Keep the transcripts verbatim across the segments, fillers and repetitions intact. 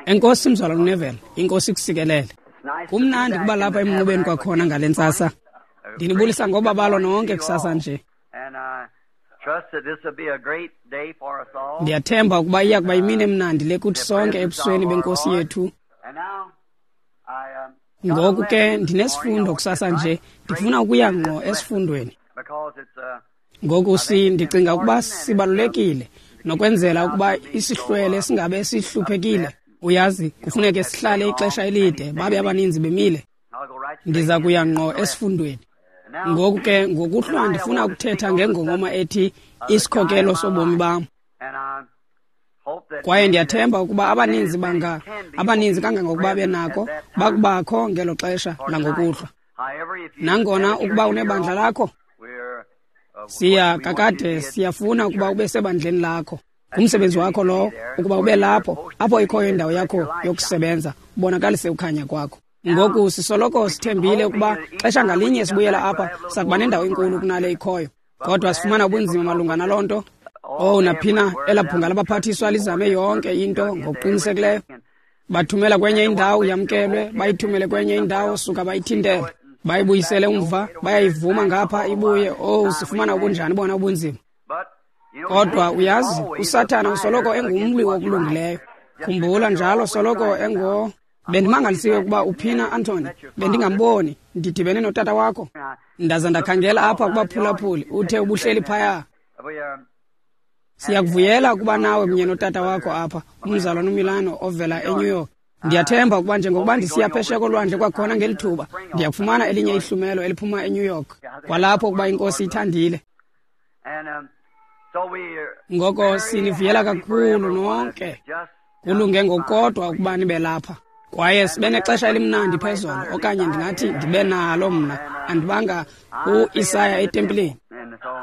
Enkosi mzalwana uNeville, inkosi ikusikelele. Kumnandi kuba lapha emnqubeni kwakhona ngale ntsasa. Ndinibulisa ngobabalo nonke kusasa nje. Ndiyathemba ukuba iya kuba yimini emnandi le kuthi sonke ebusweni benkosi yethu. Ngoku ke ndinesifundo kusasa nje, ndifuna ukuya ngqo esifundweni. Ngoku si ndicinga ukuba sibalulekile nokwenzela ukuba isihlwele singabe sihluphekile. Uyazi, kufuneke sihlale ixesha elide, babe abaninzi bemile. Ndiza kuya ngqo esifundweni. Ngoku ke ngokuhlwa ndifuna ukuthetha ngengongoma ethi isikhokelo sobomi bam. Kwaye ndiyathemba ukuba abaninzi banga abaninzi kangangokuba benako bakubakho ngelo xesha langokuhlwa. Nangona ukuba unebandla lakho, siya kakade siyafuna ukuba ube sebandleni lakho. Ngumsebenzi wakho lowo ukuba ube lapho apho ikhoyo indawo yakho yokusebenza, ubonakalise ukhanya kwakho. Ngoku sisoloko sithembile ukuba xesha ngalinye sibuyela apha sakuba nendawo enkulu kunale ikhoyo, kodwa sifumana ubunzima malunga naloo nto. Oh, naphina elaa bhunga labaphathiswa lizame yonke into ngokuqinisekileyo. Bathumela kwenye indawo yamkelwe, bayithumele kwenye indawo suka bayithintele, bayibuyisele umva, bayayivuma ngapha ibuye. Oh, sifumana ubunjani bona ubunzima. Kodwa uyazi, uSathana usoloko engumlwi wokulungileyo. Khumbula njalo soloko engo Bendimangalisiwe ukuba uphina Anthony, bendingamboni, ndidibene notata wakho. Ndaza ndakhangela apha kubaphulaphuli, uthe ubuhleli phaya. Siyakuvuyela ukuba nawe kunye notata wakho apha, umzalwana uMilano ovela eNew York. Ndiyathemba ukuba njengokuba ndisiya phesheya kolwandle kwakhona ngeli thuba, ndiyakufumana elinye ihlumelo eliphuma eNew York, kwalapho ukuba inkosi ithandile. Ngoko sinivuyela kakhulu nonke. Kulunge ngokukodwa ukuba nibe lapha. Kwaye sibe nexesha elimnandi phezolo, okanye ndingathi ndibe nalo mna, andibanga uIsaya etempileni.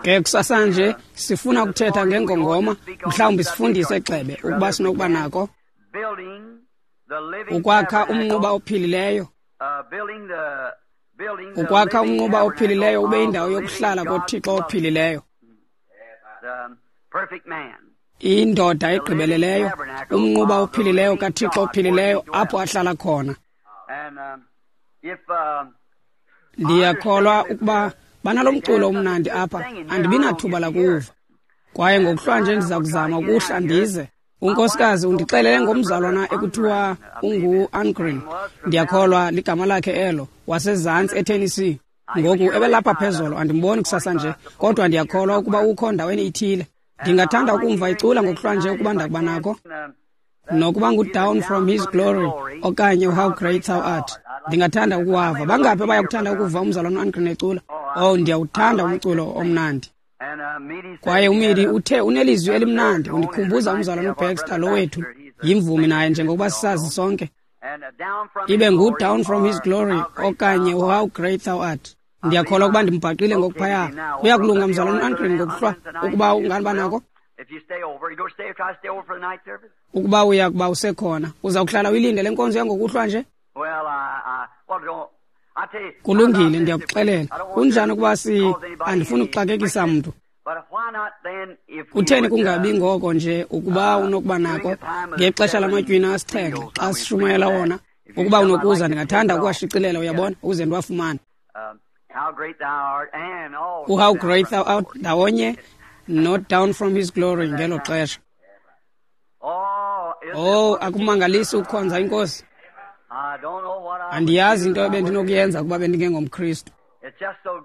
Ke kusasa nje sifuna ukuthetha ngengongoma, mhlawumbi sifundise gxebe ukuba sinokuba nako ukwakha umnquba ophilileyo. Ukwakha umnquba ophilileyo ube indawo yokuhlala koThixo ophilileyo. Indoda egqibeleleyo, umnquba ophilileyo kaThixo ophilileyo apho ahlala khona. Ndiyakholwa ukuba banalo mculo omnandi apha, andibinathuba lakuwuva. Kwaye ngokuhlwa nje ndiza kuzama ukuhla ndize. Unkosikazi undixelele ngomzalwana ekuthiwa ungu-Angreen, ndiyakholwa ligama lakhe elo, wasezantsi eTennessee. Ngoku ebelapha phezolo, andimboni kusasa nje, kodwa ndiyakholwa ukuba ukho ndaweni ithile. Ndingathanda ukumva icula ngokuhlwa nje ukuba ndakuba nako, nokuba ngu-Down from His Glory okanye How Great Thou Art. Ndingathanda ukuwava. Bangaphi abayakuthanda ukuva umzalwana uAngreen ecula? Oh, ndiyawuthanda umculo omnandi. Kwaye uMidi uthe unelizwi elimnandi, undikhumbuza umzalwana uBaxter lo wethu, yimvumi naye njengokuba sisazi sonke. Ibe ngu-Down from His Glory okanye How Great Thou Art. Ndiyakholwa ukuba ndimbhaqile ngokuphaya. Kuyakulunga mzalwana uAngreen ngokuhlwa ukuba unganiba nako. Ukuba uya kuba usekhona, uza kuhlala uyilinde le nkonzo yangokuhlwa nje? Kulungile, ndiyakuxelela. Kunjani ukuba si andifuni ukuxakekisa mntu. Kutheni kungabi ngoko nje ukuba unokuba nako ngexesha lamatywina asixhenxe xa sishumayela wona? Ukuba unokuza, ndingathanda ukuwashicilela, uyabona, ukuze ndiwafumane. U-How Great Thou Art ndawonye not Down from His Glory ngelo xesha. Oh, akumangalisi ukukhonza inkosi. Andiyazi into ebendinokuyenza ukuba bendingengomKristu.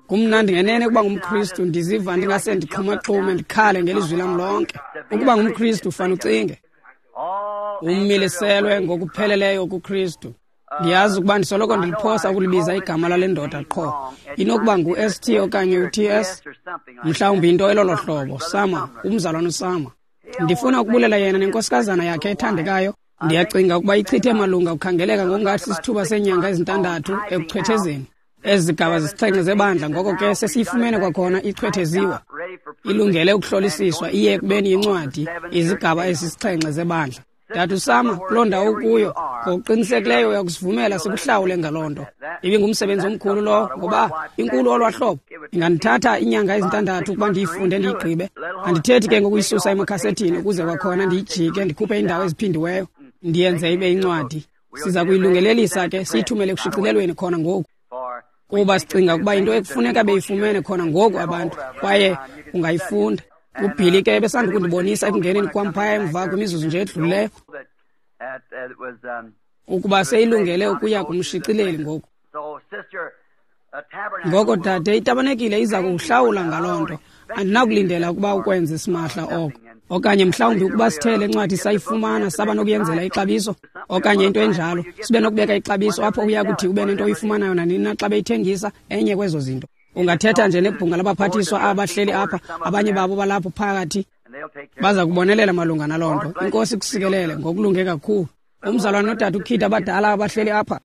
Kumnandi ngenene ukuba ngumKristu, ndiziva ndingase ndixhumaxhume ndikhale ngelizwi lam lonke. Ukuba ngumKristu ufane ucinge umiliselwe ngokupheleleyo kuKristu. Ndiyazi ukuba ndisoloko ndiliphosa ukulibiza igama lale ndoda qho. Inokuba ngu-S T okanye u-T S, mhlawumbi into elolo hlobo, Sama, umzalwana uSama. Ndifuna ukubulela yena nenkosikazana yakhe ethandekayo. Ndiyacinga ukuba ichithe malunga ukukhangeleka ngokungathi sisithuba seenyanga ezintandathu ekuchwethezeni ezi zigaba zisixhenxe zebandla. Ngoko ke sesiyifumene kwakhona ichwetheziwa, ilungele ukuhlolisiswa iye ekubeni yincwadi izigaba ezisixhenxe zebandla. Tata uSama, kuloo ndawo ukuyo, ngokuqinisekileyo uyakusivumela sikuhlawule ngaloo nto. Ibingumsebenzi omkhulu lowo, ngoba inkulu olwaa hlobo. Ingandithatha iinyanga ezintandathu ukuba ndiyifunde ndiyigqibe. Andithethi ke ngokuyisusa emakhasethini ukuze kwakhona ndiyijike ndikhuphe iindawo eziphindiweyo. Ndiyenze ibe incwadi. Siza kuyilungelelisa ke siyithumele kushicilelweni khona ngoku, kuba sicinga ukuba into ekufuneka beyifumene khona ngoku abantu, kwaye ungayifunda. UBilly ke ebesanda kundibonisa ekungeneni kwam phaya emva kwimizuzu nje edlulileyo ukuba seyilungele ukuya kumshicileli ngoku. Ngoko dade, itabanekile iza kukuhlawula ngaloo nto. Andinakulindela ukuba ukwenze simahla oko, okanye mhlawumbi ukuba sithe le ncwadi sayifumana saba nokuyenzela ixabiso okanye into enjalo, sibe nokubeka ixabiso apho uya kuthi ube nento oyifumanayo nanini na xa beyithengisa enye kwezo zinto. Ungathetha nje nebhunga labaphathiswa abahleli apha, abanye babo balapho phakathi, baza kubonelela malunga naloo nto. Inkosi ikusikelele ngokulunge kakhulu. Umzalwane nodade uKid abadala abahleli apha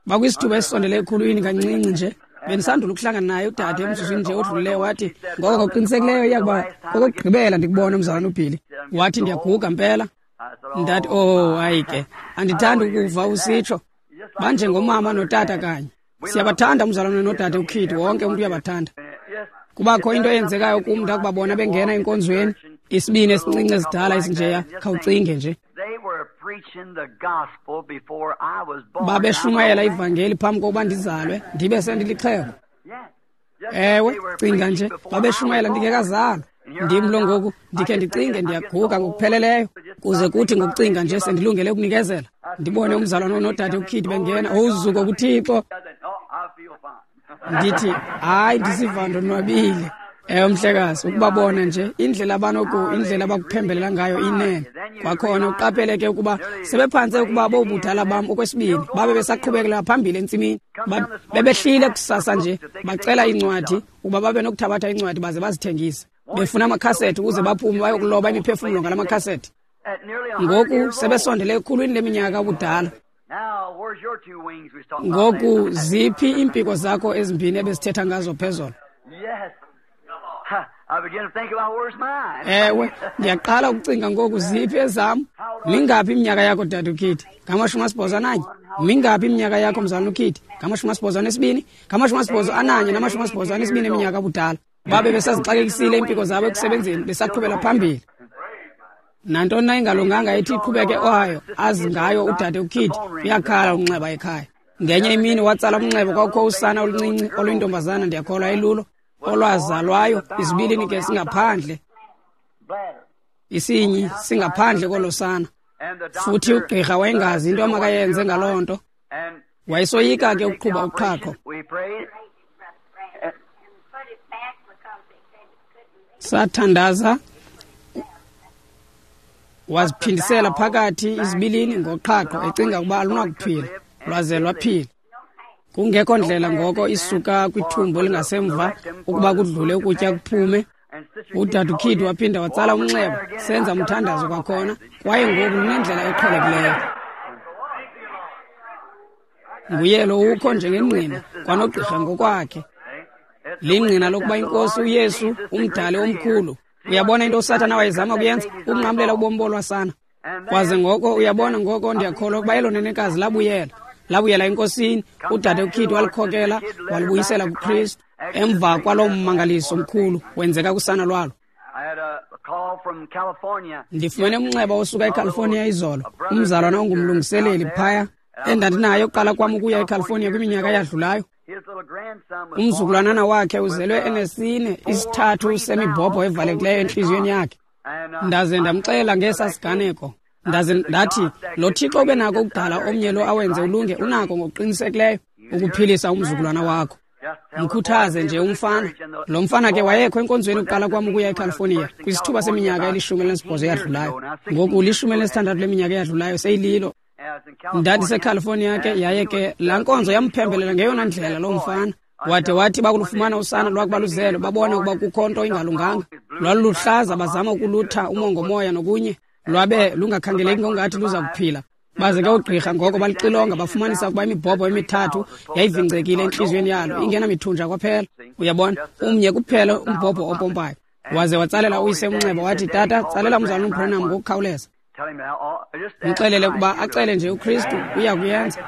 bakwisithuba esisondele ekhulwini kancinci nje. Bendisandula ukuhlangana naye udade emzuzwini nje odlulileyo, wathi ngoko ngokuqinisekileyo iya kuba okokugqibela ndikubona umzalwane uBilly. Wathi ndiyaguga mpela. Ndathi oh hayi ke, andithandi ukuva usitsho. Banjengomama notata kanye. Siyabathanda umzalwane nodade uKid, wonke umntu uyabathanda. Kubakho into eyenzekayo kum ndakubabona bengena enkonzweni, isibini esincinci esidala esinjeya, khawucinge nje. Babeshumayela ivangeli phambi kokuba ndizalwe, ndibe sendilixhego. Ewe, cinga nje, babeshumayela ndingekazalwa. Ndim lo ngoku, ndikhe ndicinge ndiyaguga ngokupheleleyo, kuze kuthi ngokucinga nje sendilungele ukunikezela. Ndibone umzalwane nodade uKid bengena, uzuko kuThixo. Ndithi hayi, ndisiva ndonwabile. Ewe mhlekazi, ukubabona nje indlela abanoku indlela abakuphembelela ngayo inene. Kwakhona uqaphele ke ukuba sebephantse ukuba bobudala bam okwesibini, babe besaqhubekela phambili entsimini. Bebehlile kusasa nje bacela incwadi ukuba babe nokuthabatha incwadi baze bazithengise, befuna amakhasethi ukuze baphume bayokuloba imiphefumlo ngala makhasethi. Ngoku sebesondele ekhulwini leminyaka ubudala. Ngoku ziphi iimpiko zakho ezimbini ebezithetha ngazo phezolo? Ewe, ndiyaqala ukucinga ngoku ziphi ezam. Mingaphi iminyaka yakho dade uKid? Ngamashumi asibhozo ananye. Mingaphi iminyaka yakho mzalwane uKid? Ngamashumi asibhozo anesibini. Ngamashumi asibhozo ananye namashumi asibhozo anesibini eminyaka ubudala. Babe besazixakekisile iimpiko zabo ekusebenzeni, besaqhubela phambili. Nantoni na ingalunganga ethi iqhubeke Ohio azi ngayo udade uKid, uyakhala umnxeba ekhaya. Ngenye imini watsala umnxeba, kwakukho usana oluncinci oluyintombazana, ndiyakholwa elulo, olwazalwayo izibilini ke singaphandle, isinyi singaphandle kolo sana. Futhi ugqirha wayengazi into amakayenze ngaloo nto. Wayesoyika ke ukuqhuba uqhaqho. Sathandaza, waziphindisela phakathi izibilini ngoqhaqho, ecinga ukuba alunakuphila. Lwaze lwaphila. Kungekho ndlela ngoko isuka kwithumbo elingasemva ukuba kudlule ukutya kuphume. Udade uKid waphinda watsala umnxeba, senza umthandazo kwakhona, kwaye ngoku lunendlela eqhelekileyo. Nguye lo ukho njengengqina kwanogqirha ngokwakhe. Lingqina lokuba inkosi uYesu umdali omkhulu. Uyabona into uSathana wayezama kuyenza, ukunqamlela ubomi bolwasana. Kwaze ngoko uyabona ngoko ndiyakholwa ukuba elo nenekazi labuyela. Labuyela enkosini, udade uKid walikhokela walibuyisela kuKristu. Emva kwaloo mmangaliso mkhulu wenzeka kusana lwalo. Ndifumene umnxeba osuka eCalifornia izolo, umzalwana ongumlungiseleli phaya endandinayo ukuqala kwam ukuya eCalifornia kwiminyaka eyadlulayo. Umzukulwanana wakhe uzelwe enesine isithathu semibhobho evalekileyo entliziyweni yakhe. Ndaze ndamxelela ngesa siganeko. Ndaze ndathi lo Thixo ube nako ukudala omnye lo awenze ulunge, unako ngokuqinisekileyo ukuphilisa umzukulwana wakho. Mkhuthaze nje umfana. Lo mfana ke wayekho enkonzweni ukuqala kwam ukuya eCalifornia kwisithuba seminyaka elishumi elinesibhozo eyadlulayo. Ngoku lishumi elinesithandathu leminyaka eyadlulayo seyililo. NdandiseCalifornia ke, yaye ke laa nkonzo yamphembelela ngeyona ndlela loo mfana. Wade wathi bakulufumana usana lwakuba luzelwe, babona ukuba kukho nto ingalunganga. Lwaluluhlaza, bazama ukulutha umongomoya nokunye, lwabe lungakhangeleki ngongathi luza kuphila. Baze ke oogqirha ngoko balixilonga, bafumanisa ukuba imibhobho emithathu yayivingcekile entliziyweni yalo, ingenamithunja kwaphela. Uyabona, umnye kuphela umbhobho opompayo. Waze watsalela uyise umnxeba wathi, tata, tsalela umzalwana uBranham ngokukhawuleza. Mxelele ukuba acele nje uKristu, uya kuyenza.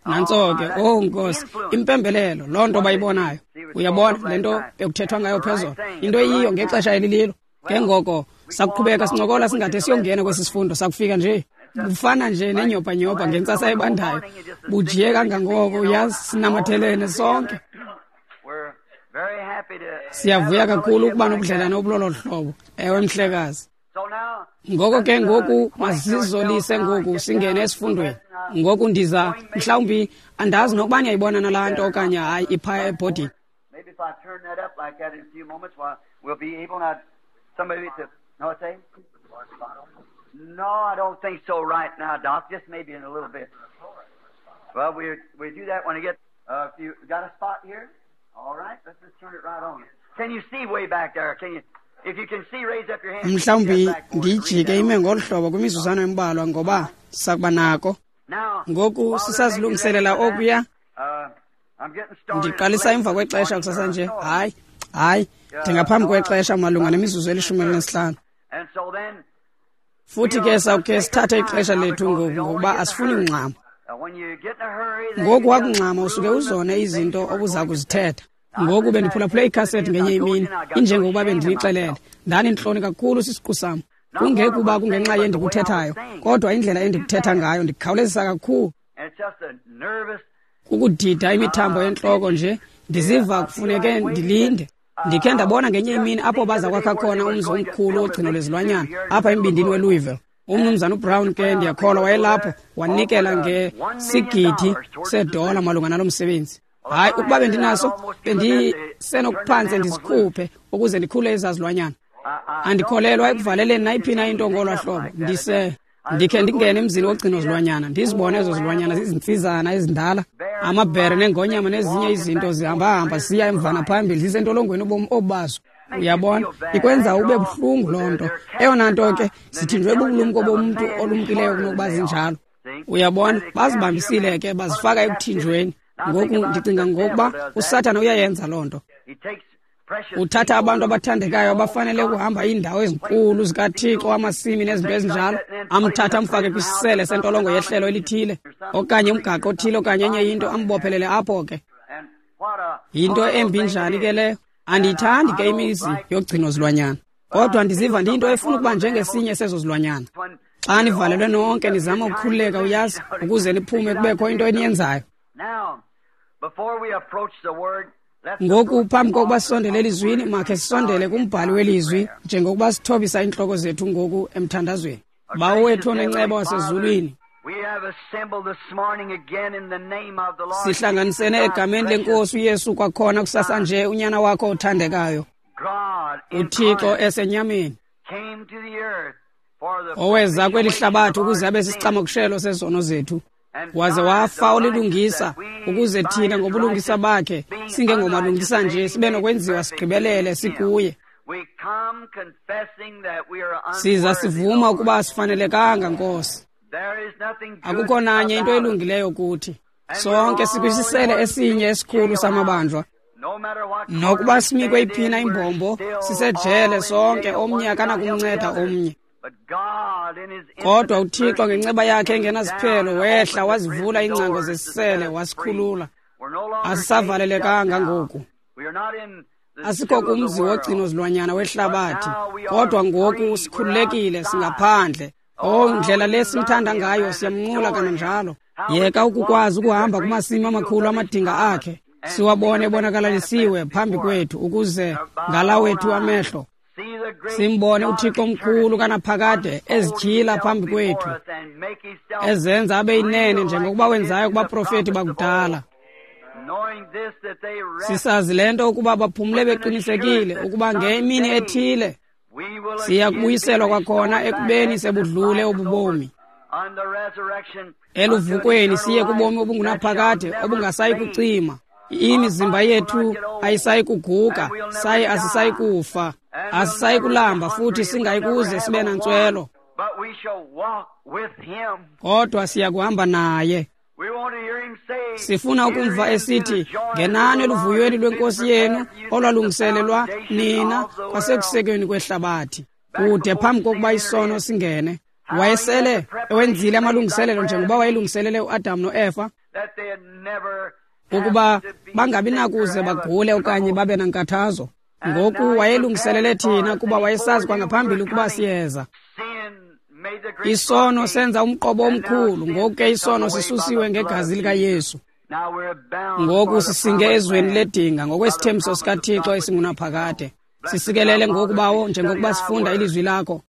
Nantso ke, oh Nkosi, impembelelo, loo nto bayibonayo. Uyabona le nto bekuthethwa ngayo phezolo, into eyiyo ngexesha elililo. Ke ngoko Sakuqhubeka sincokola singade siyongena kwesi sifundo sakufika nje. Kufana nje nenyopa-nyopa ngentsasa ebandayo. Bujiye kangangoko, uyazi, sinamathelene sonke. Siyavuya kakhulu ukuba nobudlelane obulolo hlobo. Ewe, mhlekazi. Ngoko ke ngoku masizolise ngoku singene esifundweni. Ngoku ndiza mhlawumbi andazi nokuba niyayibona nalaa nto okanye hayi iphaya ebhodini. Maybe if I turn that up like that in a few moments, well, we'll be able now. Somebody to no say? No, I don't think so right now, Doc. Just maybe in a little bit. Well, we we do that when we get. Uh, if you got a spot here, all right. Let's just turn it right on. Can you see way back there? Can you? If you can see, raise up your hand. Mhlawumbi ndiyijike ime ngolu hlobo kwimizuzwana embalwa ngoba sakuba nako. Ngoku sisazilungiselela okuya. Ndiqalisa emva kwexesha kusasa nje. Hayi, hayi, ndingaphambi kwexesha malunga nemizuzu elishumi elinesihlanu. Futhi ke sawukhe sithathe ixesha lethu ngoku ngokuba asifuni kungxama. Ngoku wakungxama usuke uzone izinto obuza kuzithetha. Ngoku bendiphulaphule ikhasethi ngenye imini, injengokuba bendinixelele. Ndandintloni kakhulu sisiqu sam. Kungekuba kungenxa yendikuthethayo, kodwa indlela endikuthetha ngayo ndikhawulezisa kakhulu. Kukudida imithambo yentloko nje, ndiziva kufuneke ndilinde. Ndikhe ndabona ngenye imini apho baza kwakha khona umzi omkhulu wogcino lwezilwanyana apha embindini weLouisville. Umnumzana uBrown ke ndiyakholwa wayelapho, wanikela ngesigidi sedola malunga nalo msebenzi. Hayi, ukuba bendinaso bendisenokuphantse ndisikhuphe ukuze ndikhule ezaa zilwanyana. Andikholelwa ekuvaleleni nayiphi na into ngolwa hlobo. Ndise ndikhe ndingene emzini wogcino zilwanyana, ndizibone ezo zilwanyana zizintsizana ezindala, amabhere neengonyama nezinye izinto zihambahamba zisiya emvana phambili zisentolongweni ubomi obubazo. Uyabona, ikwenza ube buhlungu loo nto. Eyona nto ke sithinjwe bubulumko bomntu olumkileyo kunokuba zinjalo. Uyabona, bazibambisile ke bazifaka ekuthinjweni. Ngoku ndicinga ngokuba uSathana uyayenza loo nto. Uthatha abantu abathandekayo abafanele ukuhamba iindawo ezinkulu zikaThixo, amasimi nezinto ezinjalo, amthatha amfake kwisisele sentolongo yehlelo elithile okanye umgaqo othile okanye enye into, ambophelele apho ke. Yinto embi njani ke leyo? Andiyithandi ke imizi yogcino zilwanyana, kodwa ndiziva ndiyinto efuna ukuba njengesinye sezo zilwanyana. Xa nivalelwe nonke nizama ukukhululeka, uyazi, ukuze niphume kubekho into eniyenzayo. Ngoku phambi kokuba sisondele elizwini, makhe sisondele kumbhali welizwi njengokuba sithobisa iintloko zethu ngoku emthandazweni. Bawo wethu onenceba wasezulwini, sihlanganisene egameni lenkosi uYesu kwakhona kusasa nje, unyana wakho othandekayo, uThixo esenyameni, oweza kweli hlabathi ukuze abe sisicamokushelo sezono zethu, waze wafa olilungisa ukuze thina ngobulungisa bakhe singengomalungisa nje sibe nokwenziwa sigqibelele sikuye. Siza sivuma ukuba asifanelekanga, Nkosi. Akukho nanye into elungileyo kuthi. Sonke sikwisisele esinye esikhulu samabanjwa. Nokuba sinikwe iphina imbombo, sisejele sonke, omnye akanakumnceda omnye. Kodwa uThixo ngenceba yakhe engenasiphelo wehla wazivula iingcango zesisele wasikhulula. Asisavalelekanga ngoku. Asikho kumzi wogcino zilwanyana wehlabathi, kodwa ngoku sikhululekile, singaphandle. Oh, ndlela le simthanda ngayo, siyamnqula kananjalo. Yeka ukukwazi ukuhamba kumasimi amakhulu amadinga akhe, siwabone ebonakalisiwe phambi kwethu, ukuze ngala wethu amehlo simbone uThixo omkhulu kanaphakade ezityhila phambi kwethu, ezenza abe yinene njengokuba wenzayo kubaprofeti bakudala. Sisazi le nto ukuba baphumle beqinisekile ukuba ngemini ethile siya kubuyiselwa kwakhona ekubeni sebudlule obubomi, eluvukweni siye kubomi obungunaphakade obungasayi kucima. Imizimba yethu ayisayi kuguga, saye asisayi kufa, asisayi kulamba futhi singayi kuze sibe nantswelo, kodwa siya kuhamba naye. Sifuna ukumva esithi, ngenani eluvuyweni lwenkosi yenu olwalungiselelwa nina kwasekusekweni kwehlabathi, kude phambi kokuba isono singene. Wayesele ewenzile amalungiselelo njengoba wayelungiselele uAdam noEfa, ukuba bangabi nakuze bagule okanye babe nankathazo. Ngoku wayelungiselele thina kuba wayesazi kwangaphambili ukuba siyeza. Isono senza umqobo omkhulu, ngoku ke isono sisusiwe ngegazi likaYesu. Ngoku sisinge ezweni ledinga ngokwesithembiso sikaThixo esingunaphakade. Sisikelele ngoku, Bawo, njengokuba sifunda ilizwi lakho.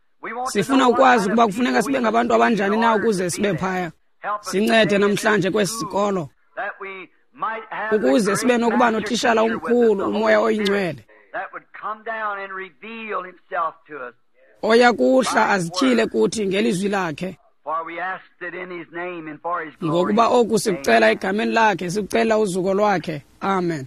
Sifuna ukwazi ukuba kufuneka sibe ngabantu abanjani na ukuze sibe phaya. Sincede namhlanje kwesi sikolo ukuze sibe nokuba notishala omkhulu, uMoya oyiNgcwele, oya kuhla azityhile kuthi ngelizwi lakhe. Ngokuba oku sikucela egameni lakhe, sikucela uzuko lwakhe. Amen.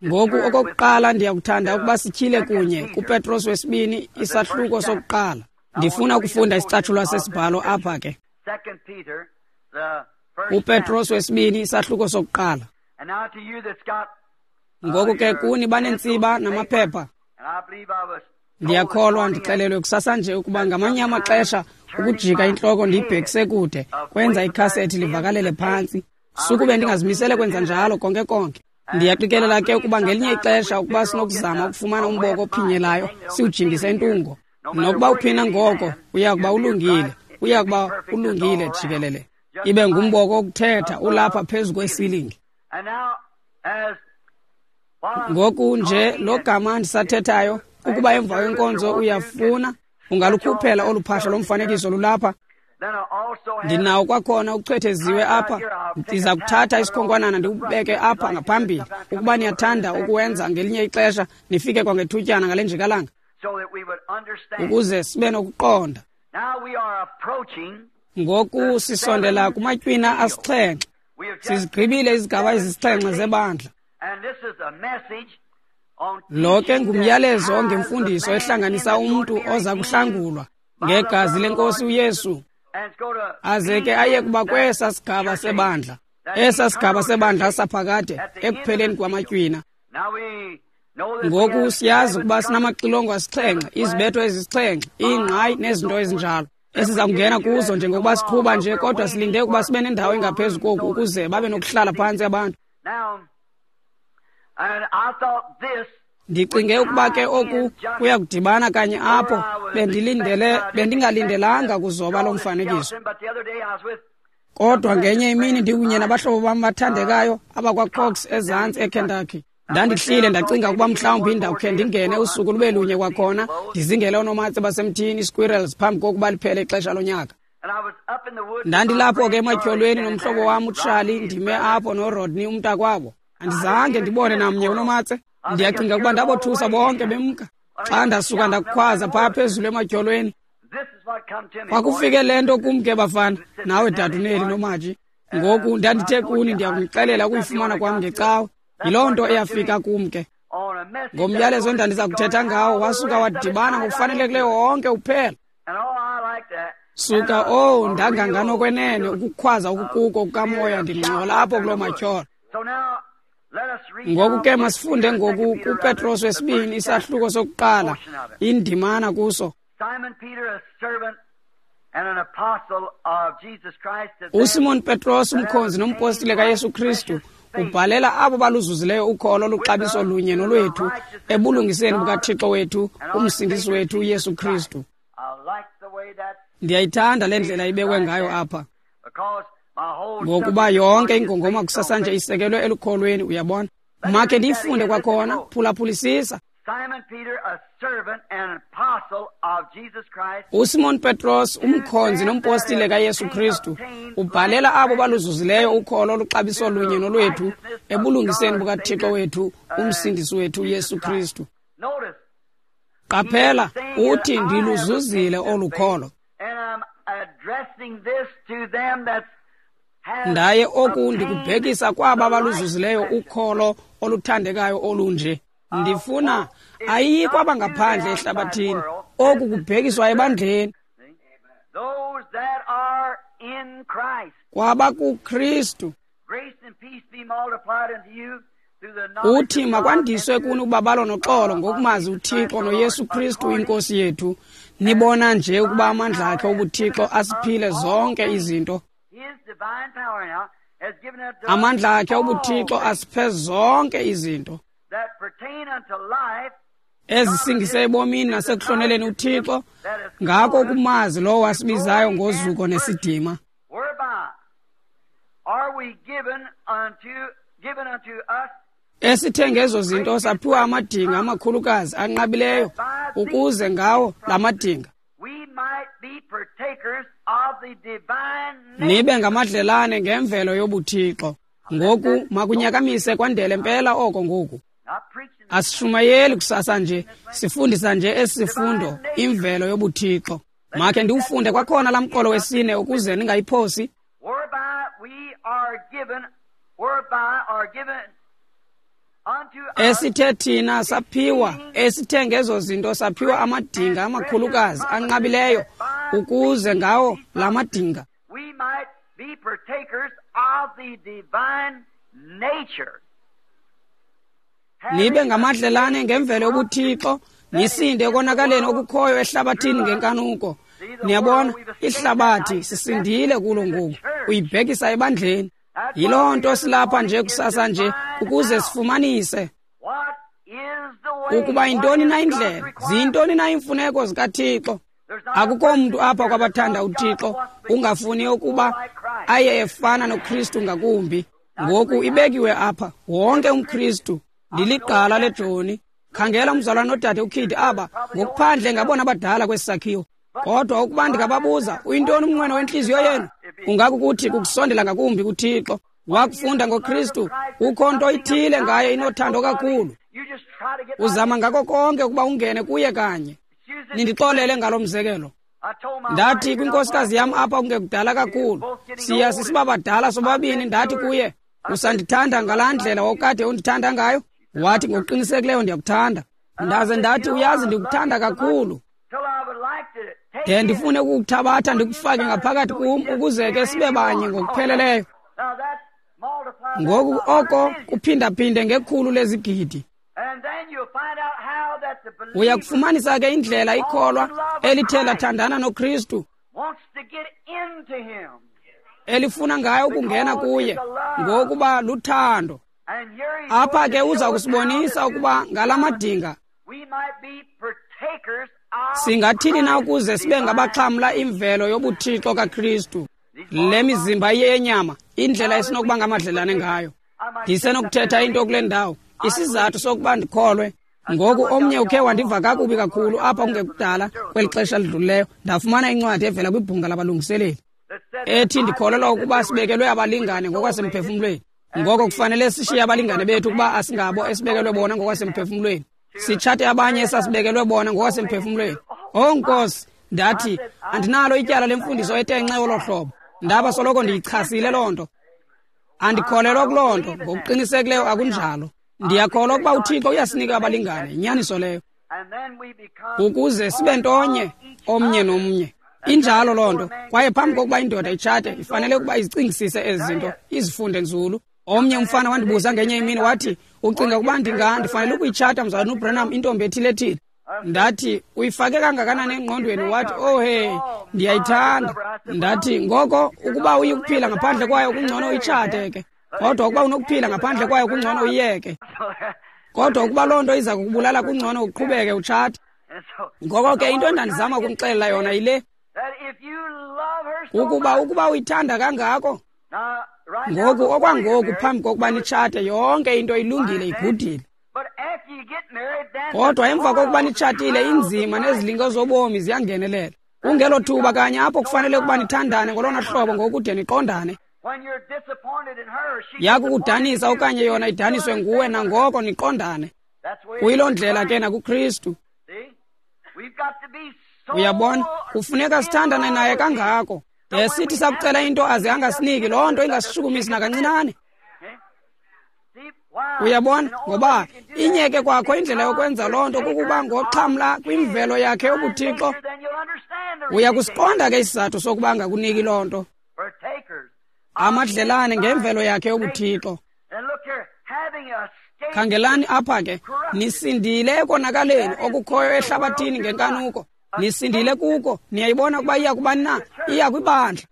Ngoku okokuqala ndiyakuthanda ukuba sityhile kunye kuPetros wesibini isahluko sokuqala. Ndifuna ukufunda isicatshulwa sesibhalo apha ke. UPetros wesibini isahluko sokuqala. Ngoku ke kuni banentsiba namaphepha. Ndiyakholwa ndixelelwe kusasa nje ukuba ngamanye amaxesha ukujika intloko ndiyibhekise kude kwenza ikhasethi livakalele phantsi. Sukube ndingazimisele kwenza njalo konke konke. Ndiyaqikelela ke ukuba ngelinye ixesha ukuba sinokuzama ukufumana umboko ophinyelayo siwujingise intungo. Nokuba uphina ngoko uya kuba ulungile, uya kuba ulungile jikelele. Ibe ngumboko wokuthetha ulapha phezu kwesilingi. Ngoku nje lo gama ndisathethayo, ukuba emva kwenkonzo uyafuna, ungalukhuphela olu phahla lomfanekiso lulapha. Ndinawo kwakhona uchwetheziwe apha. Ndiza kuthatha isikhonkwanana ndiwubeke apha ngaphambili. Ukuba niyathanda ukuwenza ngelinye ixesha, nifike kwangethutyana ngale njikalanga, ukuze sibe nokuqonda. Ngoku sisondela kumatywina asixhenxe. Sizigqibile izigaba ezisixhenxe zebandla. Lo ke ngumyalezo ongemfundiso ehlanganisa umntu oza kuhlangulwa ngegazi lenkosi uYesu, aze ke aye kuba kwesa sigaba sebandla, esa sigaba sebandla saphakade ekupheleni kwamatywina. Ngoku siyazi ukuba sinamaxilongo asixhenxe, izibetho ezisixhenxe, iingqayi nezinto ezinjalo esiza kungena kuzo njengokuba siqhuba nje, kodwa silinde ukuba sibe nendawo engaphezu koku ukuze babe nokuhlala phantsi abantu. Ndicinge ukuba ke oku kuya kudibana kanye apho bendilindele bendingalindelanga kuzoba lo mfanekiso. Kodwa ngenye imini ndikunye nabahlobo bam bathandekayo abakwaCox ezantsi eKentucky. Ndandihlile ndacinga ukuba mhlawumbi ndawukhe ndingene usuku lube lunye kwakhona ndizingele oonomatse basemthini i-squirrels phambi kokuba liphele ixesha lonyaka. Ndandilapho ke ematyholweni nomhlobo wam uCharlie, ndime apho noRodney umntakwabo. Andizange ndibone namnye unomatse. Ndiyacinga ukuba ndabothusa bonke bemka. Xa ndasuka ndakhwaza phaa phezulu ematyholweni, kwakufike le nto kum ke bafana, nawe daduneli noMaji. Ngoku ndandithe kuni ndiyakunixelela ukuyifumana kwam ngecawe. Yiloo nto eyafika kum ke. Ngomyalezo endandiza kuthetha ngawo wasuka wadibana ngokufanelekileyo wonke uphela. Suka oh ndanganganokwenene ukukhwaza ukukuko kukamoya ndingxola apho kuloo matyholo. Ngoku ke masifunde ngoku kuPetros wesibini isahluko sokuqala, indimana kuso. USimon Petros, umkhonzi nompostile kaYesu Kristu, ubhalela abo baluzuzileyo ukholo oluxabiso lunye nolwethu ebulungiseni bukaThixo wethu, umsindisi wethu uYesu Kristu. Ndiyayithanda le ndlela ibekwe ngayo apha, ngokuba yonke ingongoma kusasanje isekelwe elukholweni, uyabona. Makhe ndiyifunde kwakhona, phulaphulisisa. USimon Petros, umkhonzi nompostile kaYesu Kristu, ubhalela abo baluzuzileyo ukholo oluxabiso lunye nolwethu ebulungiseni bukaThixo wethu, umsindisi wethu uYesu Kristu. Qaphela, uthi ndiluzuzile olu kholo. Ndaye oku ndikubhekisa kwaba baluzuzileyo ukholo oluthandekayo olunje. Ndifuna ayikho abangaphandle ehlabathini, oku kubhekiswa ebandleni. Kwaba kuKristu. Uthi makwandiswe kuni ubabalo noxolo ngokumazi uThixo noYesu Kristu inkosi yethu. Nibona nje ukuba amandla akhe obuThixo asiphile zonke izinto. Amandla akhe obuthixo asiphe zonke izinto ezisingise ebomini nasekuhloneleni uThixo, ngako ukumazi lowo wasibizayo ngozuko nesidima. Esithe ngezo zinto saphiwa amadinga amakhulukazi anqabileyo, ukuze ngawo la madinga nibe ngamadlelane ngemvelo yobuthixo. Ngoku makunyakamise kwandele mpela oko ngoku. Asishumayeli kusasa nje, sifundisa nje esi sifundo, imvelo yobuthixo. Makhe ndiwufunde kwakhona laa mqolo wesine ukuze ningayiphosi. Esithe thina saphiwa, esithe ngezo zinto saphiwa amadinga amakhulukazi anqabileyo, ukuze ngawo la madinga nibe ngamadlelane ngemvelo yobuthixo, nisinde ekonakaleni okukhoyo ehlabathini ngenkanuko. Niyabona, ihlabathi sisindile kulo ngoku, uyibhekisa ebandleni. Yiloo nto silapha nje kusasa nje, ukuze sifumanise ukuba yintoni na indlela, ziyintoni na iimfuneko zikaThixo. Akukho mntu apha kwabathanda uThixo ungafuni ukuba aye efana noKristu ngakumbi. Ngoku ibekiwe apha, wonke umKristu. Ndiligqala lejoni. Khangela umzalwane nodade uKid aba, ngokuphandle ngabona abadala kwesi sakhiwo. Kodwa ukuba ndingababuza, uyintoni umnqweno wentliziyo yenu? Ungakukuthi kukusondela ngakumbi kuThixo. Wakufunda ngoKristu, kukho nto ithile ngaye inothando kakhulu. Uzama ngako konke ukuba ungene kuye kanye. Nindixolele ngalo mzekelo. Ndathi kwinkosikazi yam apha kungekudala kakhulu, siya sisiba badala sobabini, ndathi kuye, usandithanda ngalaa ndlela wawukade undithanda ngayo? Wathi, ngokuqinisekileyo ndiyakuthanda. Ndaze ndathi, uyazi ndikuthanda kakhulu, de ndifune ukukuthabatha ndikufake ngaphakathi kum ukuze ke sibe banye ngokupheleleyo. Ngoku oko kuphindaphinde ngekhulu lezigidi. Uya kufumanisa ke indlela ikholwa elithe lathandana noKristu, elifuna ngayo ukungena kuye, ngokuba luthando. Apha ke uza kusibonisa ukuba ngala madinga singathini na ukuze sibe ngabaxhamla imvelo yobuthixo kaKristu. Le mizimba iyenyama, indlela esinokuba ngamadlelane ngayo. Ndisenokuthetha into kule ndawo, isizathu sokuba ndikholwe. Ngoku omnye ukhe wandiva kakubi kakhulu apha kungekudala kweli xesha lidlulileyo, ndafumana incwadi evela kwibhunga labalungiseleli ethi ndikholelwa ukuba sibekelwe abalingane ngokwasemphefumlweni. Ngoko kufanele sishiye abalingane bethu ukuba asingabo esibekelwe bona ngokwasemphefumlweni, sitshate abanye esasibekelwe bona ngokwasemphefumlweni. Oh Nkosi, ndathi andinalo ityala lemfundiso etenxe olo hlobo. Ndaba soloko ndiyichasile loo nto. Andikholelwa kuloo nto, ngokuqinisekileyo akunjalo. Ndiyakholwa ukuba uThixo uyasinika abalingane, inyaniso leyo, ukuze sibe ntonye omnye nomnye. Injalo loo nto. Kwaye phambi kokuba indoda itshate, ifanele ukuba izicingisise ezi zinto, izifunde nzulu. Omnye umfana wandibuza ngenye imini wathi, ucinga ukuba ndinga ndifanele ukuyitshata mzalwana uBranham intombi ethile ethile? Ndathi, uyifake kangakanani engqondweni? Wathi, oh hey, ndiyayithanda. Ndathi, ngoko ukuba uyikuphila ngaphandle kwayo kungcono uyitshate ke. Kodwa ukuba unokuphila ngaphandle kwayo kungcono uyiyeke. Kodwa ukuba loo nto iza kukubulala kungcono uqhubeke utshate. Ngoko ke into endandizama ukumxelela yona yile, ukuba ukuba uyithanda kangako, ngoku okwangoku phambi kokuba nitshate yonke into ilungile, igudile. Kodwa emva kokuba nitshatile, inzima nezilingo zobomi ziyangenelela. Kungelo thuba kanye apho kufanele ukuba nithandane ngolona hlobo ngokude niqondane. Yakukudanisa okanye yona idaniswe nguwe, nangoko niqondane. Kuyiloo ndlela ke nakuKristu. Uyabona, kufuneka sithandane naye kangako. De sithi sakucela into aze angasiniki, loo nto ingasishukumisi nakancinane. Uyabona, ngoba inyeke kwakho indlela yokwenza loo nto kukuba ngoxhamla kwimvelo yakhe yobuthixo. Uyakusiqonda ke isizathu sokuba angakuniki loo nto. Amadlelane ngemvelo yakhe yobuthixo. Khangelani apha ke, nisindile ekonakaleni okukhoyo ehlabathini ngenkanuko. Nisindile kuko, niyayibona ukuba iya kubani na? Iya kwibandla.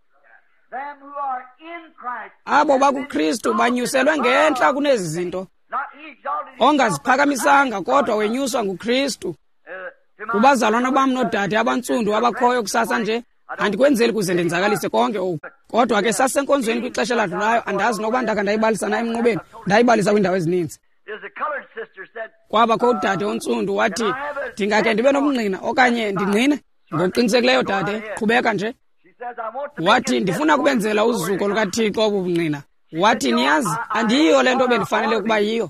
Abo bakuKristu banyuselwe ngentla kunezi zinto. Ongaziphakamisanga kodwa wenyuswa nguKristu. Kubazalwana bam noodade abantsundu abakhoyo kusasa nje, andikwenzeli kuze ndenzakalise konke oku. Kodwa ke sasenkonzweni kwixesha eladlulayo, andazi nokuba ndakha ndayibalisa na emnqubeni, ndayibalisa kwiindawo ezininzi. Kwabakho udade ontsundu wathi, ndingakhe ndibe nomngqina okanye ndingqine? Ngokuqinisekileyo dade, qhubeka nje. Wathi, ndifuna kubenzela uzuko lukaThixo obu bungqina. Wathi, niyazi, andiyiyo le nto bendifanele ukuba yiyo.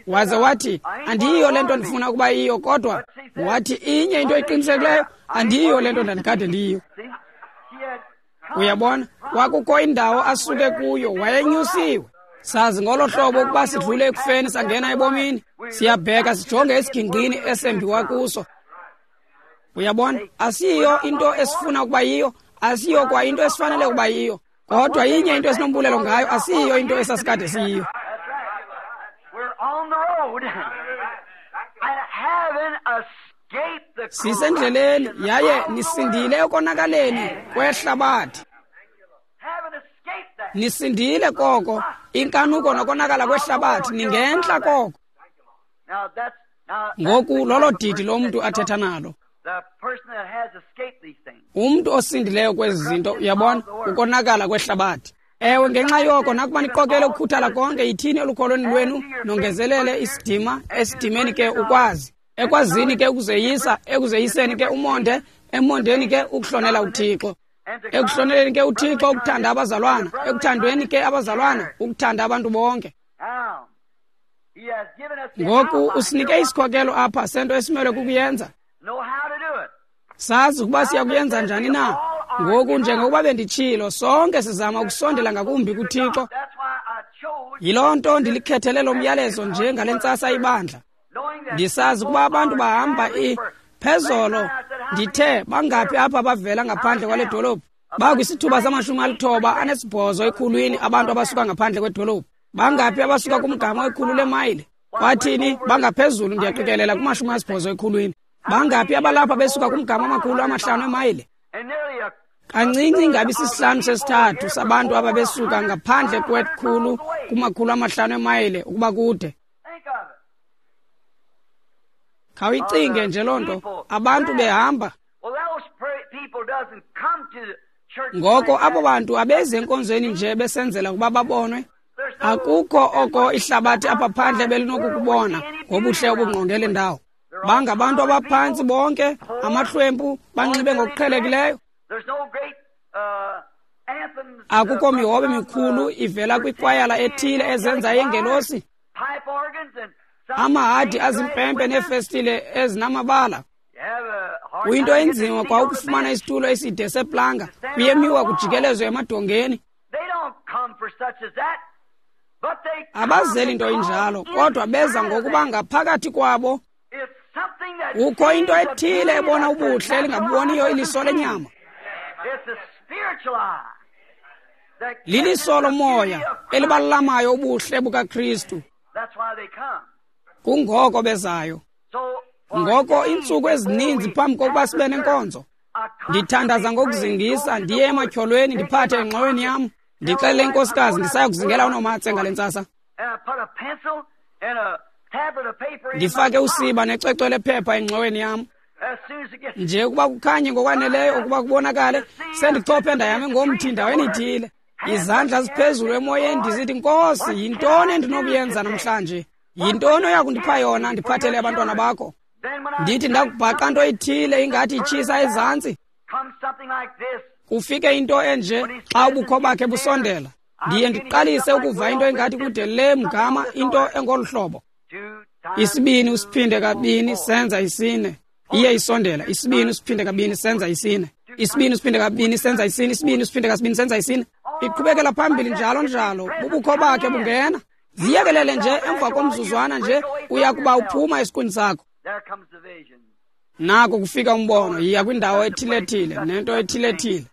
Waze wathi, andiyiyo le nto ndifuna ukuba yiyo, kodwa wathi inye into eqinisekileyo, andiyiyo le nto ndandikade ndiyiyo. Uyabona, kwakukho indawo asuke kuyo, wayenyusiwe. Sazi ngolo hlobo ukuba sidlule ekufeni sangena ebomini. Siyabheka sijonge esigingqini esembiwa kuso. Uyabona, asiyiyo into esifuna ukuba yiyo, asiyiyo kwa into esifanele ukuba yiyo. Kodwa inye into esinombulelo ngayo, asiyiyo into esasikade siyiyo. Sisendleleni yaye nisindile ekonakaleni kwehlabathi. Nisindile koko, inkanuko nokonakala kwehlabathi, ningentla koko. Ngoku lolo didi lomntu athetha nalo. Umntu osindileyo kwezi zinto, uyabona, ukonakala kwehlabathi. Ewe, ngenxa yoko nakuba niqokele ukukhuthala konke, yithini elukholweni lwenu, nongezelele isidima, esidimeni ke ukwazi, ekwazini ke ukuzeyisa, ekuzeyiseni ke umonde, emondeni ke ukuhlonela uThixo, ekuhloneleni ke uThixo ukuthanda abazalwana, ekuthandweni ke abazalwana ukuthanda abantu bonke. Ngoku usinike isikhokelo apha sento esimelwe kukuyenza. Sazi ukuba siya kuyenza njani na. Ngoku njengokuba benditshilo, sonke sizama ukusondela ngakumbi kuThixo. Yiloo nto ndilikhethele lo myalezo nje ngale ntsasa ibandla. Ndisazi ukuba abantu bahamba i phezolo. Ndithe bangaphi apha abavela ngaphandle kwale dolophu? Bakwisithuba samashumi alithoba anesibhozo ekhulwini abantu abasuka ngaphandle kwedolophu. Bangaphi abasuka kumgama wekhulu lemayile? Kwathini bangaphezulu, ndiyaqikelela kumashumi asibhozo ekhulwini. Bangaphi abalapha besuka kumgama amakhulu amahlanu emayile? Kancinci ingabi sisihlanu sesithathu sabantu ababesuka ngaphandle kwekhulu kumakhulu amahlanu emayile ukuba kude. Khawuyicinge nje loo nto, abantu behamba. Ngoko abo bantu abeze enkonzweni nje besenzela ukuba babonwe. Akukho oko ihlabathi apha phandle belinokukubona ngobuhle obungqonge le ndawo. Bangabantu abaphantsi bonke, amahlwempu, banxibe ngokuqhelekileyo. Akukho mihobe mikhulu ivela kwikwayala ethile ezenza ingelosi. Amahadi azimpempe neefestile ezinamabala. Kuyinto enzima kwa ukufumana isitulo eside seplanga, kuyemiwa kujikelezwe emadongeni. Abazeli nto injalo, kodwa beza ngokuba ngaphakathi kwabo kukho into ethile ebona ubuhle elingabuboniyo iliso lenyama. Liliso lomoya elibalamayo ubuhle bukaKristu. Kungoko bezayo. Ngoko iintsuku ezininzi phambi kokuba sibe nenkonzo, ndithandaza ngokuzingisa, ndiye ematyholweni, ndiphathe engxoweni yam, ndixelele inkosikazi ndisaya kuzingela unomatse ngale ntsasa. Ndifake usiba necwecwe lephepha engxoweni yam. Nje ukuba kukhanye ngokwaneleyo ukuba kubonakale, sendichophe ndayame ngomthi ndaweni ithile. Izandla ziphezulu emoyeni, ndisithi, Nkosi, yintoni endinokuyenza namhlanje? Yintoni oya kundipha yona ndiphathele abantwana bakho? Ndithi ndakubhaqa nto ithile ingathi itshisa ezantsi. Kufike into enje xa ubukho bakhe busondela. Ndiye ndiqalise ukuva into engathi kude le mgama, into engolu hlobo. Isibini usiphinde kabini senza isine. Iye isondela. Isibini usiphinde kabini senza isine. Isibini usiphinde kabini senza isine. Isibini usiphinde kasibini senza isine. Iqhubekela phambili njalo njalo. Bubukho bakhe bungena. Ziyekelele nje emva komzuzwana nje uya kuba uphuma esiqwini sakho. Nako kufika umbono, yiya kwindawo ethile-thile nento ethile-thile.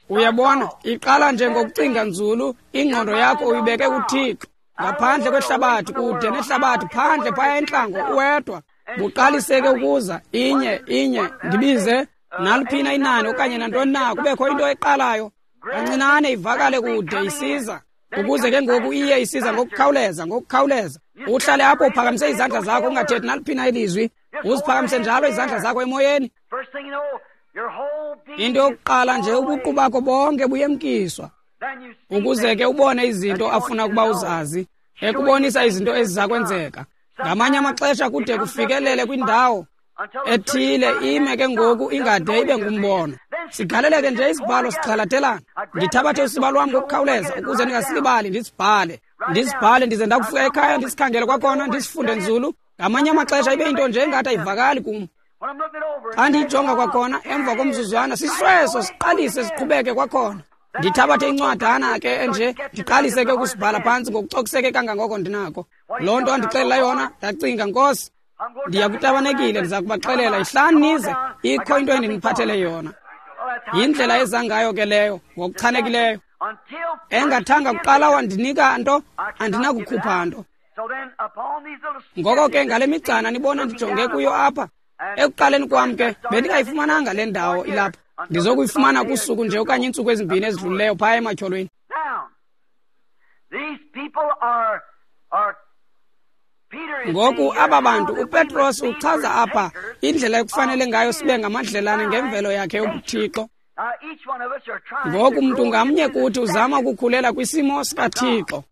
Uyabona, iqala nje ngokucinga nzulu, ingqondo yakho uyibeke kuThixo. Ngaphandle kwehlabathi, kude nehlabathi, phandle phaya entlango uwedwa. Buqaliseke ukuza inye inye, ndibize naliphina inani okanye nantoni na, kubekho into eqalayo. Kancinane ivakale kude isiza, ukuze ke ngoku iye isiza ngokukhawuleza, ngokukhawuleza. Uhlale apho uphakamise izandla zakho, ungathethi naliphi na ilizwi, uziphakamise njalo izandla zakho emoyeni. Into yokuqala nje, ubuqu bakho bonke buyemkiswa, ukuze ke ubone izinto afuna ukuba uzazi, ekubonisa izinto eziza kwenzeka. Ngamanye amaxesha kude kufikelele kwindawo ethile, ime ke ngoku ingade ibe ngumbono. Sigaleleke nje isibhalo sixhalatelana. Ndithabathe usiba lwam ngokukhawuleza ukuze ndingasilibali, ndisibhale. Ndisibhale ndize ndakufika ekhaya ndisikhangele kwakhona, ndisifunde nzulu. Ngamanye amaxesha ibe yinto nje engathi ayivakali kum. Xa ndiyijonga kwakhona emva komzuzwana, sisweso siqalise siqhubeke kwakhona. Ndithabathe incwadana ke enje, ndiqalise ke ukusibhala phantsi ngokucokiseke kangangoko ndinako. Loo nto andixelela yona, ndacinga, Nkosi, ndiya kutabanekile, ndiza kubaxelela, ihlani nize, ikho into endiniphathele yona. Yindlela eza ngayo ke leyo, ngokuchanekileyo. Engathanga kuqala wandinika nto, andinakukhupha nto. Ngoko ke ngale migcana nibona ndijonge kuyo apha, ekuqaleni kwam ke bendingayifumananga le ndawo ilapha. Ndizokuyifumana kusuku nje okanye iintsuku ezimbini ezidlulileyo phaya ematyholweni. Ngoku aba bantu, uPetros uchaza apha indlela ekufanele ngayo sibe ngamadlelane ngemvelo yakhe yobuThixo. Ngoku mntu ngamnye kuthi uzama ukukhulela kwisimo sikaThixo.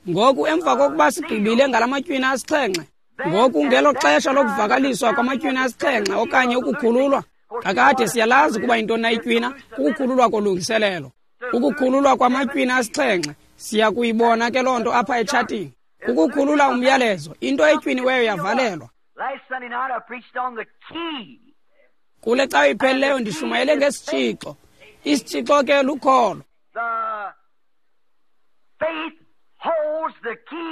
Ngoku emva kokuba sigqibile ngala matywina asixhenxe, ngoku ngelo xesha lokuvakaliswa kwamatywina asixhenxe okanye ukukhululwa, kakade siyalazi ukuba yintoni na itywina, kukukhululwa kolungiselelo. Ukukhululwa kwamatywina asixhenxe, siya kuyibona ke loo nto apha etshatini. Ukukhulula umyalezo, into etywiniweyo yavalelwa. Kule cawa iphelileyo ndishumayele ngesitshixo. Isitshixo ke lukholo.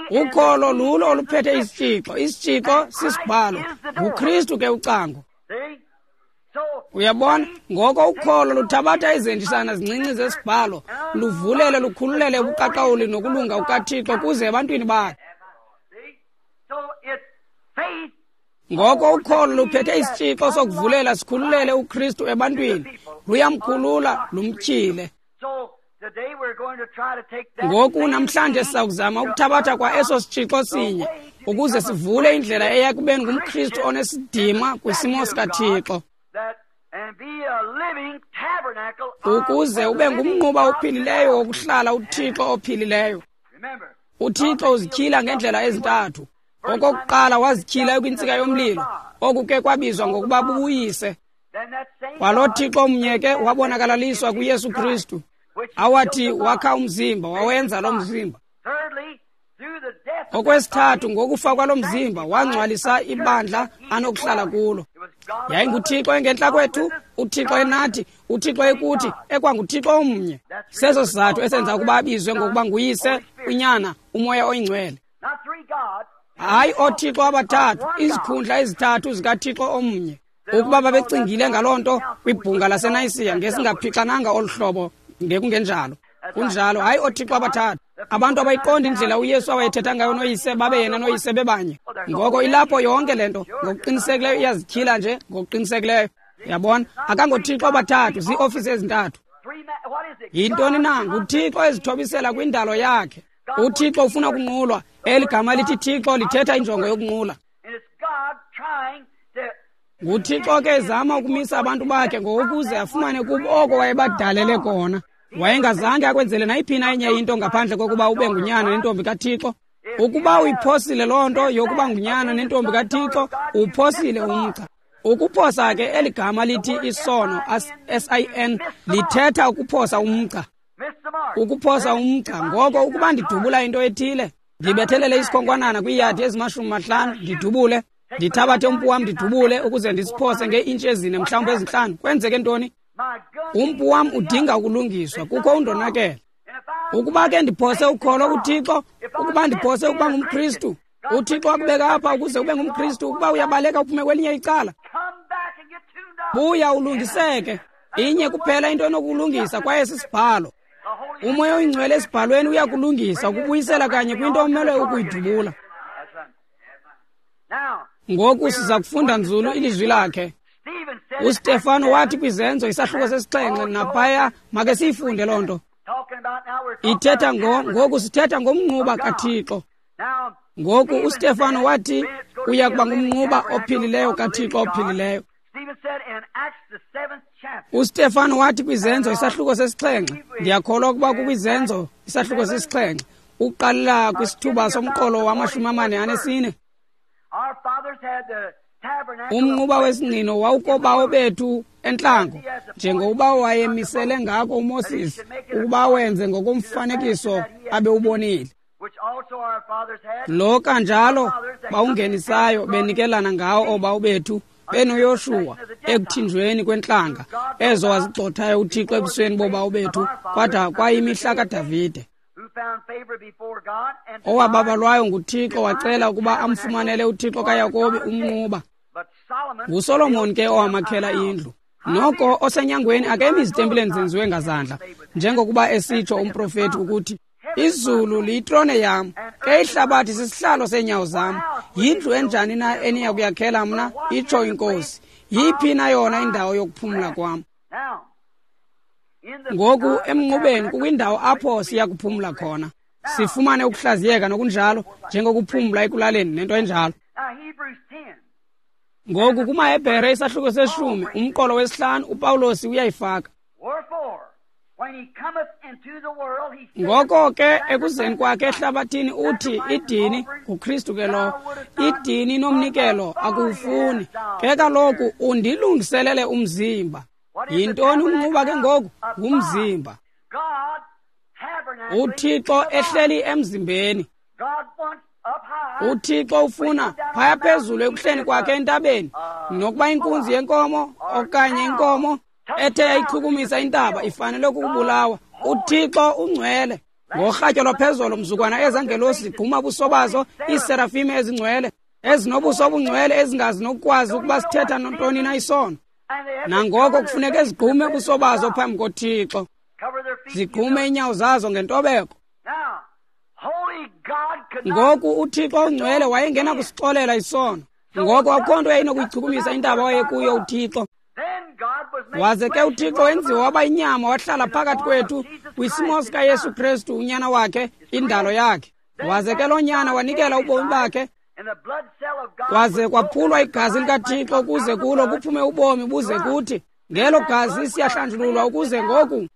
Ukholo lulo oluphethe isitshixo. Isitshixo sisibhalo. NguKristu ke ucango. Uyabona? Ngoko ukholo luthabatha izenjisana zincinci zesibhalo, luvulele lukhululele ubuqaqawuli nokulunga kukaThixo kuze ebantwini bakhe. Ngoko ukholo luphethe isitshixo sokuvulela sikhululele uKristu ebantwini, luyamkhulula lumtyhile. Ngoku namhlanje sizakuzama ukuthabatha kwa eso sitshixo sinye ukuze sivule indlela eya kubeni ngumKristu onesidima kwisimo sikaThixo, ukuze ube ngumnquba ophilileyo wokuhlala uThixo ophilileyo. UThixo uzityhila ngendlela ezintathu. Okokuqala wazityhila kwintsika yomlilo, oku ke kwabizwa ngokuba bubuyise. Kwalo Thixo mnye ke wabonakalaliswa kuYesu Kristu, awathi wakha umzimba, wawenza lo mzimba. Okwesithathu, ngokufa kwalo mzimba wangcwalisa ibandla anokuhlala kulo. YayinguThixo engentla kwethu, uThixo enathi, uThixo ekuthi, ekwanguThixo omnye. Seso sizathu esenza ukuba abizwe ngokuba nguyise, uNyana, uMoya oyiNgcwele. Hayi ooThixo abathathu, izikhundla ezithathu zikaThixo omnye. Ukuba babecingile ngaloo nto kwibhunga laseNayisiya, ngesingaphixananga olu hlobo, ngekungenjalo. Kunjalo, hayi ooThixo abathathu. Abantu abayiqondi indlela uYesu awayethetha ngayo noyise, babe yena noyise bebanye. Ngoko ilapho yonke le nto, ngokuqinisekileyo iyazityhila nje, ngokuqinisekileyo. Uyabona, akangoThixo abathathu, ziiofisi ezintathu. Yintoni na? NguThixo ezithobisela kwindalo yakhe. UThixo ufuna ukunqulwa. Eli gama lithi Thixo lithetha injongo yokunqula. NguThixo ke ezama ukumisa abantu bakhe ngokuze afumane kubo oko wayebadalele kona. Wayengazange akwenzele nayiphi na enye into ngaphandle kokuba ube ngunyana nentombi kaThixo. Ukuba uyiphosile loo nto yokuba ngunyana nentombi kaThixo, uphosile umgca. Ukuphosa ke eli gama lithi isono, S I N, lithetha ukuphosa umgca. Ukuphosa umgca. Ngoko ukuba ndidubula into ethile, ndibethelele isikhonkwanana kwiiyadi ezimashumi mahlanu, ndidubule, ndithabathe umpu wam ndidubule ukuze ndisiphose ngee-intshi ezine mhlawumbi ezintlanu. Kwenzeke ntoni? Umpu wam udinga ukulungiswa, kukho undonakele. Ukuba ke ndiphose ukholo kuThixo, ukuba ndiphose ukuba ngumKristu, uThixo akubeka apha ukuze ube ngumKristu. Ukuba uyabaleka uphume kwelinye icala, buya ulungiseke. Inye kuphela into enokulungisa, kwaye sisibhalo. UMoya oyiNgcwele esibhalweni uyakulungisa, ukubuyisela kanye kwinto omele ukuyidubula. Ngoku siza kufunda nzulu ilizwi lakhe. UStefano wathi kwiZenzo isahluko sesixhenxe naphaya, make siyifunde loo nto. Ithetha ngo ngoku sithetha ngomnquba kaThixo. Ngoku uStefano wathi uya kuba ngumnquba ophilileyo kaThixo ophilileyo. UStefano wathi kwiZenzo isahluko sesixhenxe, ndiyakholwa ukuba kukwiZenzo isahluko sesixhenxe, uqalela kwisithuba somqolo wamashumi amane anesine. Umnquba wesingqino wawukobawo bethu entlango, njengokuba wayemisele ngako uMoses ukuba wenze ngokomfanekiso abewubonile. Lo kanjalo bawungenisayo benikelana ngawo oobawo bethu benoYoshuwa ekuthinjweni kwentlanga ezo wazigxothayo uThixo ebusweni bobawo bethu kwada kwayimihla kaDavide, owababalwayo nguThixo wacela ukuba amfumanele uThixo kaYakobi umnquba. NguSolomon ke owamakhela indlu. Noko osenyangweni akemi ezitempileni zenziwe ngazandla, njengokuba esitsho umprofeti ukuthi, izulu liyitrone yam, ke ihlabathi sisihlalo seenyawo zam. Yindlu enjani na eniya kuyakhela mna, itsho iNkosi? Yiphi na yona indawo yokuphumla kwam? Ngoku emnqubeni kukwindawo apho siya kuphumla khona, sifumane ukuhlaziyeka nokunjalo, njengokuphumla ekulaleni nento enjalo. Ngoku kumaHebhere isahluko seshumi umqolo wesihlanu uPawulos uyayifaka. Ngoko ke ekuzeni kwakhe ehlabathini uthi idini nguKristu ke lo, idini nomnikelo akuwufuni, ke kaloku undilungiselele umzimba. Yintoni umnquba ke ngoku? Ngumzimba. UThixo ehleli emzimbeni. UThixo ufuna phaya phezulu ekuhleni kwakhe entabeni, nokuba inkunzi yenkomo okanye inkomo ethe yayichukumisa intaba ifanele ukubulawa. UThixo ungcwele. Ngorhatya lwaphezolo mzukwana ezangelosi zigquma ubuso bazo, iiserafime ezingcwele ezinobuso obungcwele ezingazi nokukwazi ukuba sithetha nontoni na isono. Nangoko kufuneka zigqume ubuso bazo phambi koThixo, zigqume iinyawo zazo ngentobeko. Ngoku uThixo ongcwele wayengena kusixolela isono, ngoko akukho nto yayinokuyichukumisa intaba wayekuyo uThixo. Waze ke uThixo wenziwa waba inyama wahlala phakathi kwethu kwisimo sikaYesu Kristu unyana wakhe, indalo yakhe. Waze ke loo nyana wanikela ubomi bakhe, kwaze kwaphulwa igazi likaThixo ukuze kulo kuphume ubomi buze kuthi. Ngelo gazi siyahlanjululwa ukuze ngoku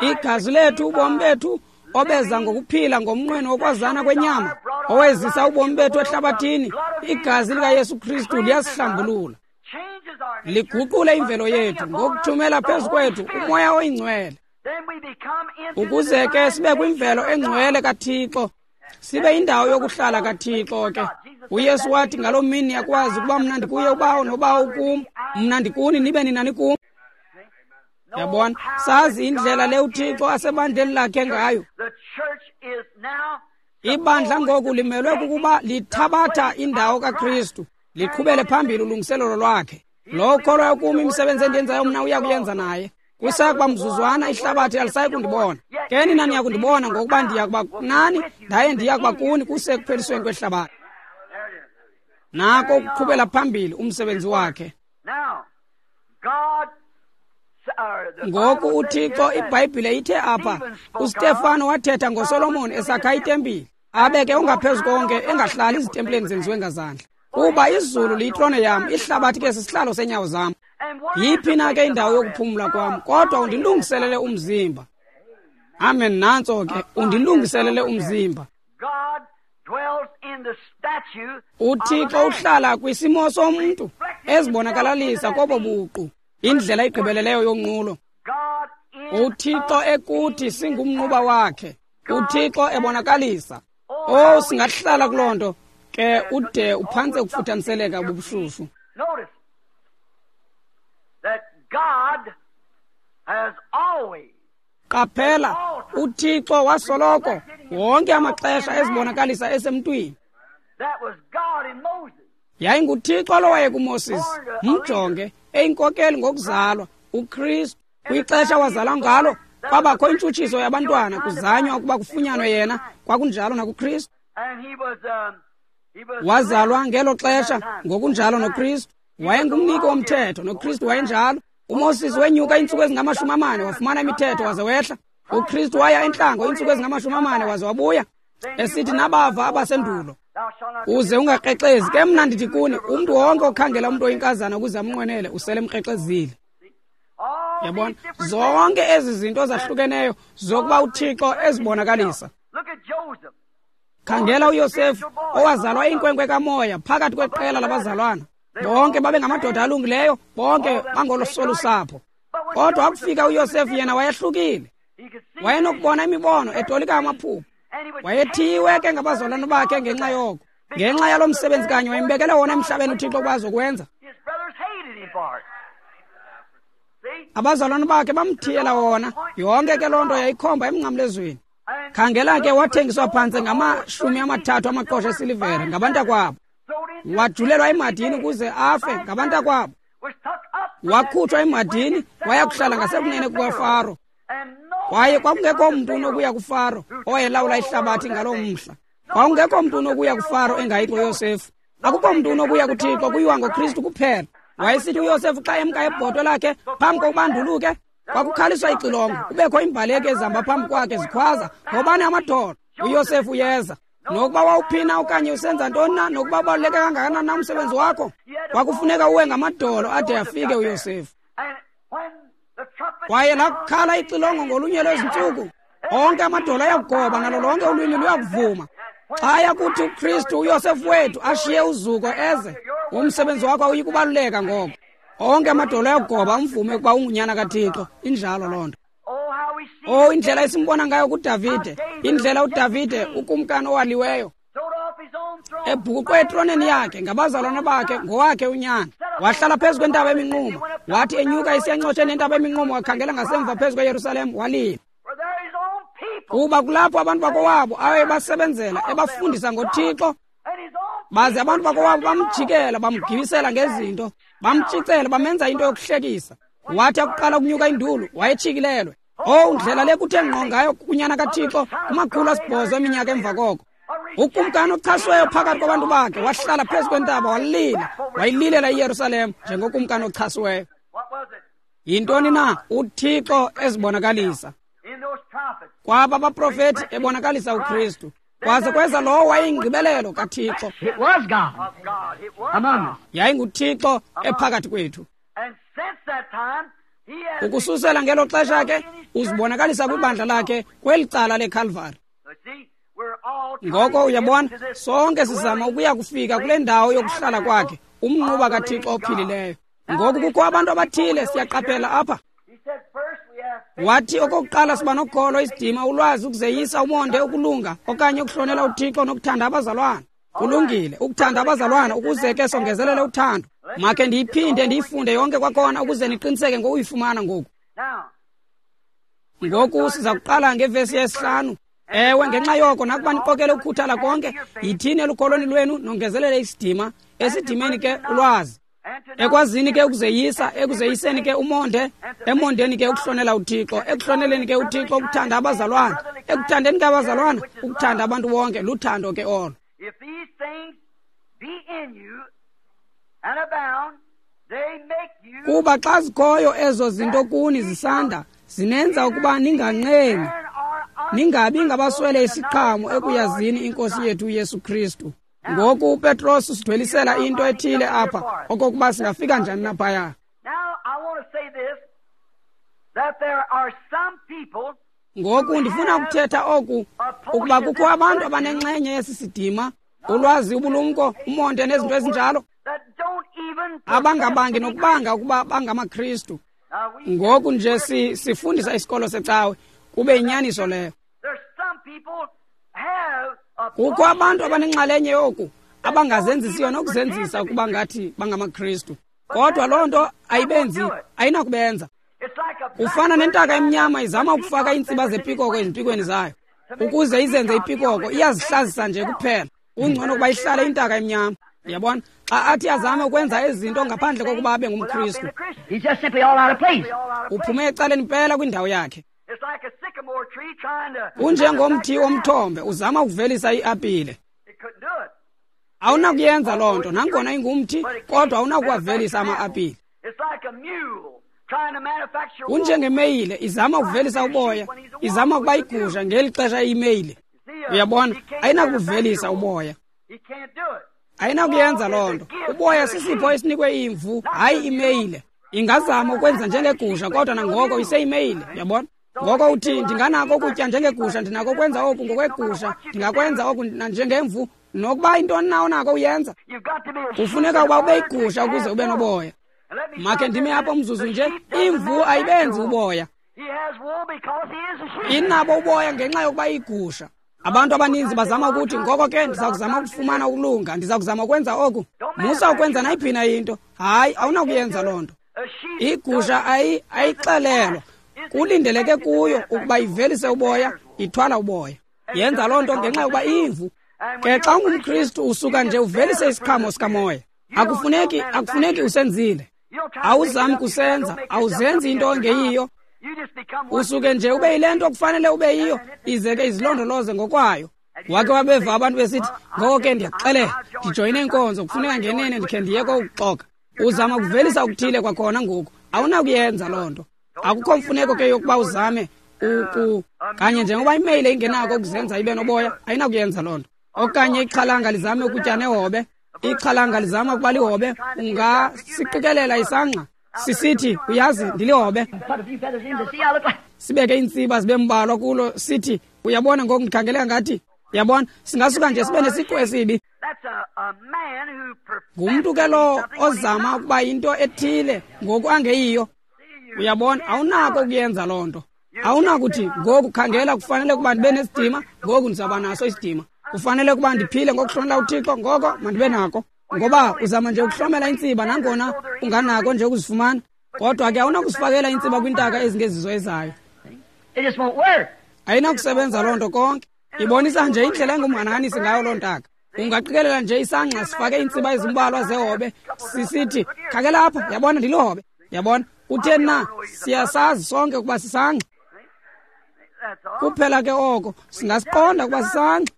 igazi lethu, ubomi bethu obeza ngokuphila ngomnqweno wokwazana kwenyama owezisa ubomi bethu ehlabathini, igazi likaYesu Kristu liyasihlambulula, liguqule imvelo yethu ngokuthumela phezu kwethu uMoya oyiNgcwele, ukuze ke sibe kwimvelo engcwele kaThixo, sibe indawo yokuhlala kaThixo ke. UYesu wathi ngaloo mini yakwazi ukuba mna ndikuye uBawo noBawo ukum, mna ndikuni nibe nina nikum. Yabona, sazi indlela le uThixo asebandleni lakhe ngayo. Ibandla ngoku limelwe kukuba lithabatha indawo kaKristu, liqhubele phambili ulungiselelo lwakhe. Lo kholwayo kum, imisebenzi endiyenzayo mna uya kuyenza naye. Kusakuba mzuzwana ihlabathi alisayi kundibona, ke nina niya kundibona, ngokuba ndiya kuba nani, ndaye ndiya kuba kuni kuse ekuphelisweni kwehlabathi. Nako ukuqhubela phambili umsebenzi wakhe. Ngoku uThixo, iBhayibhile ithe apha, uStefano wathetha ngoSolomon esakha itempile, abe ke ungaphezu konke engahlali ezitempileni zenziwe ngazandla. Kuba izulu liyitrone yam, ihlabathi ke sisihlalo seenyawo zam. Yiphi na ke indawo yokuphumla kwam? Kodwa undilungiselele umzimba. Amen. Nantso ke, undilungiselele umzimba. UThixo uhlala kwisimo somntu ezibonakalalisa kobo buqu, indlela igqibeleleyo yonqulo. UThixo ekuthi singumnquba wakhe, uThixo ebonakalisa. Oh, singahlala kuloo nto ke ude uphantse ukufuthaniseleka bubushushu. Qaphela, uThixo wasoloko wonke amaxesha ezibonakalisa esemntwini. YayinguThixo lo wayekuMoses, mjonge eyinkokeli ngokuzalwa, uKristu. Kwixesha wazalwa ngalo kwabakho intshutshiso yabantwana, kuzanywa ukuba kufunyanwe yena, kwakunjalo nakuKristu. Wazalwa ngelo xesha ngokunjalo noKristu. Wayengumniki womthetho, noKristu wayenjalo. UMoses wenyuka iintsuku ezingamashumi amane wafumana imithetho waze wehla. UKristu waya entlango iintsuku ezingamashumi amane waze wabuya, esithi nabava abasendulo, uze ungakrexezi. Ke mna ndithi kuni, umntu wonke okhangela umntu oyinkazana ukuze amnqwenele usele emkrexezile. Yabona, zonke ezi zinto zahlukeneyo zokuba uThixo ezibonakalisa. Khangela uYosefu owazalwa inkwenkwe kamoya phakathi kweqela labazalwana. Bonke babe ngamadoda alungileyo, bonke bangolosolusapho. Kodwa akufika uYosefu yena wayehlukile. Wayenokubona imibono etolika amaphupho. Wayethiwe ke ngabazalwana bakhe ngenxa yoko. Ngenxa yalo msebenzi kanye wayembekele wona emhlabeni uThixo kwazi ukwenza. Abazalwana bakhe bamthiyela wona. Yonke ke loo nto yayikhomba emnqamlezweni. Khangela ke wathengiswa phantse ngamashumi amathathu amaqosha esilivere ngabantakwabo. Wajulelwa emadini ukuze afe ngabantakwabo. Wakhutshwa emadini waya kuhlala ngasekunene kukaFaro. Kwaye kwakungekho mntu unokuya kuFaro owayelawula ihlabathi ngaloo mhla. Kwakungekho mntu unokuya kuFaro engayi kuYosefu. Akukho mntu unokuya kuThixo, kuyiwa ngoKristu kuphela. Wayesithi uYosefu xa emka ebhotwe lakhe phambi kokuba anduluke, kwakukhaliswa ixilongo, kubekho iimbaleki ezihamba phambi kwakhe zikhwaza, ngobani amadolo? uYosefu uyeza. Nokuba wawuphina okanye usenza ntoni na, nokuba ubaluleke kangakanani na umsebenzi wakho, kwakufuneka uwe ngamadolo ade afike uYosefu. Kwaye lakukhala ixilongo ngolunye lwezintsuku, onke amadolo ayakugoba nalo lonke ulwimi luyakuvuma. Xa yakuthi uKristu uYosefu wethu ashiye uzuko eze, umsebenzi wakho awuyi kubaluleka ngoko. Onke amadolo ayakugoba amvume ukuba ungunyana kaThixo. Injalo loo nto. Oh, indlela esimbona ngayo kuDavide, indlela uDavide ukumkani owaliweyo ebhukuqwe etroneni yakhe ngabazalwana bakhe ngowakhe unyana. Wahlala phezu kwentaba eminquma, wathi enyuka esiyancotsheni entaba eminquma, wakhangela ngasemva phezu kweYerusalem walila. Kuba kulapho abantu bakowabo awayebasebenzela ebafundisa ngoThixo, baze abantu bakowabo bamjikela bamgibisela ngezinto, bamtshicela bamenza into yokuhlekisa. Wathi akuqala ukunyuka indulu wayetshikilelwe. Oh, ndlela le kuthe ngqo ngayo kunyana kaThixo kumakhulu asibhozo eminyaka emva koko. Ukumkani ochasweyo phakathi kwabantu bakhe wahlala phezu kwentaba walila, wayililela iYerusalem njengokumkani ochasweyo. Yintoni na uThixo ezibonakalisa kwaba baprofeti ebonakalisa uKristu, kwaze kweza lowo wayeyingqibelelo kaThixo. YayinguThixo ephakathi kwethu. Ukususela ngelo xesha ke uzibonakalisa kwibandla lakhe kweli cala leKalvari. Ngoko uyabona, sonke sizama ukuya kufika kule ndawo yokuhlala kwakhe, umnquba kaThixo ophilileyo. Ngoku kukho abantu abathile siyaqaphela apha. Wathi okokuqala siba nokholo, isidima, ulwazi, ukuzeyisa, umonde, ukulunga okanye ukuhlonela uThixo nokuthanda abazalwana. Kulungile ukuthanda abazalwana ukuze ke songezelele uthando. Makhe ndiyiphinde ndiyifunde yonke kwakhona ukuze niqiniseke ngokuyifumana ngoku. Ngoku siza kuqala ngevesi yesihlanu. Ewe, ngenxa yoko nakuba niqokele ukukhuthala konke, yithini elukholweni lwenu nongezelele isidima, esidimeni ke ulwazi, ekwazini ke ukuzeyisa, ekuzeyiseni ke umonde, emondeni ke ukuhlonela uThixo, ekuhloneleni ke uThixo ukuthanda abazalwana, ekuthandeni ke abazalwana ukuthanda abantu bonke, luthando ke olo. Kuba xa zikhoyo ezo zinto kuni zisanda, zinenza ukuba ninganqeni, ningabi ngabaswele isiqhamo ekuyazini iNkosi yethu uYesu Kristu. Ngoku uPetros usidwelisela into ethile apha okokuba singafika njani naphaya. Ngoku ndifuna ukuthetha oku, ukuba kukho abantu abanenxenye yesi sidima, ulwazi, ubulumko, umonde nezinto ezinjalo, abangabangi nokubanga ukuba bangamaKristu. Ngoku nje si, sifundisa isikolo secawe, kube inyaniso leyo. Kukho abantu abanenxalenye yoku abangazenzisiyo nokuzenzisa ukuba ngathi bangamaKristu, kodwa loo nto ayibenzi, ayinakubenza. Kufana nentaka emnyama izama ukufaka iintsiba zepikoko ezimpikweni zayo ukuze izenze ipikoko, iyazihlazisa nje kuphela. Kungcono ukuba ihlale intaka emnyama. Uyabona, xa athi azame ukwenza ezinto ngaphandle kokuba abe ngumKristu, uphume ecaleni mpela kwindawo yakhe. Kunjengomthi womthombe uzama ukuvelisa iapile, Awunakuyenza loo nto, nangona ingumthi, kodwa awunakuwavelisa ama-apile. Kunjengemeyile izama ukuvelisa uboya, izama ukuba igusha ngeli xesha iyimeyile. Uyabona, ayinakuvelisa uboya. Ayinakuyenza loo nto. Uboya sisipho esinikwe imvu, hayi imeyile. Ingazama ukwenza njengegusha, kodwa nangoko iseyimeyile, uyabona? Ngoko uthi, ndinganako ukutya njengegusha, ndinako ukwenza oku ngokwegusha, ndingakwenza oku njengemvu, nokuba intoni na onako uyenza. Kufuneka ukuba ube yigusha ukuze ube noboya. Makhe ndime apho umzuzu nje, imvu ayibenzi uboya. Inabo uboya ngenxa yokuba iyigusha. Abantu abaninzi bazama ukuthi, ngoko ke ndiza kuzama ukufumana ukulunga, ndiza kuzama ukwenza oku. Musa ukwenza nayiphi na into. Hayi, awunakuyenza loo nto. Igusha ayi ayixelelwa. Kulindeleke kuyo ukuba ivelise uboya, ithwala uboya. Yenza loo nto ngenxa yokuba imvu. Ke xa ungumKristu usuka nje uvelise isiqhamo sikamoya. Akufuneki, akufuneki usenzile. Awuzami kusenza, awuzenzi into ongeyiyo. Usuke nje ube yile nto kufanele ube yiyo, ize ke izilondoloze ngokwayo. Wake wabeva abantu besithi, ngoko ke ndiyakuxelela, ndijoyine inkonzo, kufuneka ngenene ndikhe ndiye kokuxoka. Uzama ukuvelisa okuthile kwakhona ngoku, awunakuyenza loo nto. Akukho mfuneko ke yokuba uzame uku kanye njengoba imeyile ingenako ukuzenza ibe noboya, ayinakuyenza loo nto. Okanye ixhalanga lizame ukutya nehobe, ixhalanga lizama ukuba lihobe, ungasiqikelela isangqa sisithi, uyazi ndilihobe. Sibeke iintsiba zibe mbalwa kulo, sithi, uyabona ngoku ndikhangeleka ngathi, uyabona, singasuka nje sibe nesiqu esibi. Ngumntu ke lo ozama ukuba yinto ethile ngoku angeyiyo. Uyabona, awunako ukuyenza loo nto. Awunakuthi ngoku khangela kufanele ukuba ndibe nesidima, ngoku ndizawuba naso isidima. Kufanele ukuba ndiphile ngokuhlonela uThixo, ngoko mandibe nako. Ngoba uzama nje ukuhlomela intsiba nangona unganako nje ukuzifumana, kodwa ke awunakusifakela intsiba kwintaka ezingezizo ezayo. Ayinakusebenza loo nto konke. Ibonisa nje indlela engumhanahanisi ngayo loo ntaka. Ungaqikelela nje isangqa sifake iintsiba ezimbalwa zehobe, sisithi, khangela apha, yabona ndilihobe. Yabona, kutheni na? Siyasazi sonke ukuba sisangqa. Kuphela ke oko, singasiqonda ukuba sisangqa.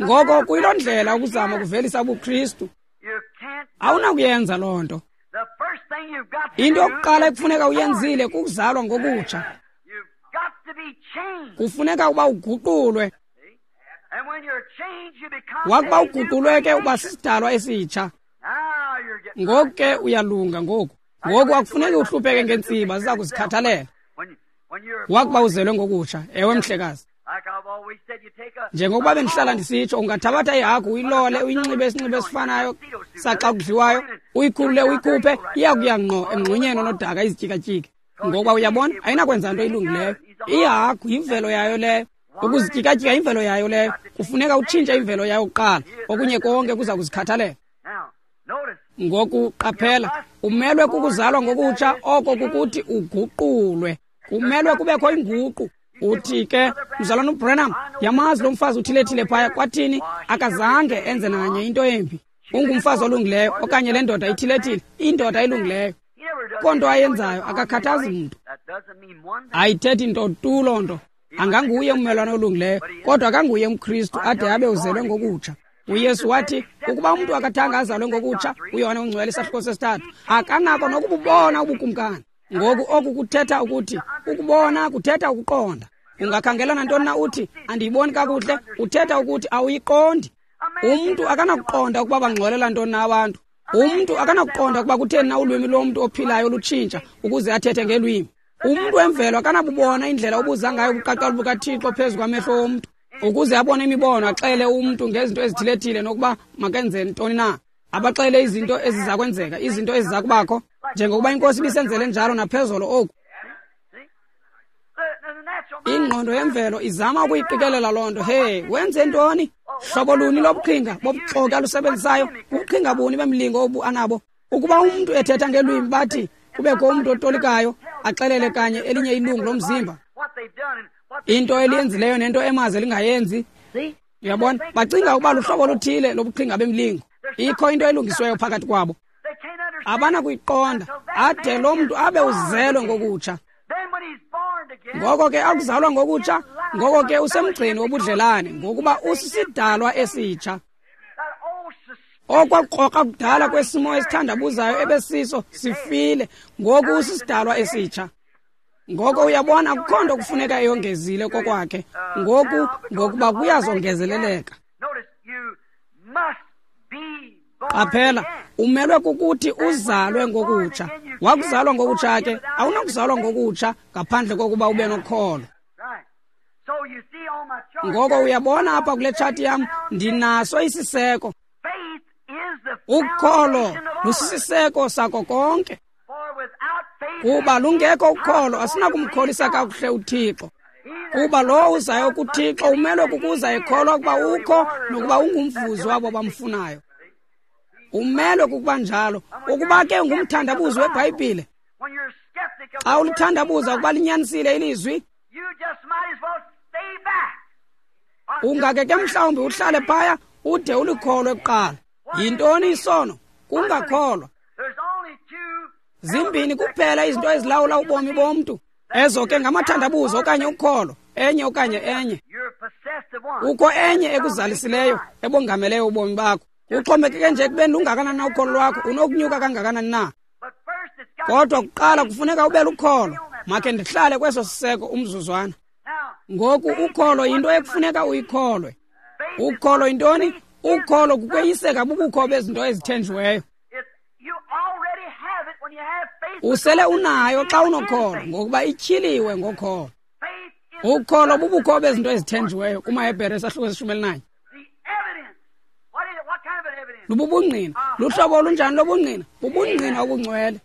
Ngoko kuyiloo ndlela ukuzama ukuvelisa ubuKristu. Awunakuyenza loo nto. Into yokuqala ekufuneka uyenzile kukuzalwa ngokutsha. Kufuneka ukuba uguqulwe. Wakuba uguqulwe ke uba sisidalwa esitsha. Ngoku ke uyalunga ngoku. Ngoku akufuneki uhlupheke ngeentsiba, ziza kuzikhathalela. Wakuba uzelwe ngokutsha, ewe mhlekazi. Njengokuba bendihlala ndisitsho, ungathabatha ihagu uyilole, uyinxibe isinxibo esifanayo saxa kudliwayo, uyikhulule uyikhuphe, iya kuya ngqo emngxunyeni onodaka izityikatyike. Ngokuba uyabona, ayinakwenza nto ilungileyo. Ihagu yimvelo yayo leyo. Ukuzityikatyika yimvelo yayo leyo. Kufuneka utshintshe imvelo yayo kuqala, okunye konke kuza kuzikhathalela. Ngoku qaphela, umelwe kukuzalwa ngokutsha, oko kukuthi uguqulwe. Kumelwe kubekho inguqu. Uthi ke, mzalwana uBranham, yamazi lo mfazi uthilethile phaya, kwathini akazange enze nanye into embi. Ungumfazi olungileyo, okanye le ndoda ithilethile, indoda elungileyo. Konto ayenzayo akakhathazi mntu. Ayithethi nto tu loo nto. Anganguye ummelwane olungileyo, kodwa akanguye umKristu ade abe uzelwe ngokutsha. UYesu wathi, ukuba umntu akathanga azalwe ngokutsha, uYohane uNgcwele isahluko sesithathu, akanako nokububona ubukumkani. Ngoku oku kuthetha ukuthi, ukubona kuthetha ukuqonda. Ungakhangela nantoni na uthi, andiyiboni kakuhle, uthetha ukuthi awuyiqondi. Umntu akanakuqonda ukuba bangxolela ntoni na abantu. Umntu akanakuqonda ukuba kutheni na ulwimi lomntu ophilayo lutshintsha ukuze athethe ngelwimi. Umntu wemvelo akanabubona indlela obuza ngayo ubuqaqawuli bukaThixo phezu kwamehlo womntu, ukuze abone imibono, axele umntu ngezinto ezithilethile nokuba makenze ntoni na. Abaxele izinto eziza kwenzeka, izinto eziza kubakho, njengokuba iNkosi ibisenzele njalo naphezolo oku. Ingqondo yemvelo izama ukuyiqikelela loo nto. He, wenze ntoni? Hlobo luni lobuqhinga bobuxoki alusebenzisayo? Buqhinga buni bemlingo obu anabo? Ukuba umntu ethetha ngelwimi bathi kubekho umntu otolikayo axelele kanye elinye ilungu lomzimba into eliyenzileyo nento emaze lingayenzi. Uyabona, bacinga ukuba luhlobo oluthile lobuqhinga bemlingo. Ikho into elungisiweyo phakathi kwabo, abanakuyiqonda ade lo mntu abe uzelwe ngokutsha. Ngoko ke akuzalwa ngokutsha, ngoko ke usemgceni wobudlelane, ngokuba usisidalwa esitsha. Okwakukrokra kudala kwesimo esithandabuzayo ebesiso sifile, ngoku usisidalwa esitsha. Ngoko uyabona akukho nto kufuneka eyongezile kokwakhe ngoku, ngokuba kuyazongezeleleka. Qaphela, umelwe kukuthi uzalwe ngokutsha. Wakuzalwa ngokutsha ke, awunakuzalwa ngokutsha ngaphandle kokuba ube nokholo. Ngoko uyabona apha kule tshati yam ndinaso isiseko. Ukholo lusisiseko sako konke. Kuba lungekho ukholo asinakumkholisa kakuhle uThixo. Kuba lowo uzayo kuThixo umelwe kukuza ekholwa ukuba ukho nokuba ungumvuzi wabo bamfunayo. Umelwe kukuba njalo. Ukuba ke ungumthandabuzi weBhayibhile, xa ulithandabuza ukuba linyanisile ilizwi, ungake ke mhlawumbi uhlale phaya ude ulikholwe kuqala. Yintoni isono? Kungakholwa. Zimbini kuphela izinto ezilawula ubomi bomntu. Ezo ke ngamathandabuzo okanye ukholo, enye okanye enye. Kukho enye ekuzalisileyo ebongameleyo ubomi bakho. Uxhomekeke nje ekubeni lungakanani na ukholo lwakho, unokunyuka kangakanani na. Kodwa kuqala kufuneka ube lukholo. Makhe ndihlale kweso siseko umzuzwana. Ngoku ukholo yinto ekufuneka uyikholwe. Ukholo yintoni? Ukholo kukweyiseka bubukho bezinto ezithenjiweyo. Usele unayo xa unokholo, ngokuba ityhiliwe ngokholo. Ukholo bubukho bezinto ezithenjiweyo kumaHebhere isahluko seshumi elinanye. Lububungqina. Luhlobo olunjani lobungqina? Bubungqina obungcwele.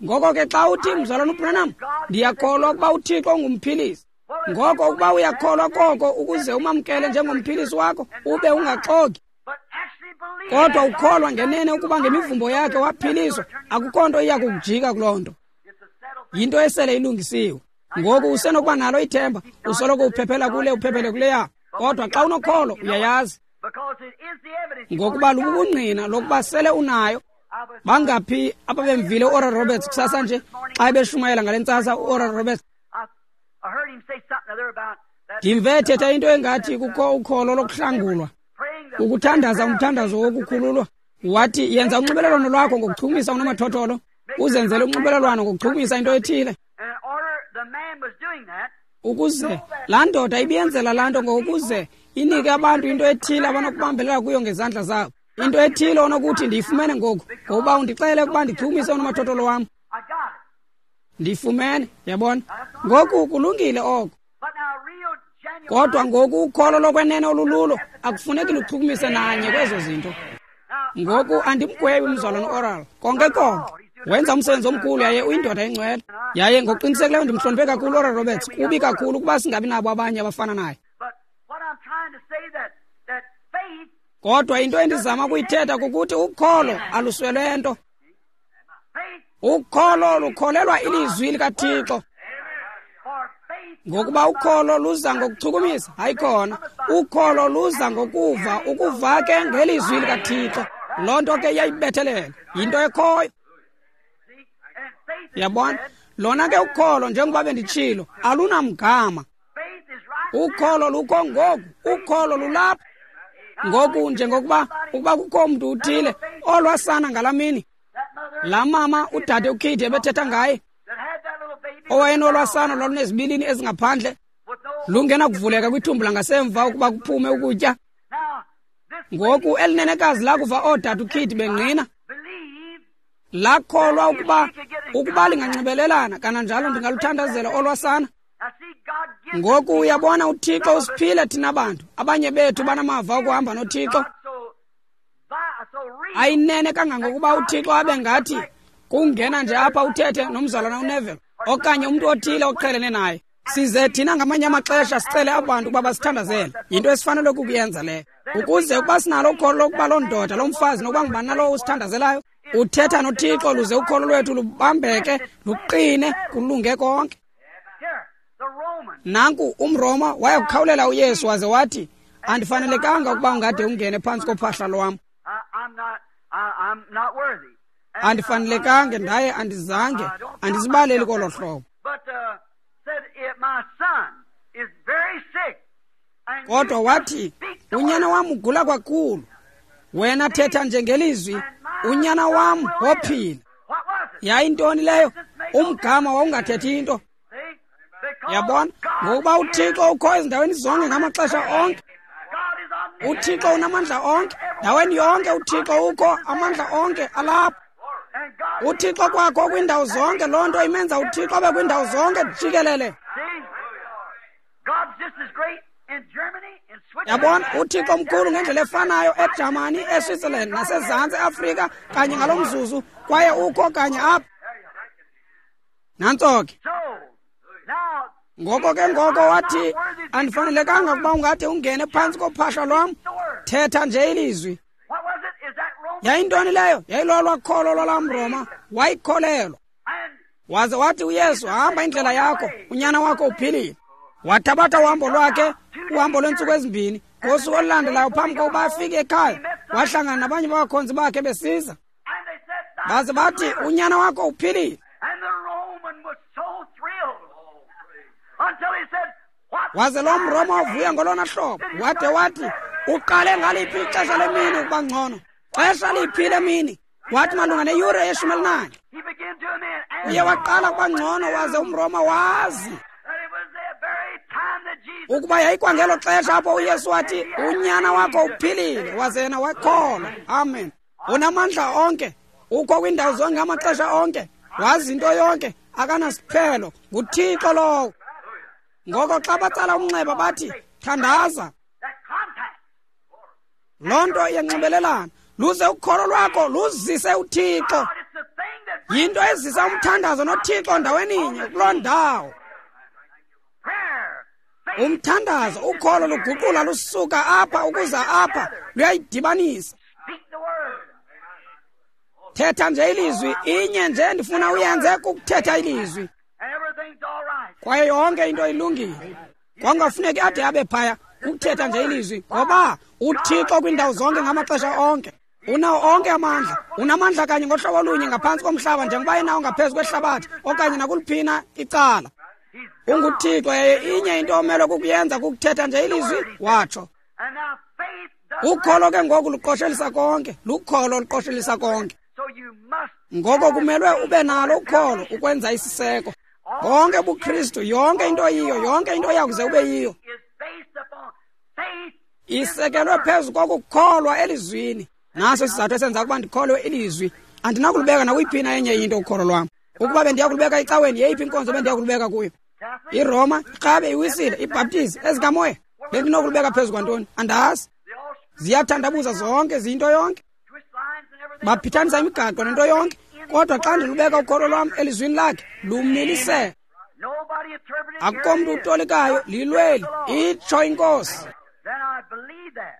Ngoko ke xa uthi, mzalwana uBranham, ndiyakholwa ukuba uThixo ungumphilisi. Ngoko ukuba uyakholwa koko ukuze umamkele njengomphilisi wakho, ube ungaxoki, kodwa ukholwa ngenene ukuba ngemivumbo yakhe waphiliswa, akukho nto iya kukujika kuloo nto. Yinto esele ilungisiwe. Ngoku usenokuba nalo ithemba, usoloko uphephela kule uphephele kuleya, kodwa xa unokholo uyayazi, ngokuba lububungqina lokuba sele unayo. Bangaphi ababemvile uOral Roberts kusasa nje xa ebeshumayela ngale ntsasa uOral Roberts? Ndimve ethetha into engathi kukho ukholo lokuhlangulwa, ukuthandaza umthandazo wokukhululwa. Wathi yenza unxibelelwano lwakho ngokuchumisa unomathotholo, uzenzele unxibelelwano ngokuchumisa into ethile. Ukuze laa ndoda ibiyenzela laa nto ngokuze inike abantu into ethile abanokubambelela kuyo ngezandla zabo. Into ethile onokuthi ndiyifumene ngoku, ngokuba undixele ukuba ndichumise unomathotholo wam. Ndiyifumene, yabona. Ngoku kulungile oko. Kodwa ngoku ukholo lokwenene olululo akufuneki luchukumise nanye kwezo zinto. Ngoku andimgwebi umzalwana uOral, konke konke. Wenza umsebenzi omkhulu yaye uyindoda engcwele. Yaye ngokuqinisekileyo ndimhloniphe kakhulu uOral Roberts. Kubi kakhulu ukuba singabi nabo abanye abafana naye. Kodwa into endizama ukuyithetha kukuthi ukholo aluswele nto. Ukholo lukholelwa ilizwi likaThixo. Ngokuba ukholo luza ngokuchukumisa, hayi khona. Ukholo luza ngokuva, ukuva ke ngelizwi likaThixo. Loo nto ke iyayibethelela, yinto ekhoyo. Yabona? Lona ke ukholo, njengoba benditshilo, alunamgama. Ukholo lukho ngoku, ukholo lulapha. Ngoku njengokuba ukuba kukho mntu uthile olwasana ngalaa mini, laa mama udade uKid ebethetha ngaye, owayenolwasana lwalunezibilini ezingaphandle, lungenakuvuleka kwithumbu langasemva ukuba kuphume ukutya. Ngoku elinenekazi lakuva oodade uKid bengqina, lakholwa ukuba ukuba linganxibelelana kananjalo ndingaluthandazela olwasana. Ngoku uyabona uThixo usiphile thina bantu, abanye bethu banamava okuhamba noThixo. Ayinene kangangokuba uThixo abe ngathi kungena nje apha uthethe nomzalwana uNeville okanye umntu othile oqhelene naye. Size thina ngamanye amaxesha sicele abantu ukuba basithandazele. Yinto esifanele ukuyenza leyo, ukuze ukuba sinalo ukholo lokuba loo ndoda, loo mfazi, nokuba ngubani nalowo usithandazelayo, uthetha noThixo luze ukholo lwethu lubambeke, luqine, kulunge konke. Nanku umRoma waya kukhawulela uYesu waze wathi, andifanelekanga ukuba ungade ungene phantsi kophahla lwam. Andifanelekanga ndaye andizange, andizibaleli kolo hlobo. Kodwa wathi, unyana wam ugula kakhulu, Wena thetha nje ngelizwi, unyana wam wophila. Yayintoni leyo? Umgama wawungathethi into. Yabona, ngokuba uThixo ukho ezindaweni zonke ngamaxesha onke. UThixo unamandla onke, ndaweni yonke uThixo ukho, amandla onke alapha. UThixo kwakho kwiindawo zonke, loo nto imenza uThixo abe kwiindawo zonke jikelele. Yabona, uThixo mkhulu ngendlela efanayo eJamani, eSwitzerland naseZantsi Afrika kanye ngalo mzuzu, kwaye ukho kanye apha. Nantso ke. Ngoko ke ngoko wathi, andifanelekanga ukuba ungade ungene phantsi kophahla lwam, thetha nje ilizwi. Yayintoni leyo? Yayilolwa kholo lwalam Roma, wayikholelwa. Waze wathi uYesu, hamba indlela yakho, unyana wakho uphilile. Wathabatha uhambo lwakhe, uhambo lweentsuku ezimbini. Ngosuku olulandelayo phambi kokuba afike ekhaya, wahlangana nabanye babakhonzi bakhe besiza. Baze bathi, unyana wakho uphilile. Waze lo mRoma wavuya ngolona hlobo, wade wathi, uqale ngaliphi ixesha lemini ukuba ngcono? Xesha liphi lemini? Wathi malunga neyure yeshumi elinanye. Uye waqala ukuba ngcono, waze umRoma wazi ukuba yayikwangelo xesha apho uYesu wathi, unyana wakho uphilile, waze yena wakholwa. Amen. Unamandla onke, ukho kwiindawo zonke ngamaxesha onke, wazi into yonke, akanasiphelo, nguThixo lowo. Ngoko xa batsala umnxeba bathi, thandaza. Loo nto iyanxibelelana. Luze ukholo lwakho luzise uThixo. Yinto ezisa umthandazo noThixo ndaweninye kuloo ndawo. Umthandazo, ukholo luguqula lusuka apha ukuza apha, luyayidibanisa. Thetha nje ilizwi, inye nje ndifuna uyenze kukuthetha ilizwi. Kwaye yonke into ilungile. Kwangafuneki ade abe phaya ukuthetha nje ilizwi, ngoba uThixo kwiindawo zonke ngamaxesha onke. Unawo onke amandla, unamandla kanye ngohlobo olunye ngaphantsi komhlaba njengoba enawo ngaphezu kwehlabathi okanye nakuliphina icala. UnguThixo, yaye inye into omelwe kukuyenza kukuthetha nje ilizwi, watsho. Ukholo ke ngoku luqoshelisa konke, lukholo luqoshelisa konke. Ngoko kumelwe ube nalo ukholo ukwenza isiseko. Bonke ubuKristu, yonke into yiyo, yonke into yakuze ube yiyo, isekelwe phezu kokukholwa elizwini. Naso isizathu esenza ukuba ndikholwe ilizwi. Andinakulubeka nakuyiphina enye into ukholo lwam. Ukuba bendiya kulubeka ecaweni, yeyiphi inkonzo bendiya kulubeka kuyo? IRoma, iRhabe, iWisile, iBhaptizi, ezikamoya, bendinokulubeka phezu kwantoni? Andazi. Ziyathandabuza zonke, ziyinto yonke. Baphithanisa imigaqo nento yonke. Kodwa xa ndilubeka ukholo lwam elizwini lakhe, lumilisele. Akukho mntu utolikayo, lilweli, itsho iNkosi.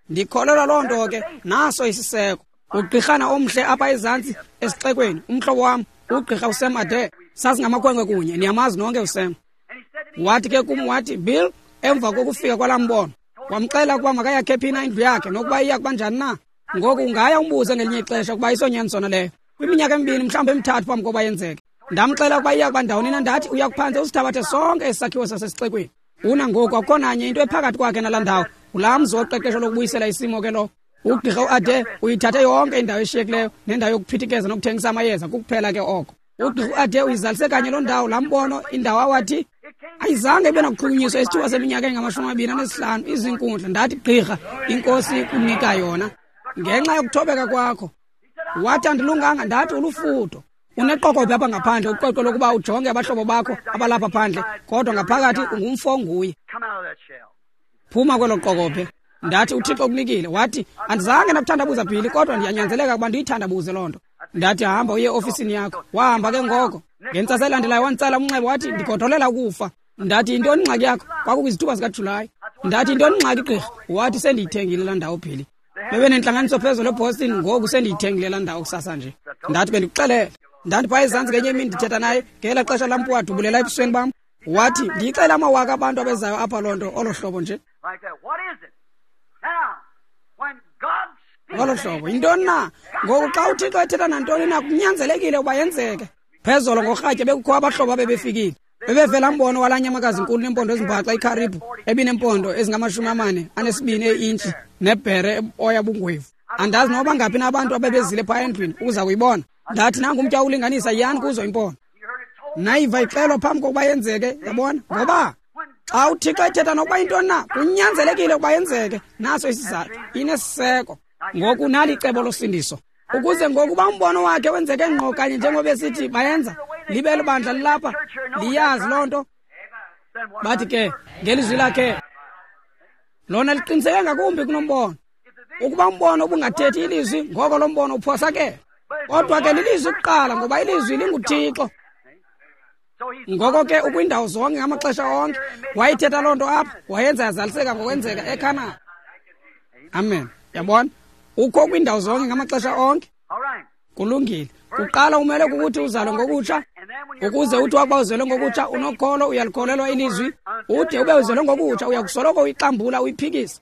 Ndikholelwa loo nto ke, naso isiseko. Ugqirhana omhle apha ezantsi esixekweni, umhlobo wam, ugqirha uSam Ade, sasingamakhwenkwe kunye, niyamazi nonke uSam. Wathi ke kum, wathi, Bill, emva kokufika kwalaa mbono, wamxela ukuba makayakhe phi na indlu yakhe nokuba iya kuba njani na. Ngoku ungaya umbuze ngelinye ixesha ukuba isonyanisona leyo. Kwiminyaka emibini mhlawumbi emithathu phambi kokuba yenzeke. Ndamxela ukuba iya kuba ndawoni na, ndathi uya kuphantse usithabathe sonke isakhiwo sasesixekweni. Una ngoku akukho nanye into ephakathi kwakhe nalaa ndawo. Ngulaa mzi woqeqesho lokubuyisela isimo ke lo. Ugqirha uAde uyithathe yonke indawo eshiyekileyo nendawo yokuphithikeza nokuthengisa amayeza, kukuphela ke oko. Ugqirha uAde uyizalise kanye loo ndawo, laa mbono, indawo awathi ayizange ibe nakuchukunyiswa isithuba seminyaka engamashumi amabini anesihlanu izinkundla. Ndathi, gqirha, iNkosi kunika yona ngenxa yokuthobeka kwakho. Wathi andilunganga, ndathi ulufudo. Uneqokobhe apha ngaphandle, uqweqwe lokuba ujonge abahlobo bakho abalapha phandle, kodwa ngaphakathi ungumfo nguye. Phuma kwelo qokobhe. Ndathi uThixo ukunikile. Wathi andizange ndakuthandabuza Billy, kodwa ndiyanyanzeleka ukuba ndiyithandabuze loo nto. Ndathi hamba uye eofisini yakho. Wahamba ke ngoko. Ngentsasa elandelayo wanditsala umnxeba, wathi ndigodolela ukufa. Ndathi yintoni ingxaki yakho? Kwakukwizithuba zikaJulayi. Ndathi yintoni ingxaki gqirha? Wathi sendiyithengile laa ndawo Billy. Bebenentlanganiso phezulu eBoston, ngoku sendiyithengile laa ndawo kusasa nje. Ndathi bendikuxelele. Ndathi phaya ezantsi ngenye imini ndithetha naye ngela xesha lampu wadubulela ebusweni bam. Wathi ndiyixela amawaka abantu abezayo apha loo nto olo hlobo nje. Ngolo hlobo yintoni na? Ngoku xa uThixo ethetha nantoni na, kunyanzelekile ukuba yenzeke. Phezolo ngorhatya bekukho abahlobo abebefikile. Bebevela mbono walaa nyamakazi inkulu neempondo ezimbaxa ikharibu ebineempondo ezingamashumi amane anesibini eintshi nebhere oya bungwevu. Andazi noba ngaphi na abantu abebezile phaa endlwini ukuza kuyibona. Ndathi nangu umtya ulinganisa, yiyani kuzo impondo. Nayiva ixelwa phambi kokuba yenzeke, yabona? Ngoba xa uThixo ethetha nokuba yintoni na, kunyanzelekile ukuba yenzeke. Naso isizathu, inesiseko. Ngoku nali icebo losindiso. Ukuze ngokuba umbono wakhe wenzeke ngqo kanye njengoba esithi bayenza, libe libandla lilapha, liyazi loo nto. Bathi ke ngelizwi lakhe lona liqiniseke ngakumbi kunombono. Ukuba umbono ubungathethi ilizwi, ngoko lo mbono uphosakele. Kodwa ke lilizwi kuqala, ngoba ilizwi linguThixo. Ngoko ke ukwindawo zonke ngamaxesha onke. Wayithetha loo nto apha, wayenza yazaliseka ngokwenzeka eKhanani. Amen. Yabona? Ukho kwindawo zonke ngamaxesha onke. Kulungile. Kuqala umele kukuthi uzalwe ngokutsha. Ukuze uthi wakuba uzelwe ngokutsha unokholo, uyalikholelwa ilizwi. Ude ube uzelwe ngokutsha uyakusoloko uyixambula uyiphikisa.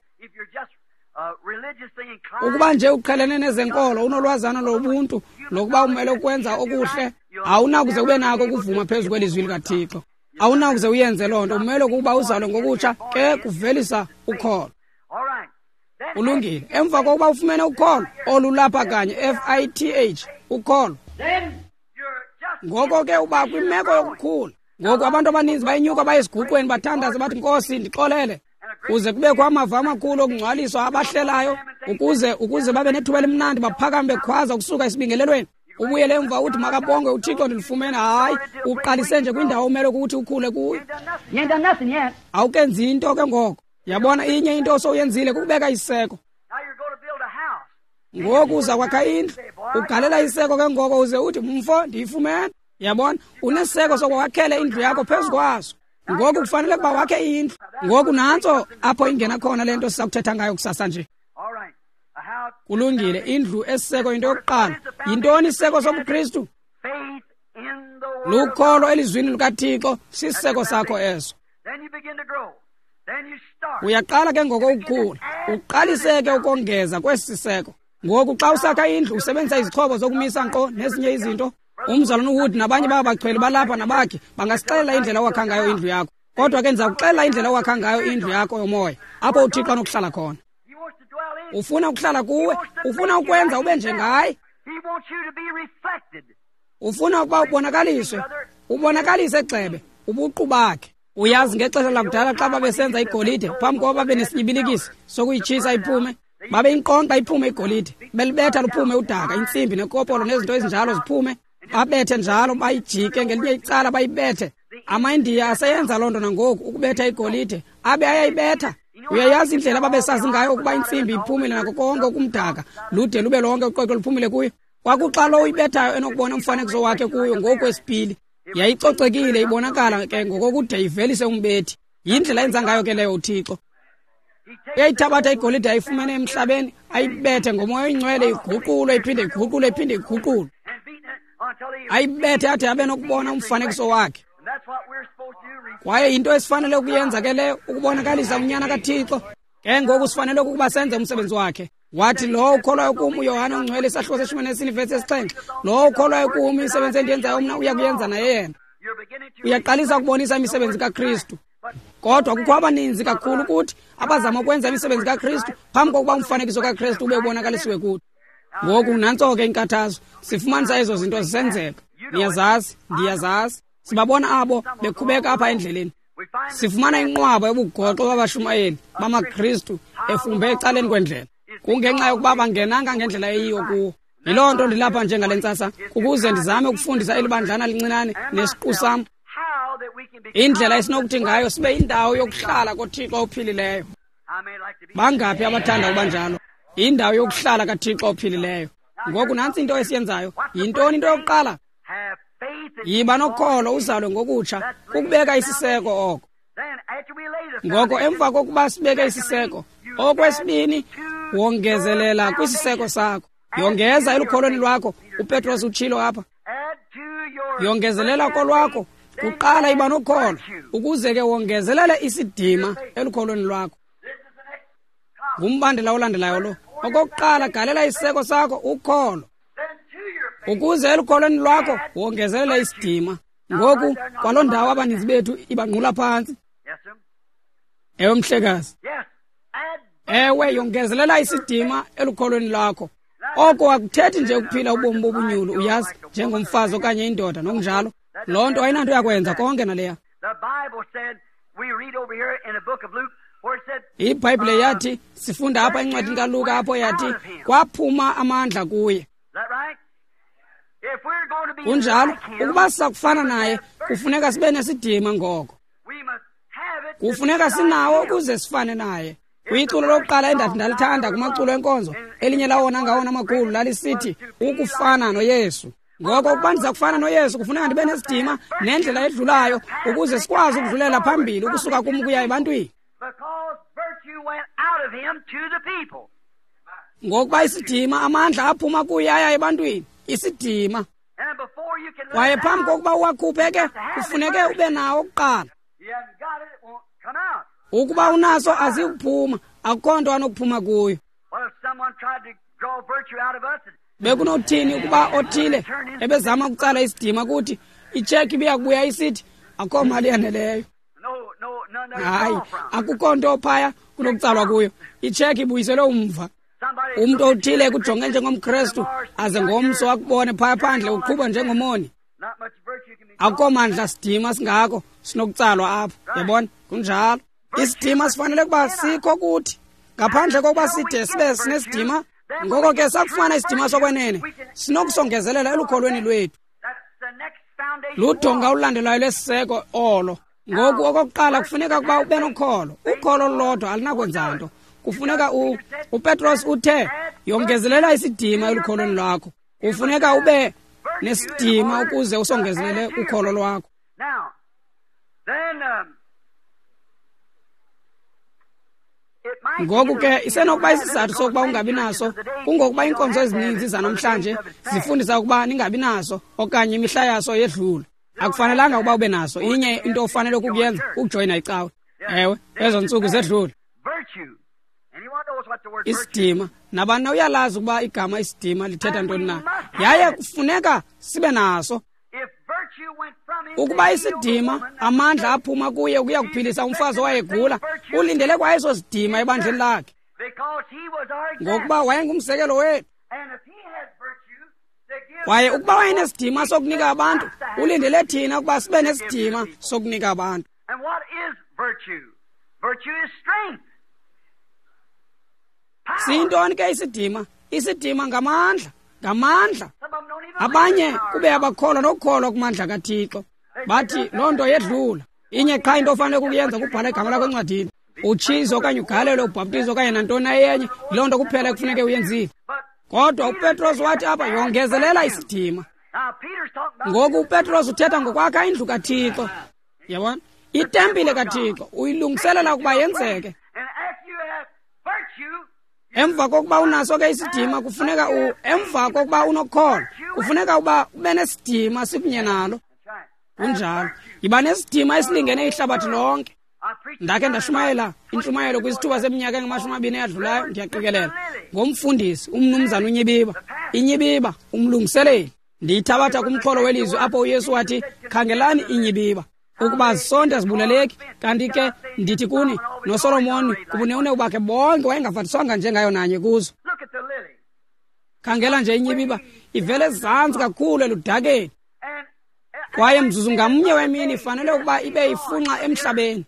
Ukuba nje uqhelene nezenkolo, unolwazana lobuntu lokuba umele ukwenza okuhle, awunakuze ube nako ukuvuma phezu kwelizwi likaThixo. Awunakuze uyenze loo nto. Umele ukuba uzalwe ngokutsha ke kuvelisa ukholo. Kulungile. Emva kokuba ufumene ukholo olulapha kanye, F I T H, ukholo, ngoko ke uba kwimeko yokukhula. Ngoku abantu abaninzi bayenyuka baye esiguqweni bathandaze bathi, Nkosi ndixolele, kuze kubekho amava amakhulu okungcwaliswa abahlelayo, ukuze ukuze babe nethuba elimnandi, baphakame bekhwaza ukusuka esibingelelweni. Ubuyele emva uthi makabongwe uThixo ndilifumene. Hayi, uqalise nje kwindawo omele ukuthi ukhule kuyo. Awukenzi into ke ngoko. Yabona, inye into osowuyenzile kukubeka isiseko. Ngoku uza kwakha indlu, ugalela isiseko ke ngoko uze uthi, mfo ndiyifumene. Yabona, unesiseko sokwakhela indlu yakho phezu kwaso. Ngoku kufanele ukuba wakhe indlu. Ngoku nantso apho ingena khona le nto sizakuthetha ngayo kusasa nje. Kulungile. Indlu esiseko into yokuqala. Yintoni isiseko sobuKristu? Lukholo elizwini likaThixo, sisiseko sakho eso. Uyaqala ke ngoko ukukhula, uqalise ke ukongeza kwesi siseko. Ngoku xa usakha indlu usebenzisa izixhobo zokumisa nkqo nezinye izinto. Umzalwana uWood nabanye baba bachweli balapha nabakhe bangasixelela indlela owakha ngayo indlu yakho. Kodwa ke ndiza kuxelela indlela owakha ngayo indlu yakho yomoya, apho uThixo anokuhlala khona. Ufuna ukuhlala kuwe, ufuna ukwenza ube njengaye. Ufuna ukuba ubonakaliswe, ubonakalise gxebe ubuqu bakhe. Uyazi ngexesha lakudala xa babesenza igolide, phambi kokuba babe nesinyibilikisi sokuyitshisa iphume, babe inqonqa iphume igolide, belibetha luphume udaka, intsimbi nekopolo nezinto ezinjalo ziphume, babethe njalo, bayijike ngelinye icala bayibethe. AmaIndiya aseyenza loo nto nangoku, ukubetha igolide, abe ayayibetha. Uyayazi indlela ababesazi ngayo ukuba intsimbi iphumile nako konke okumdaka, lude lube lonke uqweqwe luphumile kuyo. Kwakuxa lo uyibethayo enokubona umfanekiso wakhe kuyo ngokwesipili. Yayicocekile ibonakala ke ngokokude ivelise umbethi. Yindlela enza ngayo ke leyo uThixo. Uyayithabatha igolide ayifumene emhlabeni, ayibethe ngomoya oyingcwele, iguqulwe, iphinde iguqulwe, iphinde iguqulwe. Ayibethe ade abe nokubona umfanekiso wakhe. Kwaye yinto esifanele ukuyenza ke leyo, ukubonakalisa unyana kaThixo. Ke ngoku sifanele ukuba senze umsebenzi wakhe. Wathi lowo ukholwayo kum, uYohane ongcwele isahluko seshumi nesine ivesi yesixhenxe, lowo ukholwayo kum imisebenzi endiyenzayo mna uya kuyenza naye yena. Uyaqalisa ukubonisa imisebenzi kaKristu. Kodwa kukho abaninzi kakhulu kuthi abazama ukwenza imisebenzi kaKristu phambi kokuba umfanekiso kaKristu ube ubonakalisiwe kuthi. Ngoku nantso ke inkathazo, sifumanisa ezo zinto zisenzeka. Niyazazi, ndiyazazi. Sibabona abo bekhubeka apha endleleni. Sifumana inqwaba yobugoxo babashumayeli bamaKristu efumbe ecaleni kwendlela. Kungenxa yokuba bangenanga ngendlela eyiyo kuwo. Yiloo nto ndilapha njengale ntsasa, ukuze ndizame ukufundisa eli bandlana lincinane nesiqu sam indlela esinokuthi ngayo sibe indawo yokuhlala koThixo ophilileyo. Bangaphi abathanda ukuba njalo? Indawo yokuhlala kaThixo ophilileyo. Ngoku nantsi into esiyenzayo. Yintoni into yokuqala? Yiba nokholo uzalwe ngokutsha, kukubeka isiseko oko. Ngoko emva kokuba sibeke isiseko, okwesibini wongezelela kwisiseko sakho. Yongeza elukholweni lwakho. uPetros utshilo apha. Yongezelela kolwakho. Kuqala iba nokholo, ukuze ke wongezelele isidima elukholweni lwakho. Ngumbandela olandelayo lo. Okokuqala galela isiseko sakho ukholo, ukuze elukholweni lwakho wongezelele isidima. Ngoku kwaloo ndawo abaninzi bethu ibangqula phantsi. Ewe mhlekazi. Ewe, yongezelela isidima elukholweni lwakho. Oko akuthethi nje ukuphila ubomi bobunyulu, uyazi, njengomfazi okanye indoda nokunjalo. Loo nto ayinanto yakwenza konke naleya. IBhayibhile yathi, sifunda apha encwadini kaLuka apho yathi, kwaphuma amandla kuye. Kunjalo, ukuba sisakufana naye, kufuneka sibe nesidima ngoko. Kufuneka sinawo ukuze sifane naye. Kwiculo lokuqala endathi ndalithanda kumaculo enkonzo, elinye lawona ngawona amakhulu lalisithi, ukufana noYesu. Ngoko ukuba ndiza kufana noYesu, kufuneka ndibe nesidima nendlela edlulayo ukuze sikwazi ukudlulela phambili ukusuka kum ukuya ebantwini. Ngokuba isidima, amandla aphuma kuye aya ebantwini, isidima. Kwaye phambi kokuba uwakhuphe ke, kufuneke ube nawo kuqala. Ukuba unaso azikuphuma, akukho nto anokuphuma kuyo. Bekunothini ukuba othile ebezama ukutsala isidima kuthi itsheki ibiyakubuya isithi akukho mali yaneleyo. Hayi, akukho nto phaya kunokutsalwa kuyo. Itsheki ibuyiselwe umva. Umntu othile ekujonge njengomKrestu aze ngomso akubone phaya phandle uqhuba njengomoni. Akukho mandla sidima singako sinokutsalwa apho. Yabona? Kunjalo. Isidima sifanele ukuba sikho kuthi. Ngaphandle kokuba side sibe sinesidima, ngoko ke sakufumana isidima sokwenene, sinokusongezelela elukholweni lwethu. Ludonga olulandelayo lwesiseko olo. Ngoku okokuqala kufuneka ukuba ube nokholo. Ukholo lolodwa alunakwenza nto. Kufuneka u uPetros uthe, yongezelela isidima elukholweni lwakho. Kufuneka ube nesidima ukuze usongezelele ukholo lwakho. Ngoku ke isenokuba isizathu sokuba ungabi naso kungokuba iinkonzo ezininzi zanamhlanje zifundisa ukuba ningabi naso okanye imihla yaso yedlula. Akufanelanga ukuba ube naso. Inye into ofanele ukuyenza kukujoyina icawe. Ewe, ezo ntsuku zedlula. Isidima, nabani uyalazi ukuba igama isidima lithetha ntoni na. Yaye kufuneka sibe naso. Ukuba isidima, amandla aphuma kuye ukuya kuphilisa umfazi owayegula, ulindele kwa eso sidima ebandleni lakhe. Ngokuba wayengumzekelo wethu. Kwaye ukuba wayenesidima sokunika abantu, ulindele thina ukuba sibe nesidima sokunika abantu. Siyintoni ke isidima? Isidima ngamandla, ngamandla. Abanye kube abakholwa nokukholwa kumandla kaThixo. Bathi loo nto yedlula. Inye qha into ofanele ukuyenza kubhala igama lakho encwadini. Utshize okanye ugalele, ubhaptize okanye nantoni na enye, yiloo nto kuphela ekufuneke uyenzile. Kodwa uPetros wathi apha, yongezelela isidima. Ngoku uPetros uthetha ngokwakha indlu kaThixo. Yabona? Itempile kaThixo uyilungiselela ukuba yenzeke. Emva kokuba unaso ke isidima, kufuneka u emva kokuba unokholo, kufuneka uba ube nesidima sikunye nalo. Kunjalo. Yiba nesidima esilingene ihlabathi lonke. Ndakhe ndashumayela intshumayelo kwisithuba seminyaka engamashumi amabini eyadlulayo, ndiyaqikelela, ngomfundisi umnumzana uNyibiba. Inyibiba, umlungiseleli. Ndiyithabatha kumxholo welizwi apho uYesu wathi, khangelani inyibiba, ukuba zisonde zibuleleki. Kanti ke ndithi kuni, noSolomoni kubunewunewu bakhe bonke wayengafaniswanga njengayo nanye kuzo. Khangela nje inyibiba, ivele ezantsi kakhulu eludakeni. Kwaye mzuzu ngamnye wemini ifanele ukuba ibe ifunxa emhlabeni.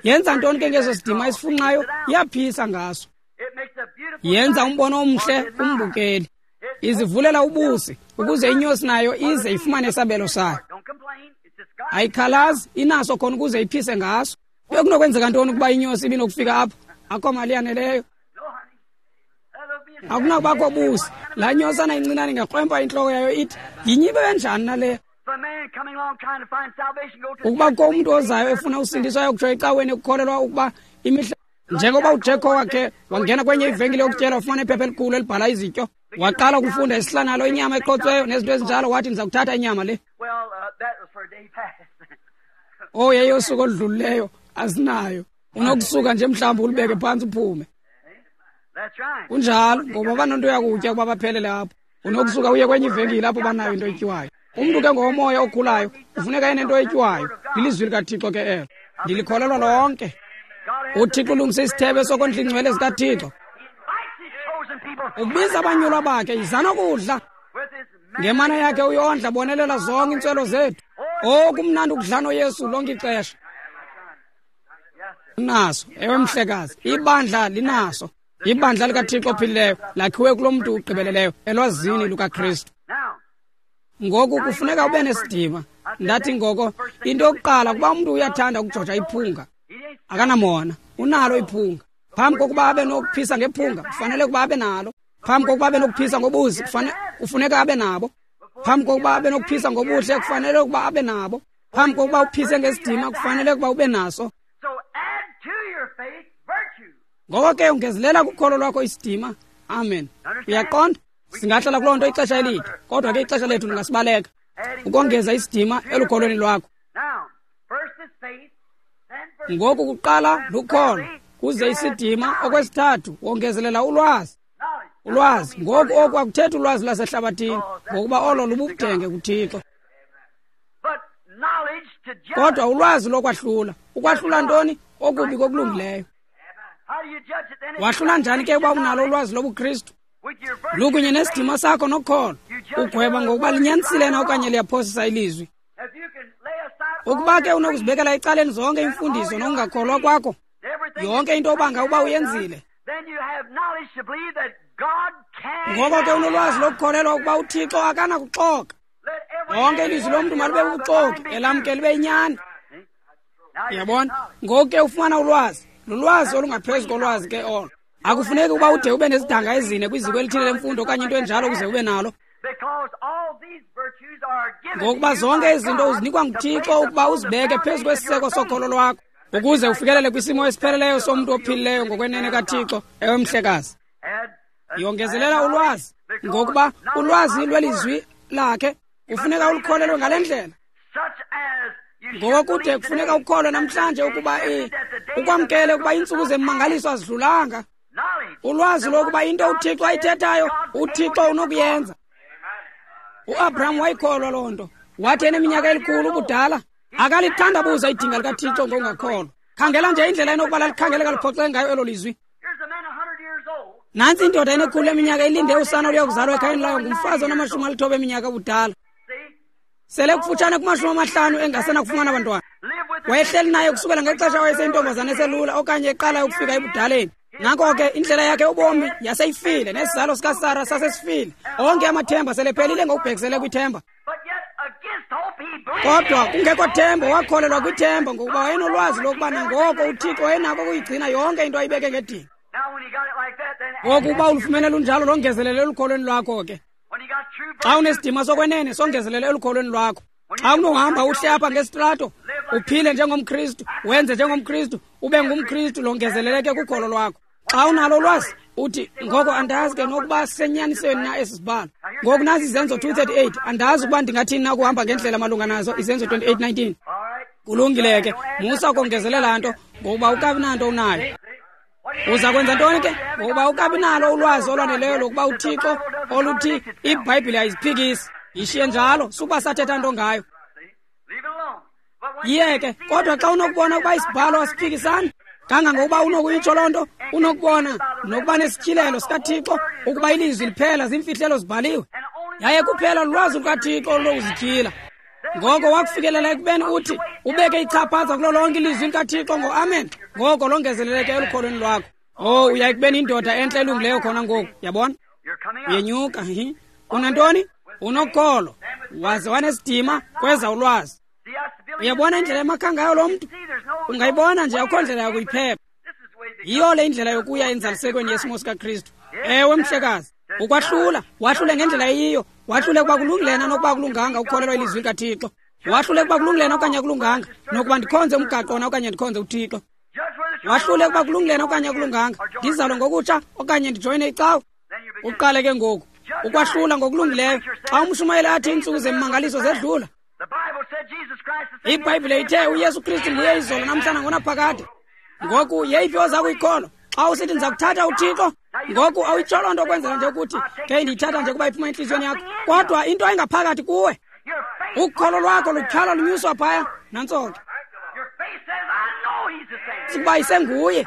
Yenza ntoni ke ngeso sidima isifunxayo? Iyaphisa ngaso. Yenza umbono omhle kumbukeli. Izivulela ubusi ukuze inyosi nayo ize ifumane isabelo sayo. Ayikhalazi, inaso khona ukuze iphise ngaso. Bekunokwenzeka ntoni ukuba inyosi ibinokufika apho? Akho mali yaneleyo. Akunakubakho busi. Laa nyosana incinane ingakrwempa intloko yayo ithi, yinyibe kanjani nale? Ukuba kukho umntu ozayo efuna usindiso ayokutsho ecaweni ekukholelwa ukuba imihla, njengoba uJacko wakhe wangena kwenye ivenkile yokutyela wafumana iphepha elikhulu elibhala izityo, waqala ukufunda isihlanalo, inyama eqotsweyo nezinto ezinjalo, wathi ndiza kuthatha inyama le. Oh, yeyosuku oludlulileyo asinayo. Unokusuka nje mhlawumbi ulibeke phantsi uphume. Kunjalo, ngoba banonto yakutya ukuba baphelele apho. Unokusuka uye kwenye ivenkile apho banayo into etyiwayo. Umntu ke ngowomoya okhulayo ufuneka enento etyiwayo. Lilizwi likaThixo ke elo. Ndilikholelwa lonke. UThixo ulungise isithebe sokondla iingcwele zikaThixo. Ubiza abanyulwa bakhe, yizani ukudla. Ngemana yakhe uyondla, bonelela zonke iintswelo zethu. Oh, kumnandi ukudla noYesu lonke ixesha. Naso, ewe mhlekazi, ibandla linaso. Ibandla likaThixo ophilileyo lakhiwe kulo mntu ugqibeleleyo elwazini lukaKristu. Ngoku kufuneka ube nesidima. Ndathi ngoko into yokuqala kuba umntu uyathanda ukujoja iphunga. Akanamona, unalo iphunga. Phambi kokuba abe nokuphisa ngephunga, kufanele ukuba abe nalo. Phambi kokuba abe nokuphisa ngobuzi, kufanele kufuneka abe nabo. Phambi kokuba abe nokuphisa ngobuhle, kufanele ukuba abe nabo. Phambi kokuba uphise ngesidima, kufanele ukuba ube naso. Ngoko ke ungezelela kukholo lwakho isidima. Amen. Uyaqonda? Singahlala kuloo nto ixesha elide, kodwa ke ixesha lethu lingasibaleka. Ukongeza isidima elukholweni lwakho. Ngoku kuqala lukholo, kuze isidima. Okwesithathu, wongezelela ulwazi. Ulwazi. Ngoku oku akuthethi ulwazi lwasehlabathini, ngokuba olo lububudenge kuThixo. Kodwa ulwazi lokwahlula. Ukwahlula ntoni? Okubi kokulungileyo. Wahlula njani ke uba unalo ulwazi lobuKristu? Lukunye nesidima sakho nokholo. Ugweba ngokuba linyanisile na okanye liyaphosisa ilizwi. Ukuba ke unokuzibekela ecaleni zonke imfundiso nokungakholwa kwakho, yonke into obanga uba uyenzile, ngoko ke unolwazi lokukholelwa ukuba uThixo akanakuxoka. Lonke ilizwi lomntu malube bubuxoki, elamke libe yinyani. Uyabona? Ngoku ke ufumana ulwazi. Lulwazi olungaphezu kolwazi ke olo. Akufuneki ukuba ude ube nezidanga ezine kwiziko elithile lemfundo okanye into enjalo ukuze ube nalo. Ngokuba zonke izinto uzinikwa nguThixo ukuba uzibeke phezu kwesiseko sokholo lwakho, ukuze ufikelele kwisimo esipheleleyo somntu ophilileyo ngokwenene kaThixo. Ewe mhlekazi. Yongezelela ulwazi, ngokuba ulwazi lwelizwi lakhe kufuneka ulukholelwe ngale ndlela. Ngokude kufuneka ukholwe namhlanje ukuba ukwamkele ukuba iintsuku zemmangaliso azidlulanga. Ulwazi lokuba into uThixo ayithethayo, uThixo unokuyenza. UAbraham wayikholwa loo nto. Wathi eneminyaka elikhulu ubudala, akalithandabuza idinga likaThixo ngokungakholwa. Khangela nje indlela enokuba lalikhangeleka liphoxeke ngayo elo lizwi. Nantsi indoda enekhulu leminyaka ilinde usana oluyakuzalwa ekhayeni layo ngumfazi onamashumi alithoba eminyaka ubudala. Sele kufutshane kumashumi amahlanu engasenakufumana abantwana. Wayehleli naye kusukela ngexesha wayeseyintombazana eselula okanye eqala ukufika ebudaleni. Ngako ke indlela yakhe ubomi yaseyifile, nesizalo sikaSara sasesifile. Onke amathemba selephelile ngokubhekisele kwithemba. Kodwa kungekho themba, wakholelwa kwithemba ngokuba wayenolwazi lokuba nangoko uThixo wayenako ukuyigcina yonke into ayibeke ngedinga. Ngoku uba ulufumene lunjalo, longezelele elukholweni lwakho ke. Xa unesidima sokwenene, songezelele elukholweni lwakho. Xa unohamba uhle apha ngesitrato, uphile njengomKristu, wenze njengomKristu, ube ngumKristu, longezeleleke kukholo lwakho. Xa unalo ulwazi, uthi ngoko andazi ke nokuba sisenyanisweni na esi sibhalo. Ngoku nazi Izenzo two thirty-eight, andazi ukuba ndingathini na ukuhamba ngendlela malunga nazo. Izenzo twenty-eight nineteen. Kulungile ke, musa ukongezelela nto, ngokuba ukabi nanto unayo. Uza kwenza ntoni ke? Ngokuba ukabi nalo ulwazi olwaneleyo lokuba uThixo oluthi iBhayibhile ayiziphikisi. Yishiye njalo, sukuba sathetha nto ngayo. Yiyeke, kodwa xa unokubona ukuba isibhalo asiphikisani, kangangokuba unokuyitsho loo nto, unokubona nokuba nesityhilelo sikaThixo ukuba ilizwi liphela ziimfihlelo zibhaliwe. Yaye kuphela lulwazi lukaThixo olunokuzityhila. Ngoko wakufikelela ekubeni uthi ubeke ichaphaza kulo lonke ilizwi likaThixo ngo-amen, ngoko longezeleleke elukholweni lwakho. Oh, uya ekubeni indoda entle elungileyo khona ngoku, yabona? Uyenyuka, hi. Unantoni? Unokholo, waze wanesidima, kweza ulwazi. Uyabona indlela emakha ngayo lo mntu? Ungayibona nje, akukho ndlela yokuyiphepha. Yiyo le indlela yokuya enzalisekweni yesimo sikaKristu. Ewe mhlekazi, ukwahlula, wahlule ngendlela eyiyo, wahlule ukuba kulungile na nokuba kulunganga ukukholelwa ilizwi likaThixo. Wahlule ukuba kulungile na okanye akulunganga, nokuba ndikhonze umgaqo na okanye ndikhonze uThixo. Wahlule ukuba kulungile na okanye akulunganga, ndizalwe ngokutsha okanye ndijoyine icawa. Uqale ke ngoku ukwahlula ngokulungileyo. Xa umshumayeli athi iintsuku zemmangaliso zedlula, iBhayibhile ithe uYesu Kristu nguye izolo namhlanje ngonaphakade. Ngoku yeyiphi oza kuyikholwa? Xa usithi ndiza kuthatha uThixo, ngoku awuyitsho loo nto ukwenzela nje ukuthi ke ndiyithatha nje kuba iphuma entliziyweni yakho, kodwa into engaphakathi kuwe, ukholo lwakho lutyhalwa lunyuswa phaya. Nantso ke. Ndiyazi ukuba isenguye.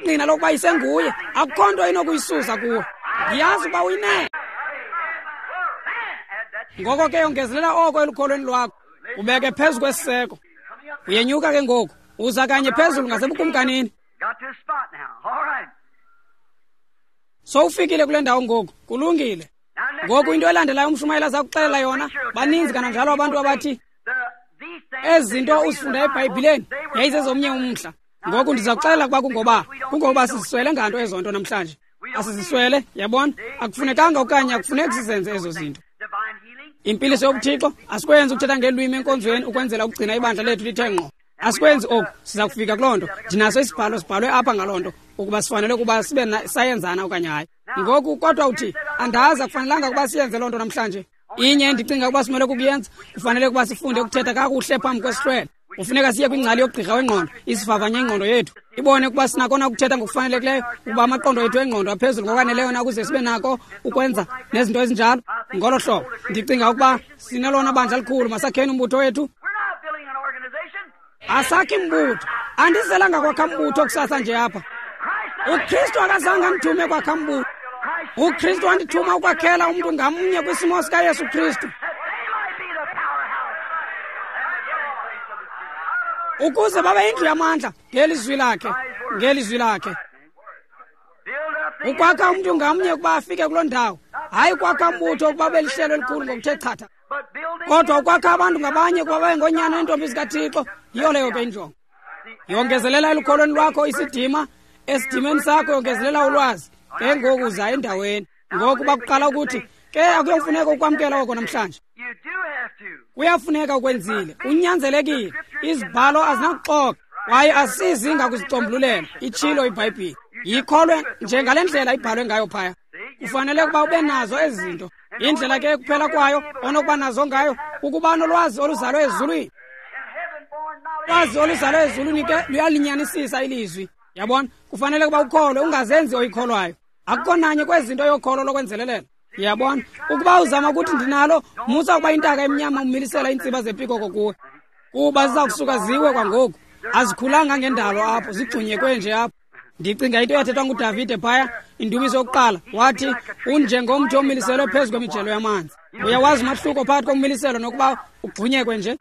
Ngqina lokuba isenguye. Akukho nto inokuyisusa kuwe. Ndiyazi ukuba uyinene. Ngoko ke yongezelela oko elukholweni lwakho. Ubeke phezu kwesiseko. Uyenyuka ke ngoku. Uza kanye phezulu ngasebukumkanini. Sowufikile kule ndawo ngoku. Kulungile. Ngoku into elandelayo umshumayeli aza kuxelela yona, baninzi kananjalo abantu abathi ezi zinto uzifunda eBhayibhileni yayizezomnye umhla. Ngoku ndiza kuxelela ukuba kungoba kungoba siziswele nganto ezo nto namhlanje. Asiziswele, yabona? Akufunekanga okanye akufuneki sizenze ezo zinto. Impiliso yobuthixo asikwenzi ukuthetha ngelwimi enkonzweni ukwenzela ukugcina ibandla lethu lithe ngqo. Asikwenzi oku, siza kufika kuloo nto. Ndinaso isibhalo sibhalwe apha ngaloo nto ukuba sifanele ukuba sibe sayenzana okanye hayi. Ngoku kodwa uthi andazi, akufanelanga ukuba siyenze loo nto namhlanje. Inye endicinga ukuba simele kukuyenza, kufanele ukuba sifunde ukuthetha kakuhle phambi kwesihlwele. Kufuneka siye kwingcali yogqirha wengqondo, isivavanye ingqondo yethu, ibone ukuba sinakona ukuthetha ngokufanelekileyo, ukuba amaqondo ethu engqondo aphezulu ngokwaneleyo na ukuze sibe nako ukwenza nezinto ezinjalo. Ngolo hlobo ndicinga ukuba sinelona bandla likhulu, masakheni umbutho wethu. Asakhi mbutho. Andizelanga kwakha mbutho kusasa nje apha. UKristu akazange andithume kwakha mbutho. UKristu wandithuma ukwakhela umntu ngamnye kwisimo sikaYesu Kristu, ukuze babe indlu yamandla ngelizwi lakhe, ngelizwi lakhe. Ukwakha umntu ngamnye ukuba afike kuloo ndawo, hayi ukwakha mbutho ukuba belihlelo elikhulu ngokuthe chatha, kodwa ukwakha abantu ngabanye ukuba babe ngoonyana neentombi zikaThixo. Yiyo leyo ke injongo. Yongezelela elukholweni lwakho isidima, esidimeni sakho yongezelela ulwazi. Ke ngoku uza endaweni. Ngoku bakuqala ukuthi ke akuyofuneka ukwamkela oko namhlanje. Kuyafuneka ukwenzile, unyanzelekile. Izibhalo azinakuxoka kwaye asizi ngakuzicombululela, itshilo iBhayibhile. Yikholwe njengale ndlela ibhalwe ngayo phaya. Kufanele ukuba ube nazo ezi zinto. Indlela ke kuphela kwayo onokuba nazo ngayo ukuba nolwazi oluzalwe ezulwini. Ulwazi oluzalwe ezulwini ke luyalinyanisisa ilizwi. Yabona, kufanele ukuba ukholwe, ungazenzi oyikholwayo. Akukho nanye kwezi zinto yokholo lokwenzelelela. Yabona, ukuba uzama ukuthi ndinalo, musa ukuba intaka emnyama umilisela iintsiba zepikoko kuwe, kuba ziza kusuka ziwe kwangoku. Azikhulanga ngendalo apho, zigxunyekwe nje apho. Ndicinga into eyathethwa nguDavide phaya, indumiso yokuqala, wathi unjengomthi omiliselwe phezu kwemijelo yamanzi. Uyawazi umahluko phakathi kommiliselo nokuba ugxunyekwe nje?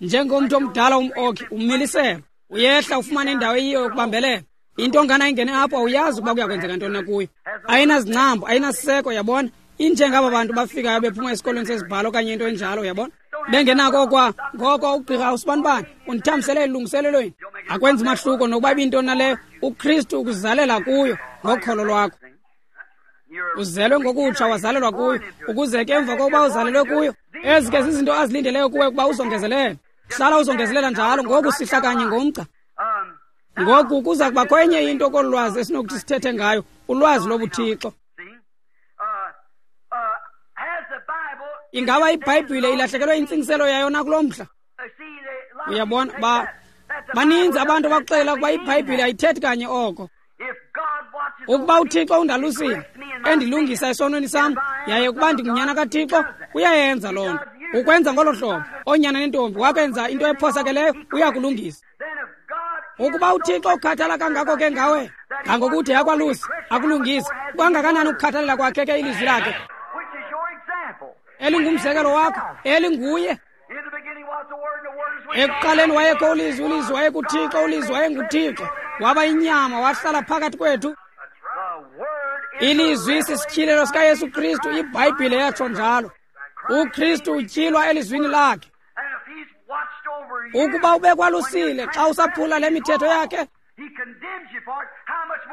Njengomthi omdala um-oki, ummiliselo uyehla ufumane indawo eyiyo yokubambelela. Into ngana ingene apho awuyazi ukuba kuyakwenzeka ntoni na kuyo. Ayinazingcambu, ayinasiseko, yabona. Injengaba bantu bafikayo bephuma esikolweni sezibhalo okanye into enjalo, yabona. Bengenako kwa ngoko ugqirha usibanibani undithambisele elungiselelweni. Akwenzi mahluko nokuba ibintoni naleyo, uKristu ukuzalela kuyo ngokholo lwakho. Uzelwe ngokutsha, wazalelwa kuyo, ukuze ke emva kokuba uzalelwe kuyo, ezi ke zizinto azilindeleyo kuwe ukuba uzongezelele. Hlala uzongezelela njalo, ngoku sihla kanye ngomgca. Ngoku kuza kubakho enye into kolu lwazi esinokuthi sithethe ngayo, ulwazi lobuthixo. Ingaba iBhayibhile ilahlekelwe intsingiselo yayo na kulo mhla? Uyabona, ba baninzi abantu abakuxelela ukuba iBhayibhile ayithethi kanye oko. Ukuba uThixo undalusile, endilungisa esonweni sam, yaye ukuba ndingunyana kaThixo, uyayenza loo nto. Ukwenza ngolo hlobo, oonyana nentombi, wakwenza into ephosakeleyo, uyakulungisa. Ukuba uThixo ukhathala kangako ke ngawe, ngangokuthi yakwalusi, akulungise, kangakanani ukukhathalela kwakhe ke ilizwi lakhe, elingumzekelo wakho, elinguye. Ekuqaleni wayekho ulizwi, ulizwi wayekuThixo, ulizwi wayenguThixo. Waba inyama, wahlala phakathi kwethu. Ilizwi sisityhilelo sikaYesu Kristu, iBhayibhile yatsho njalo. UKristu utyhilwa elizwini lakhe. Ukuba ubekwalusile xa usaphula le mithetho yakhe,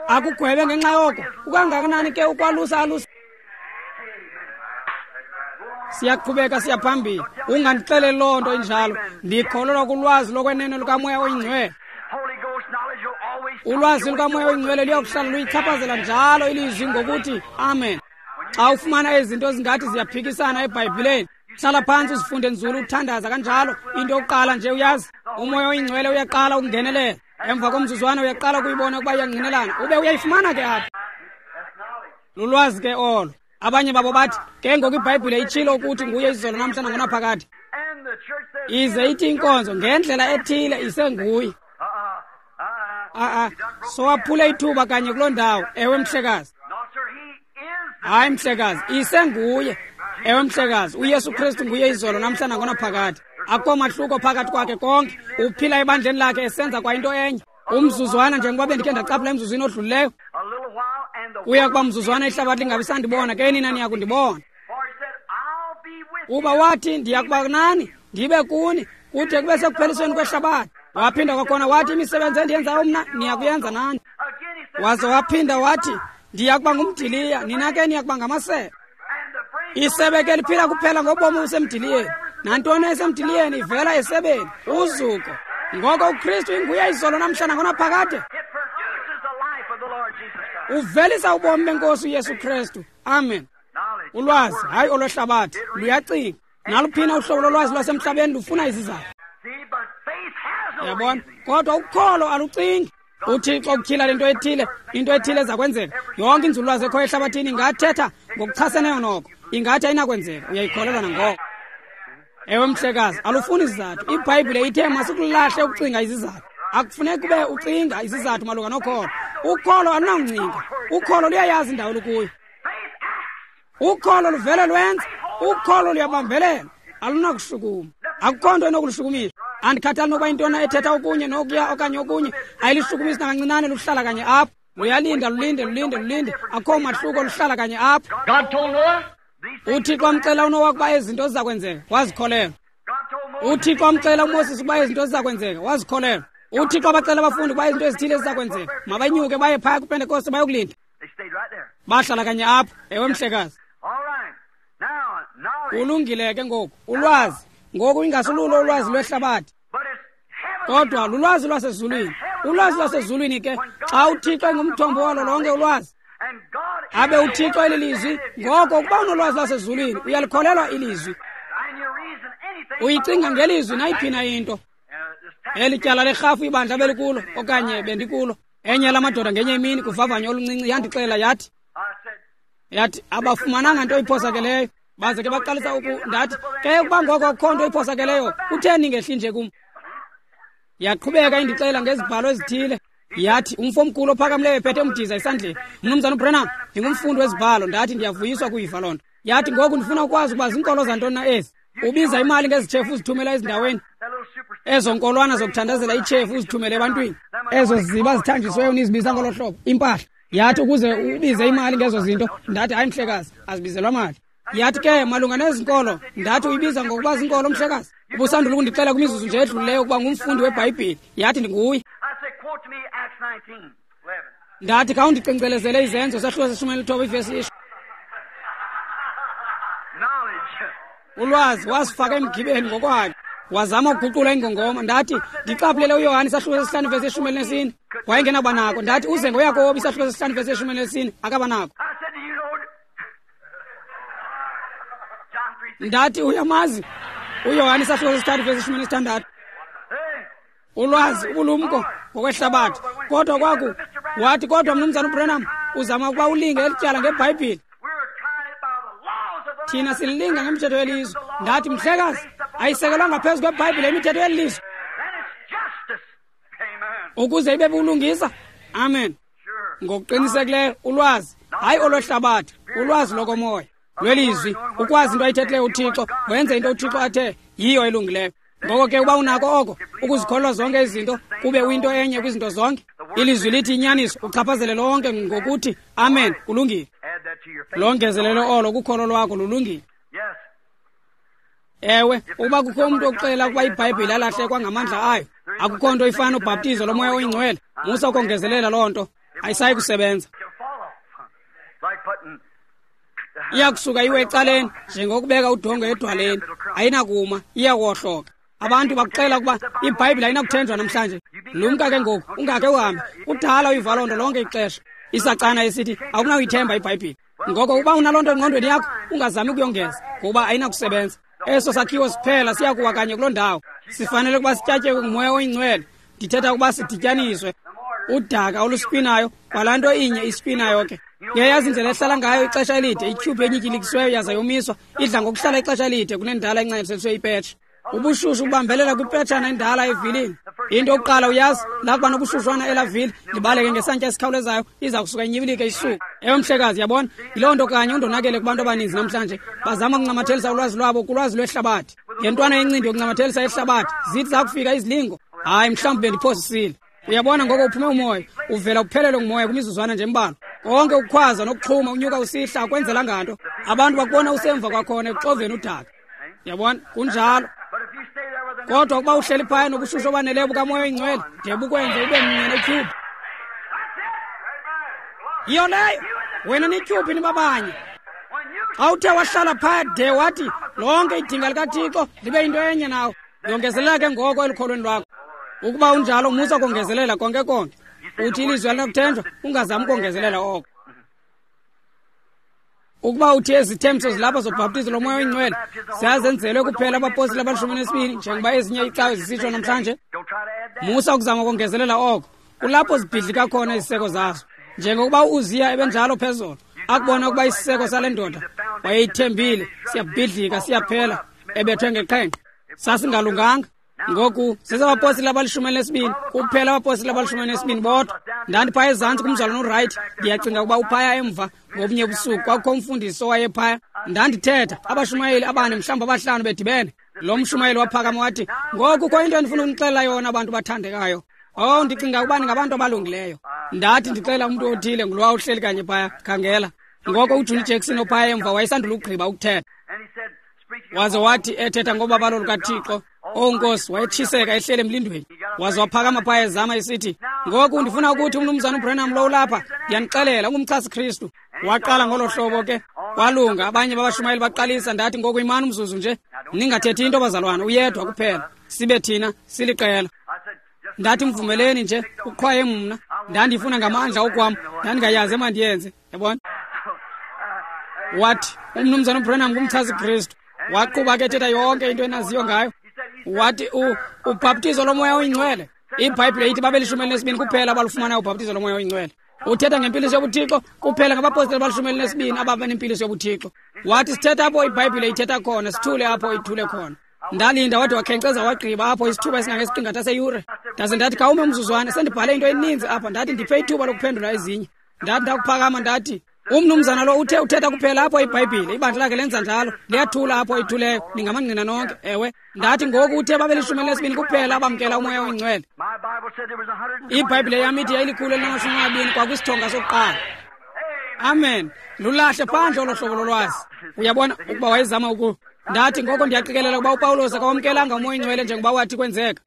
akugwebe ngenxa yoko. Kukangakanani ke ukwalusa alusa? Siyaqhubeka siya phambili. Ungandixeleli loo nto injalo. Ndikholelwa kulwazi lokwenene lukaMoya oyiNgcwele. Ulwazi lukaMoya oyiNgcwele luyakuhlala luyichaphazela njalo ilizwi ngokuthi amen. Xa ufumana ezi zinto zingathi ziyaphikisana eBhayibhileni, hlala phantsi uzifunde nzulu, uthandaza kanjalo. Into yokuqala nje uyazi, uMoya oyiNgcwele uyaqala ukungenelela. Emva komzuzwana uyaqala ukuyibona ukuba iyangqinelana, ube uyayifumana ke apha. Lulwazi ke olo. Abanye babo bathi ke ngoku iBhayibhile itshilo ukuthi nguye izolo namhla nangonaphakade. Ize ithi inkonzo ngendlela ethile isenguye. A-a, sowaphule ithuba kanye kuloo ndawo. Ewe, mhlekazi. Hayi, mhlekazi, isenguye. Ewe, mhlekazi, uYesu Kristu nguye izolo namhla nangonaphakade. Akukho mahluko phakathi kwakhe konke. Uphila ebandleni lakhe esenza kwa into enye. Umzuzwana njengoba bendikhe ndacaphula emzuzwini odlulileyo, uya kuba mzuzwana ihlabathi lingabi sandibona, ke nina niya kundibona. Kuba wathi, ndiya kuba nani, ndibe kuni, kude kube sekuphelisweni kwehlabathi. Waphinda kwakhona wathi, imisebenzi endiyenzayo mna niya kuyenza nani. Waze waphinda wathi, ndiya kuba ngumdiliya, nina ke niya kuba ngamasebe. Isebe ke liphila kuphela ngobomi obusemdiliyeni. Nantoni esemdiliyeni ivela esebeni, uzuko. Ngoko uKristu inguye izolo namhla nangonaphakade. Uvelisa ubomi benkosi uYesu Kristu. Amen. Ulwazi, hayi olwehlabathi, luyacinga. Naluphina uhlobo lolwazi lwasemhlabeni lufuna izizathu. Yabona? Kodwa ukholo alucingi. UThixo ukutyhila lento ethile, into ethile eza kwenzeka. Yonke inzululwazi ekhoyo ehlabathini ingathetha ngokuchaseneyo noko. Ingathi ayinakwenzeka, uyayikholelwa nangoko. Ewe, mhlekazi, alufuni izizathu. IBhayibhile ithe masikulahle ukucinga izizathu. Akufuneki ube ucinga izizathu malunga nokholo. Ukholo alunawuncinga. Ukholo luyayazi indawo olukuyo. Ukholo luvele lwenze. Ukholo luyabambelela. Alunakushukuma. Akukho nto enokulushukumisa. Andikhathali nokuba intona ethetha okunye nokuya okanye okunye, ayilishukumisi nakancinane, luhlala kanye apho. Luyalinda, lulinde, lulinde, lulinde. Akukho mahluko, luhlala kanye apho. UThixo amcela uNowa ukuba ezi zinto ziza kwenzeka, wazikholelwa. UThixo amcela uMoses ukuba ezi zinto ziza kwenzeka, wazikholelwa. UThixo abacela abafundi ukuba izinto ezithile ziza kwenzeka, mabanyuke baye phaya kwiPentekoste bayokulinda. Bahlala kanye apho. Ewe, mhlekazi. Kulungile ke ngoku. Ulwazi ngoku ingasululo ulwazi lwehlabathi, kodwa lulwazi lwasezulwini. Ulwazi lwasezulwini ke, xa uThixo engumthombo walo lonke ulwazi, abe uThixo elilizwi, ngoko ukuba unolwazi lwasezulwini uyalikholelwa ilizwi. Uyicinga ngelizwi nayiphina into. Eli tyala lerhafu ibandla belikulo okanye bendikulo, enye lamadoda ngenye imini kuvavanyo oluncinci yandixela yathi, yathi abafumananga nto iphosakeleyo. Baze ke baqalisa uku, ndathi ke ukuba ngoko akukho nto iphosakeleyo, kutheni ningehli nje kum? Yaqhubeka indixela ngezibhalo ezithile. Yathi umfo omkhulu ophakamileyo ephethe umdiza esandleni, Mnumzana uBrenham, ndingumfundi wezibhalo. Ndathi ndiyavuyiswa kuyiva loo nto. Yathi ngoku ndifuna ukwazi ukuba ziinkolo zantoni na ezi. Ubiza imali ngezitshefu uzithumela ezindaweni. Ezo nkolwana zokuthandazela itshefu uzithumele ebantwini. Ezo ziba zithanjisiweyo nizibiza ngolo hlobo, impahla. Yathi ukuze ubize imali ngezo zinto. Ndathi hayi mhlekazi, azibizelwa mali. Yathi ke malunga nezi nkolo, ndathi uyibiza ngokuba zinkolo mhlekazi. Ubusandula ukundixela kwimizuzu nje edlulileyo ukuba ngumfundi weBhayibhile. Yathi ndinguye. Ndathi khawundicincelezele izenzo sahluko seshumi elithoba ivesi isho. Ulwazi wasifaka emgibeni ngokwakhe. Wazama ukuguqula ingongoma. Ndathi ndicaphulele uYohane isahluko sesihlanu ivesi yeshumi elinesine. Wayengenaba nako. Ndathi uze ngoYakobi isahluko sesihlanu ivesi yeshumi elinesine, akaba nako. Ndathi uyamazi uYohane isahluko sesithathu ivesi yeshumi elinesithandathu. Ulwazi ubulumko ngokwehlabathi. Kodwa kwaku wathi, kodwa Mnumzana uBrenham, uzama ukuba ulinge elityala ngeBhayibhile. Thina sililinga ngemithetho yelizwe. Ndathi mhlekazi, ayisekelwanga phezu kweBhayibhile imithetho yelizwe ukuze ibe bulungisa. Amen. Ngokuqinisekileyo ulwazi, hayi olwehlabathi, ulwazi lokomoya lwelizwi, ukwazi into ayithethileyo uThixo, wenze into uThixo athe yiyo elungileyo. Ngoko ke uba unako oko ukuzikholwa zonke izinto, kube uyinto enye kwizinto zonke. Ilizwi lithi inyaniso, uchaphazele lonke ngokuthi amen, kulungile. Longezelelo olo kukholo lwakho lulungile. Ewe, ukuba kukho umntu oxela ukuba iBhayibhile yalahlekwa ngamandla ayo, akukho nto ifana nobhaptizo lomoya oyingcwele, musa ukongezelela loo nto, ayisayi kusebenza. Iyakusuka iwe ecaleni njengokubeka udongo edwaleni, ayinakuma, iyakuwohloka. Abantu bakuxela ukuba iBhayibhile ayinakuthenjwa namhlanje. Lumka ke ngoku, ungakhe uhambe. Kudala uyiva loo nto lonke ixesha. Isacana esithi awunakuyithemba iBhayibhile. Ngoko uba unaloo nto engqondweni yakho, ungazami ukuyongeza, ngokuba ayinakusebenza. Eso sakhiwo siphela siyakuwa kanye kuloo ndawo. Sifanele ukuba sityatyekwe ngumoya oyingcwele. Ndithetha ukuba sidityaniswe. Udaka oluspinayo, kwalaa nto inye ispinayo ke. Uyayazi indlela ehlala ngayo ixesha elide, ityhubhu enyityilikisiweyo yaza yomiswa, idla ngokuhlala ixesha elide kunendala encanjiselisiwe ipetshe. Ubushushu bubambelela kwipetshana endala evilini. Into yokuqala uyazi, lakuba nobushushwana elavili libaleke ngesantya esikhawulezayo, iza kusuka inyibilike isuku. Ewe mhlekazi, yabona, yiloo nto kanye undonakele kubantu abaninzi namhlanje. Bazama ukuncamathelisa ulwazi lwabo kulwazi lwehlabathi. Ngentwana yencindi yokuncamathelisa ihlabathi, zithi zakufika izilingo, hayi mhlawumbi bendiphosisile. Uyabona, ngoko uphume umoya, uvela uphelelwe ngumoya kwimizuzwana nje embalwa. Konke ukukhwaza nokuxhuma unyuka usihla akwenzela nganto. Abantu bakubona usemva kwakhona ekuxoveni udaka. Yabona, kunjalo. Kodwa ukuba uhleli phaya nobushushu obaneleyo bukamoya oyingcwele, de bukwenze ube mnye netyhubhu. Yiyo leyo, wena netyhubhu nibabanye. Xa uthe wahlala phaya de wathi lonke idinga likaThixo libe yinto enye nawe, yongezelela ke ngoko elukholweni lwakho. Ukuba unjalo, musa kongezelela konke konke. Uthi ilizwi alinakuthenjwa, ungazami ukongezelela oko. Ukuba uthi ezithembiso zilapha zobhaptizo lomoya oyingcwele ziyazenzelwe kuphela abapostile abalishumi nesibini, njengoba ezinye iicawe zisitsho namhlanje, musa ukuzama ukongezelela oko. Kulapho zibhidlika khona iziseko zazo. Njengokuba u-Uziya ebenjalo phezolo, akubona ukuba isiseko sale ndoda wayeyithembile siyabhidlika, siyaphela, ebethwe ngeqhenqe, sasingalunganga. Ngoku sesabapostile abalishumi elinesibini kuphela, abapostile abalishumi elinesibini bodwa. Ndandiphaya ezantsi kumzalwana uWright, ndiyacinga ukuba uphaya emva ngobunye ubusuku. Kwakukho umfundisi owayephaya. Ndandithetha, abashumayeli abane mhlawumbi abahlanu bedibene. Lo mshumayeli waphakama wathi, ngoku kukho into endifuna ukunixelela yona, abantu bathandekayo. Oh, ndicinga ukuba ningabantu abalungileyo. Ndathi ndixelela umntu othile, ngulowa uhleli kanye phaya, khangela. Ngoko uJohnny Jackson ophaya emva wayesandula ukugqiba ukuthetha. Waze wathi ethetha ngobabalo lukaThixo, oh Nkosi, wayetshiseka ehlele emlindweni. Waze waphakama phaya ezama esithi, ngoku ndifuna ukuthi umnumzana uBranham lo ulapha, ndiyanixelela ungumchasi Kristu. Waqala ngolo hlobo ke, kwalunga. Abanye babashumayeli baqalisa. Ndathi ngoku imani umzuzu nje, ningathethi into bazalwana, uyedwa kuphela, sibe thina siliqela. Ndathi mvumeleni nje, uqhwaye mna. Ndandifuna ngamandla okwam, ndandingayazi emandiyenze, yabona. Wathi umnumzana uBranham ngumchasi Kristu. Waqhuba ke ethetha yonke into enaziyo ngayo. Wathi ubhaptizo lomoya oyingcwele, iBhayibhile ithi babelishumi elinesibini kuphela abalufumanayo ubhaptizo lomoya oyingcwele. Uthetha ngempiliso yobuThixo kuphela ngabapostile abalishumi elinesibini ababa nempiliso yobuThixo. Wathi sithetha apho iBhayibhile ithetha khona, sithule apho ithule khona. Ndalinda wade wakhenkceza wagqiba apho isithuba esingangesiqingatha seyure. Ndaze ndathi khawume umzuzwana, sendibhale into eninzi apha. Ndathi ndiphe ithuba lokuphendula ezinye. Ndathi ndakuphakama ndathi, umnumzana lo uthe uthetha kuphela apho iBhayibhile, ibandla lakhe lenza njalo, liyathula apho ithuleyo, ningamangqina nonke. Ewe, ndathi ngoku uthe babelishumi elinesibini kuphela abamkela umoya oyingcwele. IBhayibhile yam ithi yayilikhulu elinamashumi amabini kwakwisithonga sokuqala. Amen. Lulahle phandle olo hlobo lolwazi. Uyabona ukuba wayezama uku. Ndathi ngoko ndiyaqikelela ukuba uPawulos akawamkelanga umoya oyingcwele njengoba wathi kwenzeka.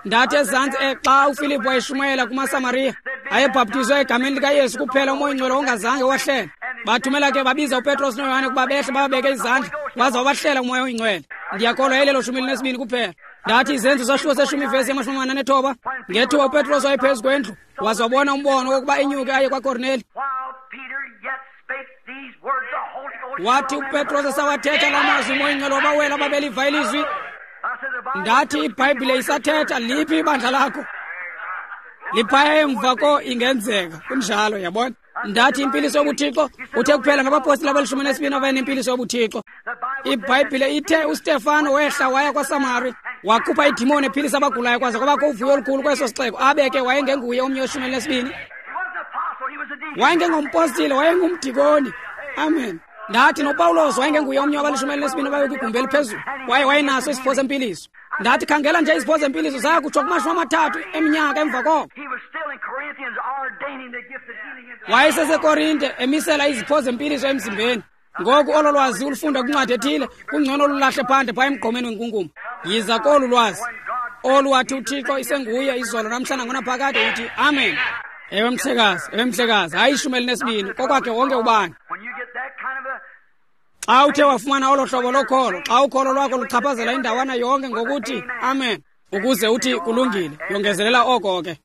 Ndathi ezantsi xa uFilipu wayeshumayela kumaSamariya, ayebhaptizwe egameni likaYesu kuphela, umoya oyingcwele ongazange wahlela. Bathumela ke babiza uPetros noYohane ukuba behle bababeke izandla, waza wabahlela umoya oyingcwele. Ndiyakholwa yayilelo shumi elinesibini kuphela. Ndathi izenzo sahluko seshumi ivesi yamashumi amane anethoba, ngethuba uPetros wayephezu kwendlu, waza wabona umbono wokuba enyuke aye kwaKorneli. Wathi uPetros esawathetha la mazwi, umoya oyingcwele wabawela ababeliva ilizwi. Ndathi iBhayibhile isathetha, liphi ibandla lakho? Liphaya emva ko ingenzeka. Kunjalo, yabona. Ndathi impiliso yobuThixo uthe kuphela ngabapostile abalishumi nesibini abayenempiliso yobuThixo. IBhayibhile ithe uStefano wehla waya kwaSamari, wakhupha idimoni ephilisa abagulayo, kwaze kwabakho uvuyo olukhulu kweso sixeko. Abe ke wayengenguye omnye weshumi elinesibini. Wayengengompostile, wayengumdikoni. Amen. Ndathi noPawulos wayengenguye omnye wabalishumi elinesibini ababekwigumbi eliphezulu, waye wayenaso isipho sempiliso. Ndathi khangela nje izipho zempiliso zaya kutsho kumashumi amathathu eminyaka emva koko. WayeseseKorinte emisela izipho zempiliso emzimbeni. Ngoku olo lwazi ulufunda kwincwadi ethile, kungcono olulahle phandle phaya emgqomeni wenkunkuma. Yiza kolu lwazi olu wathi uThixo isenguye izolo namhla nangonaphakade, uthi amen. Ewe mhlekazi, ewe mhlekazi, hayi ishumi elinesibini, kokwakhe wonke ubani. Xa uthe wafumana olo hlobo lokholo, xa ukholo lwakho luchaphazela indawana yonke ngokuthi amen, ukuze uthi kulungile, yongezelela oko ke.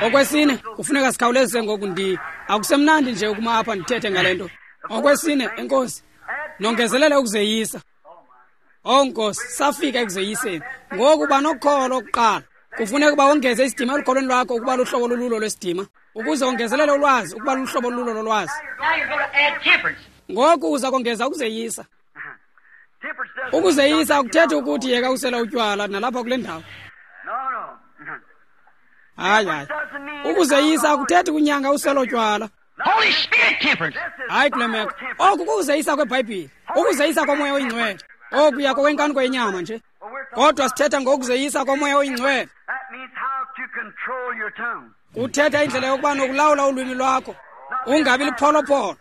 Okwesine, kufuneka sikhawulezise ngoku. Ndi akusemnandi nje ukuma apha ndithethe ngale nto. Okwesine, enkosi, nongezelele ukuzeyisa. Oh Nkosi, safika ekuzeyiseni. Ngoku banokholo kuqala. Kufuneka uba wongeze isidima elukholweni lwakho ukuba luhlobo lolulo lwesidima, ukuze wongezelele ulwazi ukuba luhlobo lolulo lolwazi. Ngoku uza kongeza ukuzeyisa. Ukuzeyisa akuthethi ukuthi yeka usela utywala nalapha kule ndawo. Hayi hayi. Ukuzeyisa akuthethi kunyanga usela utywala. Holy Spirit temperance. Hayi kule meko. Oku kukuzeyisa kweBhayibhile. Ukuzeyisa komoya oyingcwele. Oku yako kwenkaniko yenyama nje. Kodwa sithetha ngokuzeyisa komoya oyingcwele. Kuthetha indlela yokuba nokulawula ulwimi lwakho. Ungabi lipholopolo.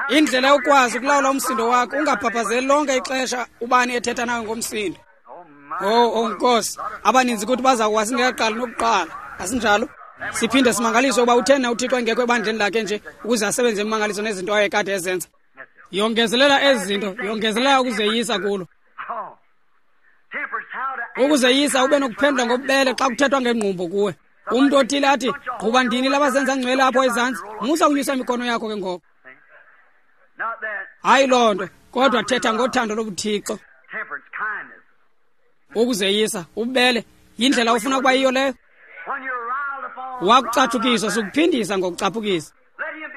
Indlela yokwazi ukulawula umsindo wakho, ungabhabhazeli lonke ixesha ubani ethetha nawe ngomsindo. Oh, oh Nkosi, abaninzi kuthi baza kuwa singekaqali nokuqala. Asinjalo? Siphinde simangaliswe ukuba uthena uThixo engekho ebandleni lakhe nje ukuze asebenze imimangaliso nezinto ayekade ezenza. Yongezelela ezi zinto, yongezelela ukuzeyisa kulo. Ukuzeyisa ube nokuphendula ngobubele xa kuthethwa ngengqumbo kuwe. Umntu othile athi, "Gquba ndini labazenza ngcwele apho ezantsi, musa ukunyusa imikono yakho ke ngoko." Hayi loo nto, kodwa thetha ngothando lobuThixo. Ukuzeyisa, ububele, yindlela ofuna ukuba yiyo leyo. Wakucatshukiswa sukuphindisa ngokucaphukisa.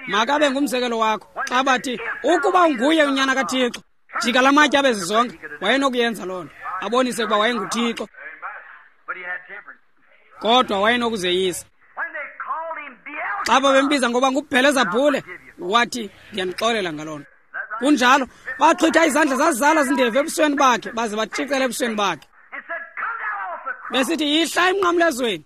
Makabe ngumzekelo wakho. Xa bathi, ukuba unguye unyana kaThixo, jika la matye abe zizonke. Wayenokuyenza loo nto, abonise ukuba wayenguThixo. Kodwa wayenokuzeyisa. Xa babembiza ngoba nguBhelezabhule, wathi, ndiyanixolela ngaloo nto. Kunjalo, baxhwitha izandla zazala zindevu ebusweni bakhe, baze batshicela ebusweni bakhe. Besithi, yihla emnqamlezweni.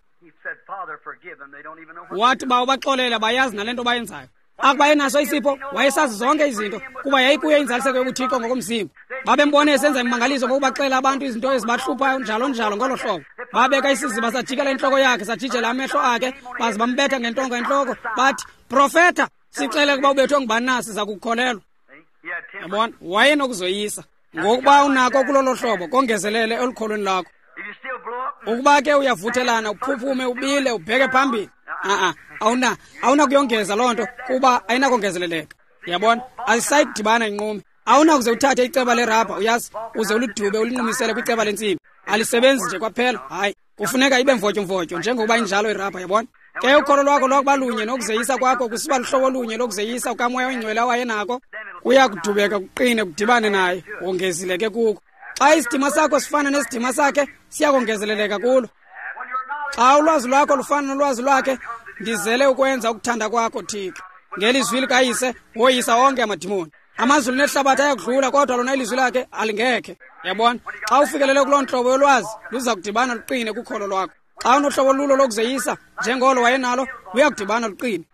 Wathi bawo baxolela, bayazi nale nto bayenzayo. Akuba enaso isipho, wayesazi zonke izinto, kuba yayikuye inzaliseko yobuThixo ngokomzimba. Babembone esenza imimangaliso ngokubaxelela abantu izinto ezibahluphayo njalo njalo ngolo hlobo. Babeka isiziba sajikela intloko yakhe, sajijela amehlo akhe, baze bambetha ngentonga entloko, bathi, "Profeta, sixele ukuba ubethwe ngubani na, siza kukukholelwa." Yabona, wayenokuzoyisa. Ngokuba unako kulolo hlobo, kongezelele elukholweni lakho. Ukuba ke uyavuthelana, uphuphume, ubile, ubheke phambili, a-a, awuna awunakuyongeza loo nto, kuba ayinakongezeleleka. Yabona, azisayikudibana inqume. Awunakuze uthathe iceba lerabha, uyazi, uze ulidube ulinqumisele kwiceba lentsimbi. Alisebenzi nje kwaphela. Hayi, kufuneka ibe mvotyomvotyo njengokuba injalo irabha, yabona. Ke ukholo lwakho lwakuba lunye nokuzeyisa kwakho kusiba luhlobo olunye lokuzeyisa ukamoya oyingcwele awayenako, kuya kudubeka kuqine kudibane naye, wongezile ke kuko. Xa isidima sakho sifana nesidima sakhe, siyakongezeleleka kulo. Xa ulwazi lwakho lufana nolwazi lwakhe, ndizele ukwenza ukuthanda kwakho, Thixo. Ngelizwi likaYise woyisa onke amadimoni. Amazulu nehlabathi ayakudlula, kodwa lona ilizwi lakhe alingekhe. Yabona, xa ufikelele kuloo ntlobo yolwazi, luza kudibana luqine kukholo lwakho. Xa unohlobo lulo lokuzeyisa njengolo wayenalo, luyakudibana luqine.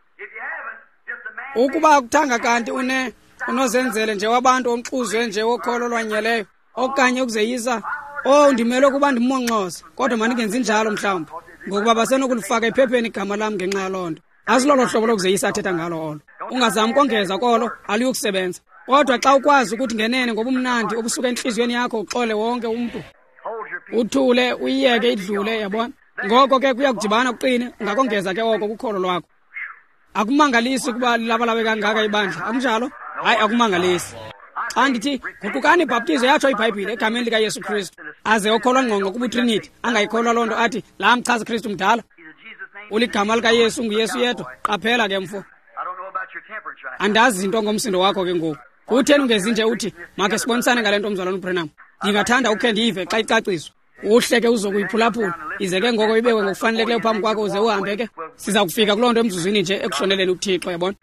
Ukuba akuthanga kanti une unozenzele nje wabantu omxuzwe nje wokholo olwanyeleyo okanye ukuzeyisa, oh ndimele ukuba ndimmonxose, kodwa mandingenzi njalo mhlawumbi, ngokuba basenokulifaka ephepheni igama lam ngenxa yaloo nto. Asilolo hlobo lokuzeyisa athetha ngalo olo. Ungazami kongeza kolo, aluyukusebenza. Kodwa xa ukwazi ukuthi ngenene ngobumnandi obusuka entliziyweni yakho uxole wonke umntu, uthule, uyiyeke idlule, yabona. Ngoko ke kuya kudibana kuqine, ungakongeza ke oko kukholo lwakho. Akumangalisi ukuba lilabalabe kangaka ibandla, akunjalo? Hayi, akumangalisi. Xa ndithi guqukani ibhaptizo, yatsho iBhayibhile egameni likaYesu Kristu, aze okholwa ngqonqo kubuTrinity angayikholwa loo nto, athi laa mchazi Kristu mdala, uligama likaYesu nguYesu yedwa. Qaphela ke mfo, andazi into ngomsindo wakho ke ngoku. Kutheni ungezi nje uthi makhe sibonisane ngale nto, mzalwana uBrenham? Ndingathanda ukhe ndiyive xa icaciswa. Uhle ke uzokuyiphulaphula, ize ke ngoko ibekwe ngokufanelekileyo phambi kwakho, uze uhambe ke. Siza kufika kuloo nto emzuzwini nje ekuhloneleni uThixo, yabona.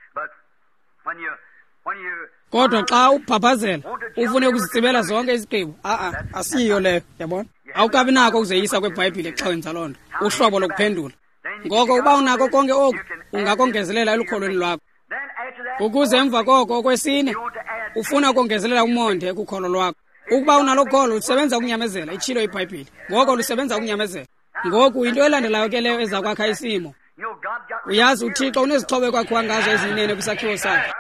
Kodwa xa ubhabhazela ufune ukuzitsibela zonke izigqibo, a-a, asiyiyo leyo, yabona. Awukabi nako ukuzeyisa kweBhayibhile xa wenza loo nto, uhlobo lokuphendula. Ngoko uba unako konke oku, ungakongezelela elukholweni lwakho. Ukuze emva koko, okwesine, ufuna ukongezelela umonde kukholo lwakho. Ukuba unalo kholo, lusebenza ukunyamezela, itshilo iBhayibhile. Ngoko lusebenza ukunyamezela. Ngoku into elandelayo ke leyo eza kwakha isimo. Uyazi uThixo unezixhobo ekwakhiwa ngazo eziyinene kwisakhiwo sakhe.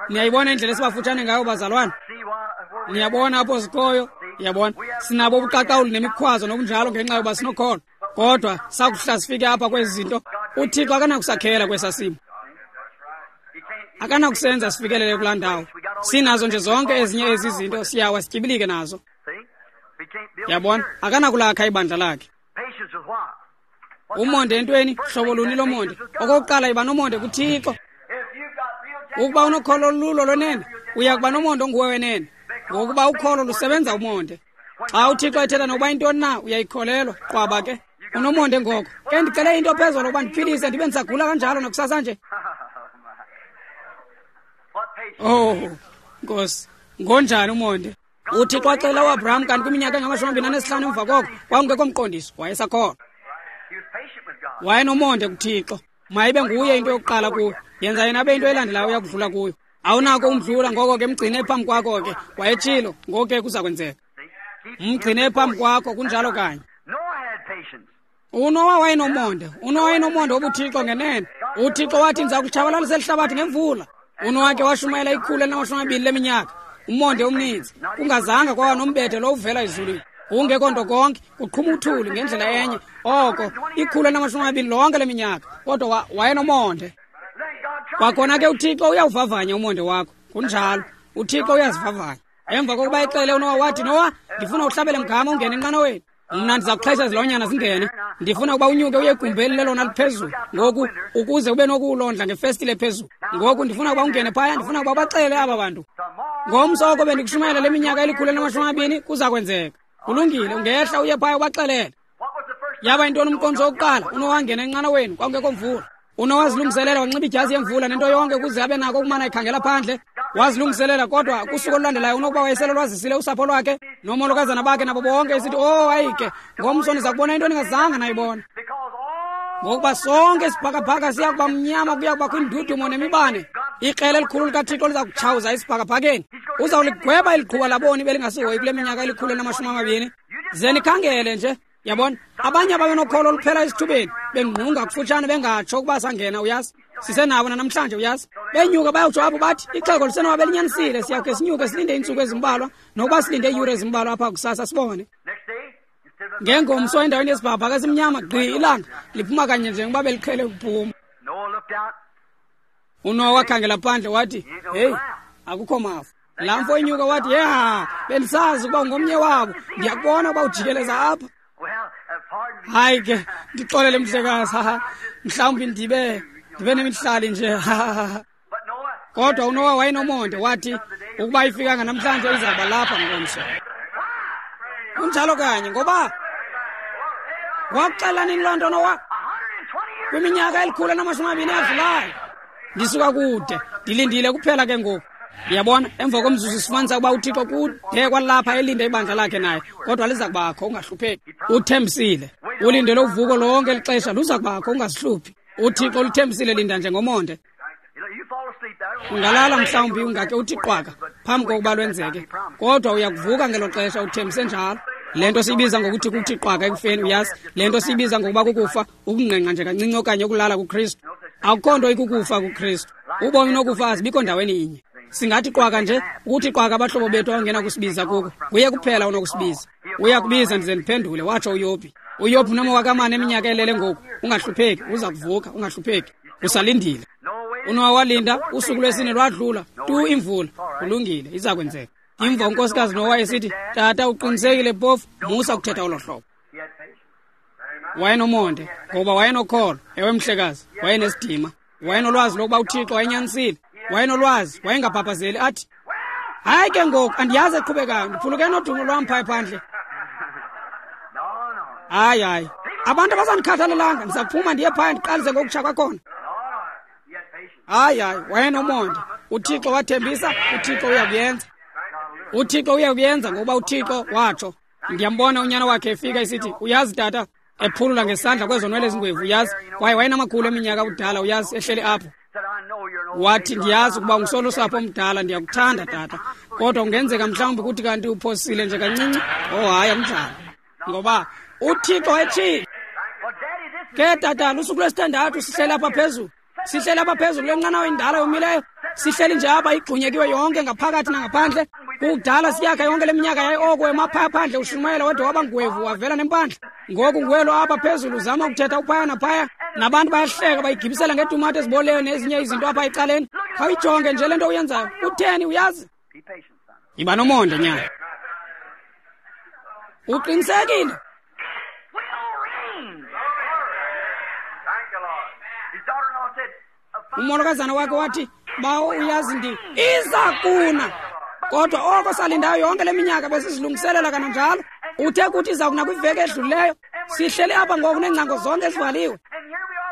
Niyayibona indlela esibafutshane ngayo, bazalwana? Niyabona apho sikhoyo? Yabona, sinabo ubuqaqawuli nemikhwazo nokunjalo ngenxa yoba sinokholo. Kodwa sakuhla sifike apha kwezi zinto, uThixo akanakusakhela kwesa simo. Akanakusenza sifikelele kulaa ndawo. Sinazo nje zonke ezinye ezi zinto, siyawa sityibilike nazo. Yabona, akanakulakha ibandla lakhe. Umonde entweni, hlobo luni lomonde? Okokuqala, yiba nomonde kuThixo. Ukuba unokholo olulo lwenene, uya kuba nomonde onguwe wenene. Ngokuba ukholo lusebenza umonde. Xa uThixo ethetha nokuba intoni na, uyayikholelwa. Qwaba ke. Unomonde ngoko. Ke ndicele into phezulu ukuba ndiphilise ndibe ndisagula kanjalo nakusasa nje. Oh, Nkosi, ngonjani umonde? UThixo waxelela uAbraham kanti kwiminyaka engamashumi amabini anesihlanu emva koko kwakungekho mqondiso, wayesakholwa. Wayenomonde kuThixo. Mayibe nguye into yokuqala kuyo. Yenza yena abe into elandelayo uyakudlula kuyo. Awunako umdlula, ngoko ke mgcine phambi kwakho ke. Wayetshilo, ngoko ke kuza kwenzeka. Mgcine phambi kwakho, kunjalo kanye. UNowa wayenomonde. UNowa wayenomonde wobuThixo ngenene. UThixo wathi ndiza kutshabalalisa elihlabathi ngemvula. UNowa ke washumayela ikhulu elinamashumi amabini leminyaka. Umonde omninzi. Kungazanga kwaba nombethe lo uvela ezulwini. Kungekho nto konke, kuqhuma uthuli ngendlela enye. Oko ikhulu elinamashumi amabini lonke leminyaka. Kodwa wayenomonde. Kwakhona ke uThixo uyawuvavanya umonde wakho. Kunjalo. uThixo uyazivavanya. Emva kokuba exele uNowa wathi, Nowa, ndifuna uhlabele mgama ungene enqanaweni. Mna ndiza kuxhesha izilwanyana zingene. Ndifuna ukuba unyuke uye egumbeni lelona liphezulu. Ngoku ukuze ube nokulondla ngefestile phezulu. Ngoku ndifuna ukuba ungene phaya, ndifuna ukuba ubaxelele aba bantu. Ngomso oko bendikushumayela le minyaka elikhulu elinamashumi amabini kuza kwenzeka. Kulungile, ungehla uye phaya ubaxelele. Yaba yintoni umqondiso wokuqala? UNowa wangena enqanaweni, kwakungekho mvula. UNowa wazilungiselela, wanxiba idyasi yemvula nento yonke ukuze abe nako ukumana ekhangela phandle. Wazilungiselela, kodwa kusuku olulandelayo unokuba wayesele lwazisile usapho lwakhe nomolokazana bakhe nabo bonke, esithi, oh hayi ke, ngomso niza kubona into ningazange nayibona. Ngokuba sonke isibhakabhaka siya kuba mnyama, kuya kubakho indudumo nemibane. Ikrele elikhulu likaThixo liza kutshawuza isibhakabhakeni. Uzawuligweba eliqhuba laboni belingasihoyi kule minyaka elikhulu elinamashumi amabini. Ze nikhangele nje. Yabona, abanye ababenokholo oluphela esithubeni bengqunga kufutshane bengatsho ukuba sangena, uyazi. Sisenabo namhlanje, uyazi. Benyuka bayawutsho apho bathi ixhego lisenoba belinyanisile, siyawukhe sinyuke silinde iintsuku ezimbalwa, nokuba silinde iiyure ezimbalwa apha kusasa sibone. Ngengomso endaweni yesibhakabhaka esimnyama gqi ilanga liphuma kanye njengoba beliqhele ukuphuma. UNowa wakhangela phandle wathi, heyi, akukho mafu. Laa mfo inyuka wathi, ya, bendisazi ukuba ungomnye wabo, ndiyakubona ukuba ujikeleza apha. Hayi ke, ndixolele mhlekazi, mhlawumbi ndibe ndibe nemihlali nje. Kodwa uNowa wayenomonde, wathi ukuba ifikanga namhlanje izawuba lapha ngomso. Kunjalo kanye, ngoba wakuxela nini loo nto Nowa? Kwiminyaka elikhulu enamashumi amabini adlulayo. Ndisuka kude, ndilindile kuphela ke ngoku. Uyabona, emva komzuzu sifumanisa ukuba uThixo kude kwalapha elinde ibandla lakhe naye, kodwa liza kubakho, ungahlupheki. Uthembisile, ulindele uvuko lonke elixesha, luza kubakho, ungazihluphi. uThixo luthembisile, linda nje ngomonde. Ungalala mhlawumbi ungake uthi qwaka phambi kokuba lwenzeke, kodwa uyakuvuka ngelo xesha, uthembise njalo. Le nto siyibiza ngokuthi kuthi qwaka ekufeni, uyazi. Le nto siyibiza ngokuba kukufa, ukungqengqa nje kancinci okanye ukulala kuKristu. Akukho nto ikukufa kuKristu. Ubomi nokufa azibikho ndaweni inye. Singathi qwaka nje, ukuthi qwaka abahlobo bethu abangena kusibiza kuko. Nguye kuphela onokusibiza. Uyakubiza ndize ndiphendule, watsho uYobhi. uYobhi unamawaka amane eminyaka elele ngoku. Ungahlupheki, uza kuvuka, ungahlupheki. Usalindile. UNowa walinda, usuku lwesine lwadlula, tu imvula. Kulungile, iza kwenzeka. Imva unkosikazi Nowa esithi, tata uqinisekile phofu, musa ukuthetha olo hlobo. Wayenomonde, ngoba wayenokholo. Ewe mhlekazi, wayenesidima. Wayenolwazi lokuba uThixo wayenyanisile. Wayenolwazi, wayengabhabhazeli athi, hayi ke ngoku andiyazi eqhubekayo, ndiphuluke nodumo lwam phaya phandle. Hayi hayi, abantu abasandikhathalelanga, ndiza kuphuma ndiye phaya ndiqalise ngokutsha kwakhona. Hayi hayi, wayenomonde. uThixo wathembisa, uThixo uyakuyenza. uThixo uyakuyenza ngokuba uThixo watsho. Ndiyambona unyana wakhe efika esithi, uyazi tata, ephulula ngesandla kwezo nwele ezingwevu, uyazi, kwaye wayenamakhulu eminyaka kudala, uyazi, ehleli apho. Wathi, ndiyazi ukuba ungusolusapho omdala, ndiyakuthanda tata, kodwa kungenzeka mhlawumbi kuthi kanti uphosile nje kancinci. Oh hayi, akunjalo, ngoba uThixo etshilo. Ke tata, lusuku lwesithandathu sihleli apha phezulu, sihleli apha phezulu kule nqanawa indala yomileyo, sihleli nje apha igxunyekiwe yonke ngaphakathi nangaphandle. Kudala siyakha yonke le minyaka yaye oko emaphaya phandle ushumayela wade waba ngwevu wavela nempandla. Ngoku nguwelo apha phezulu uzama ukuthetha uphaya naphaya, nabantu bayahleka bayigibisela ngetumato eziboleyo nezinye izinto apha ecaleni. Khawuyijonge nje le nto uyenzayo. Utheni, uyazi? Yiba nomonde nyana. Uqinisekile? Umolokazana wakhe wathi, bawo uyazi ndi iza kuna. Kodwa oko salindayo yonke le minyaka besizilungiselela kananjalo. Uthe kuthi iza kuna kwiveki edlulileyo. Sihleli apha ngoku neengcango zonke ezivaliwe.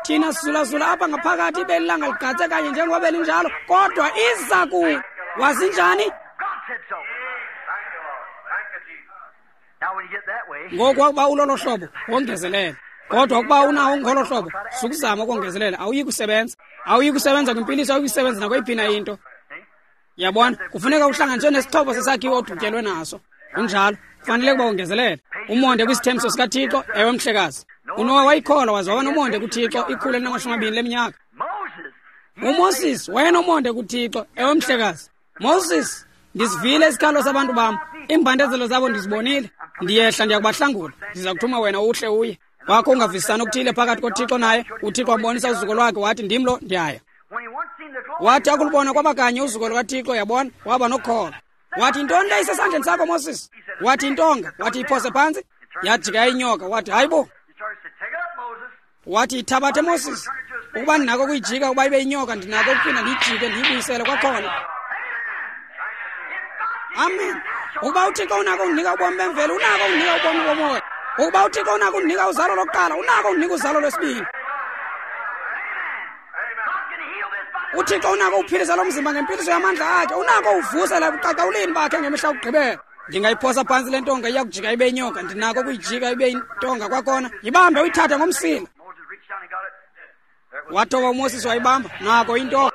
Thina sizulazula apha ngaphakathi ibe ilanga ligqatse kanye njengoba belinjalo, kodwa iza ku wazinjani? Ngoku wakuba ulolo hlobo wongezelela. Kodwa ukuba unawo ngolo hlobo, sukuzama ukongezelela, awuyi kusebenza. Awuyi kusebenza kwimpiliso, awuyi kusebenza nakweyiphi na into. Yabona, kufuneka uhlanganiswe nesixhobo sesakhiwo odutyelwe naso. Kunjalo, kufanele ukuba wongezelele. Umonde kwisithembiso sikaThixo, ewe mhlekazi. UNowa wayikholwa waze waba nomonde kuThixo ikhulu elinamashumi amabini leminyaka. UMoses wayenomonde kuThixo, ewe mhlekazi. Moses, ndisivile isikhalo sabantu bam, iimbandezelo zabo ndizibonile. Ndiyehla ndiya kubahlangula, ndiza kuthuma wena uhle uye. Wakho ungavisisani okuthile phakathi koThixo naye, uThixo wambonisa uzuko lwakhe wathi ndim lo ndiyaya. Wathi akulubona kwaba kanye uzuko lukaThixo, yabona, waba nokholo. Wathi intoni le isesandleni sakho Moses? Wathi intonga, wathi iphose phantsi. Yajika inyoka, wathi hayibo. Wathi ithabathe Moses. Ukuba ndinako ukuyijika ukuba ibe inyoka, ndinako ukuphinda ndiyijike ndiyibuyisele kwakhona. Amen. Ukuba uThixo unako undinika ubomi bemvelo, unako undinika ubomi bomoya. Ukuba uThixo unako undinika uzalo lokuqala, unako undinika uzalo lwesibini. uThixo unako uphilisa lo mzimba ngempiliso yamandla akhe, unako uvusela ebuqaqawulini bakhe ngemihla yokugqibela. Ndingayiphosa phantsi le ntonga iya kujika ibe inyoka, ndinako ukuyijika ibe intonga kwakhona. Yibambe uyithathe ngomsila. Wathoba uMoses wayibamba, nako intonga.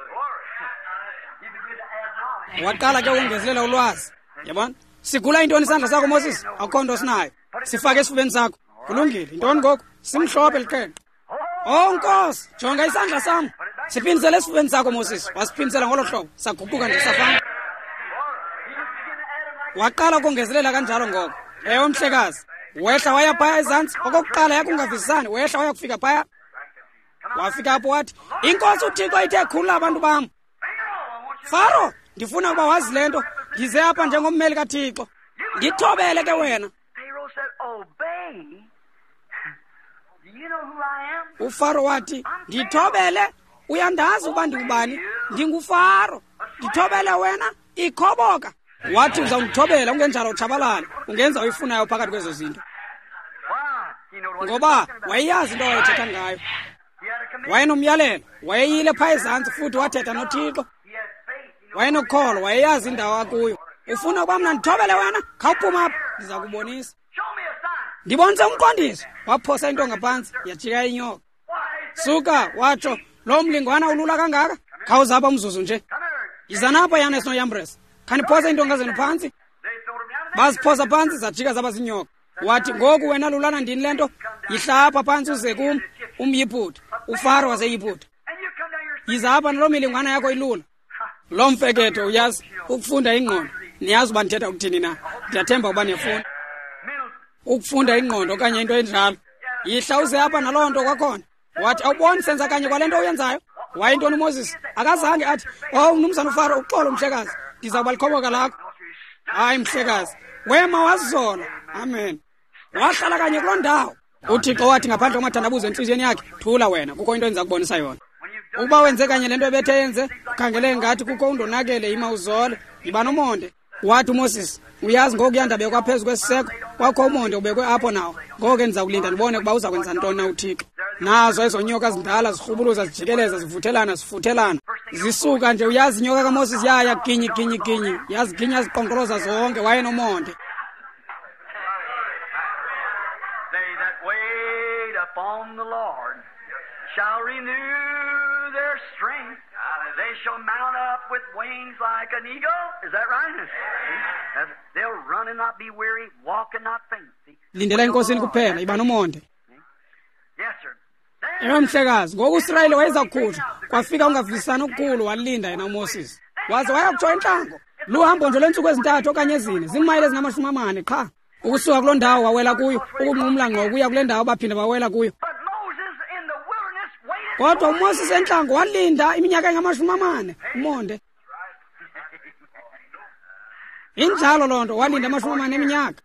Waqala ke ukongezelela ulwazi. Yabona? Sigula intoni isandla sakho Moses? Akukho nto sinayo. Sifake esifubeni sakho. Kulungile. Intoni ngoku? Simhlophe liqhenqe. Oh Nkosi, jonga isandla sam. Siphindisele esifubeni sakho Moses. Wasiphindisela ngolo hlobo. Saguquka nje safana. Waqala ukongezelela kanjalo ngoko. Ewe mhlekazi. Wehla waya phaya ezantsi. Okokuqala yakungavisisani, wehla waya kufika phaya. Wafika apho wathi, iNkosi uThixo ithe khulula abantu bam. Faro, ndifuna ukuba wazi le nto. Ndize apha njengommeli kaThixo. Ndithobele ke wena. UFaro wathi, ndithobele, uyandazi ukuba ndingubani? NdinguFaro. Ndithobele wena, ikhoboka. Wathi uzawundithobela, ungenjalo utshabalale. Ungenza oyifunayo phakathi kwezo zinto. Ngoba wayeyazi into awayethetha ngayo. Wayenomyalelo, wayeyile phaa ezantsi futhi wathetha noThixo. Wayenokholo, wayeyazi indawo akuyo. Ufuna ukuba mna ndithobele wena? Khawuphuma apha, ndiza kubonisa. Ndibonise umqondiso. Waphosa intonga phantsi, yajika inyoka. Suka, watsho, lo mlingwana ulula kangaka? Khawuza apha umzuzu nje. Yizani apha Yanes noYambres. Khaniphosa iintonga zenu phantsi. Baziphosa phantsi, zajika zaba zinyoka. Wathi, ngoku wena lulana ndini le nto? Yihla apha phantsi uze kum, umYiputa, uFaro waseYiputa. Yiza apha naloo milingwana yakho ilula. Lo mfeketho uyazi ukufunda ingqondo. Niyazi uba ndithetha ukuthini na? Ndiyathemba uba niyafunda. Ukufunda ingqondo okanye into enjalo. Yihla uze apha naloo nto kwakhona. Wathi, awuboni senza kanye kwale nto uyenzayo? Wayintoni uMoses? Akazange athi, oh mnumzana uFaro, uxolo mhlekazi, ndiza kuba likhoboka lakho. Hayi mhlekazi, wema wazola. Amen. Wahlala kanye kuloo ndawo. UThixo wathi ngaphandle kwamathandabuzo entliziyweni yakhe, thula wena, kukho into endiza kubonisa yona. Ukuba wenze kanye le nto ebethe yenze, ukhangele ngathi kukho undonakele, yima uzole, yiba nomonde. Wathi uMoses, uyazi ngoku yandabekwa phezu kwesiseko, kwakho umonde ubekwe apho nawo. Ngoko ke ndiza kulinda ndibone ukuba uza kwenza ntoni na uThixo. Nazo ezo nyoka zindala zirhubuluza, zijikeleza, zivuthelana, zifuthelana. Zisuka nje, uyazi inyoka kaMoses yaya ginyi ginyi ginyi, yaziginya ziqonkoloza zonke, wayenomonde. They that wait upon the Lord shall renew their strength. They shall mount up with wings like an eagle. Is that right? They'll run and not be weary, walk and not faint. Lindela eNkosini kuphela, yiba nomonde. Yes, sir. Ewe mhlekazi, ngoku uSirayeli wayeza kukhutshwa, kwafika ungavisisani okukhulu, walinda yena uMoses. Waze waya kutsho entlango. Luhambo nje lweentsuku ezintathu okanye ezine, ziimayile ezingamashumi amane qha. Ukusuka kuloo ndawo wawela kuyo, ukunqumla ngqo ukuya kule ndawo baphinda bawela kuyo. Kodwa uMoses entlango walinda iminyaka engamashumi amane, umonde. Injalo loo nto, walinda amashumi amane eminyaka.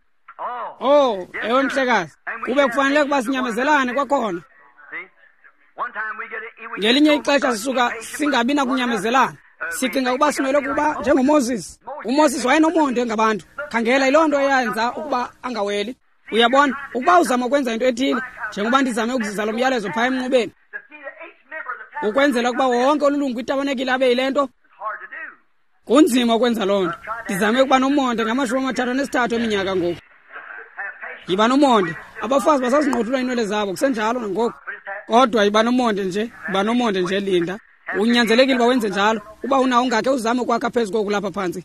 Oh, ewe mhlekazi, kube kufanele ukuba sinyamezelane kwakhona. Ngelinye ixesha sisuka singabi nakunyamezelana. Sicinga ukuba simele ukuba njengoMoses. UMoses wayenomonde ngabantu. Khangela, yiloo nto eyenza ukuba angaweli. Uyabona, ukuba uzama ukwenza into ethile, njengoba ndizame ukuzisa lo myalezo phaa emnqubeni, ukwenzela ukuba wonke olulungu kwitabanekile abe yile nto, kunzima ukwenza loo nto. Ndizame ukuba nomonde ngamashumi amathathu anesithathu eminyaka ngoku. Yiba nomonde. Abafazi basazinqothula iinwele zabo kusenjalo nangoku. Kodwa yiba nomonde nje, yiba nomonde nje, linda. Unyanzelekile uba wenze njalo. Uba unawo ungakhe uzame ukwakha phezu koku lapha phantsi.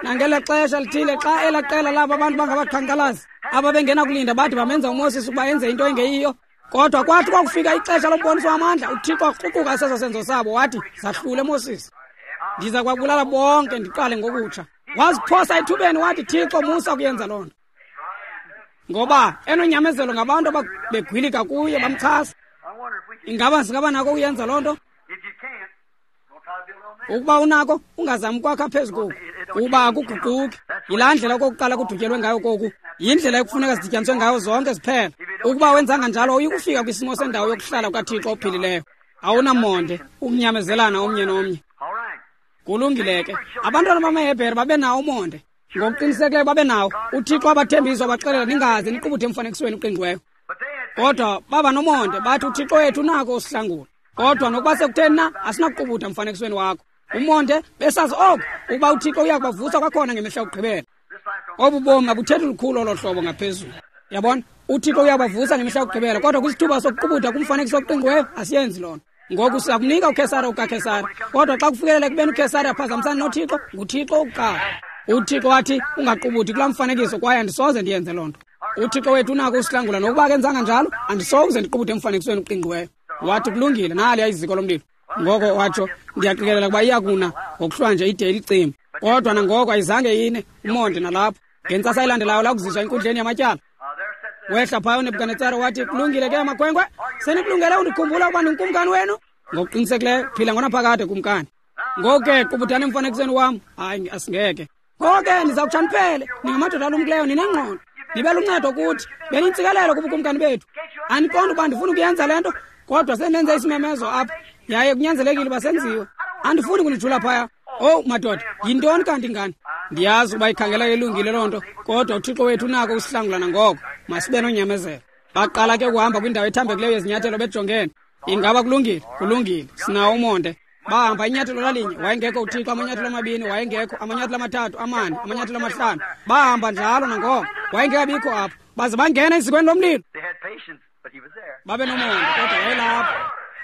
Nangela xesha lithile xa elaa qela labo abantu bangabaqhankqalazi ababengena kulinda bathi bamenza uMoses ukuba enze into engeyiyo. Kodwa kwathi kwakufika ixesha lomboniso wamandla, uThixo wakruquka seso senzo sabo, wathi, zahlule Moses, ndiza kwabulala bonke ndiqale ngokutsha. Waziphosa ethubeni wathi, Thixo, musa kuyenza loo nto. Ngoba enonyamezelo ngabantu ababegwilika kuye bamchasa. Ingaba singaba nako ukuyenza loo nto? Ukuba unako, ungazami ukwakha phezu koku, kuba akuguquki. Yilaa ndlela okokuqala kudutyelwe ngayo koku, yindlela ekufuneka zidityaniswe ngayo zonke ziphela. Ukuba wenzanga njalo, uyikufika kwisimo sendawo yokuhlala kukaThixo ophilileyo. Awunamonde, ukunyamezelana omnye nomnye. Kulungile ke. Abantwana bamaHebhere babenawo umonde. Ngokuqinisekileyo babenawo. UThixo wabathembisa, wabaxelela, ningaze niqubuthe emfanekisweni oqingqiweyo. Kodwa baba nomonde, bathi uThixo wethu unako usihlangula. Kodwa nokuba sekutheni na, asinakuqubutha emfanekisweni wakho. Umonde besazi oko, ukuba uThixo uya kubavusa kwakhona ngemihla yokugqibela. Obu bomi abuthethi lukhulu olo hlobo ngaphezulu. Yabona, uThixo uyabavusa ngemihla yokugqibela, kodwa kwisithuba sokuqubutha kumfanekiso oqingqiweyo asiyenzi loo nto. Ngoku siyakunika uKhesare okaKhesare, kodwa xa kufikelela ekubeni uKhesare aphazamisane noThixo, nguThixo owokuqala. UThixo wathi, ungaqubuthi kulaa mfanekiso, kwaye andisoze ndiyenze loo nto. UThixo wethu unako usihlangula, nokuba akenzanga njalo, andisoze ndiqubuthe emfanekisweni oqingqiweyo. Wathi, kulungile, naliya iziko lomlilo. Ngoko watsho, ndiyaqikelela ukuba iyakuna ngokuhlwa nje ide ilicima. Kodwa nangoko ayizange ine, umonde nalapho. Ngentsasa elandelayo lakuziswa enkundleni yamatyala. Wehla phaya uNebukadnetsare wathi, kulungile ke makhwenkwe, senikulungele undikhumbula ukuba ndingukumkani wenu? Ngokuqinisekileyo, phila ngonaphakade kumkani. Ngoku ke qubuthani emfanekisweni wam. Hayi, asingeke. Ngoku ke ndiza kutsha niphele, ningamadoda alumkileyo, ninengqondo. Nibe luncedo kuthi, benintsikelelo kubukumkani bethu. Andiqondi ukuba ndifuna ukuyenza le nto, kodwa sendenze isimemezo apha, yaye kunyanzelekile uba senziwe. Andifuni kunijula phaya. Owu madoda, yintoni kanti ngani? Ndiyazi ukuba ikhangela ilungile loo nto, kodwa uThixo wethu unako usihlangula nangoko. Masibe nonyamezelo. Baqala ke ukuhamba kwindawo ethambekileyo yezinyathelo bejongene. Ingaba kulungile? Kulungile. Sinawo umonde. Bahamba inyathelo lalinye, wayengekho uThixo, amanyathelo amabini, wayengekho, amanyathelo amathathu, amane, amanyathelo amahlanu. Bahamba njalo nangoko, wayengekabikho apho. Baze bangena ezikweni lomlilo. Babe nomonde, kodwa wayelapho.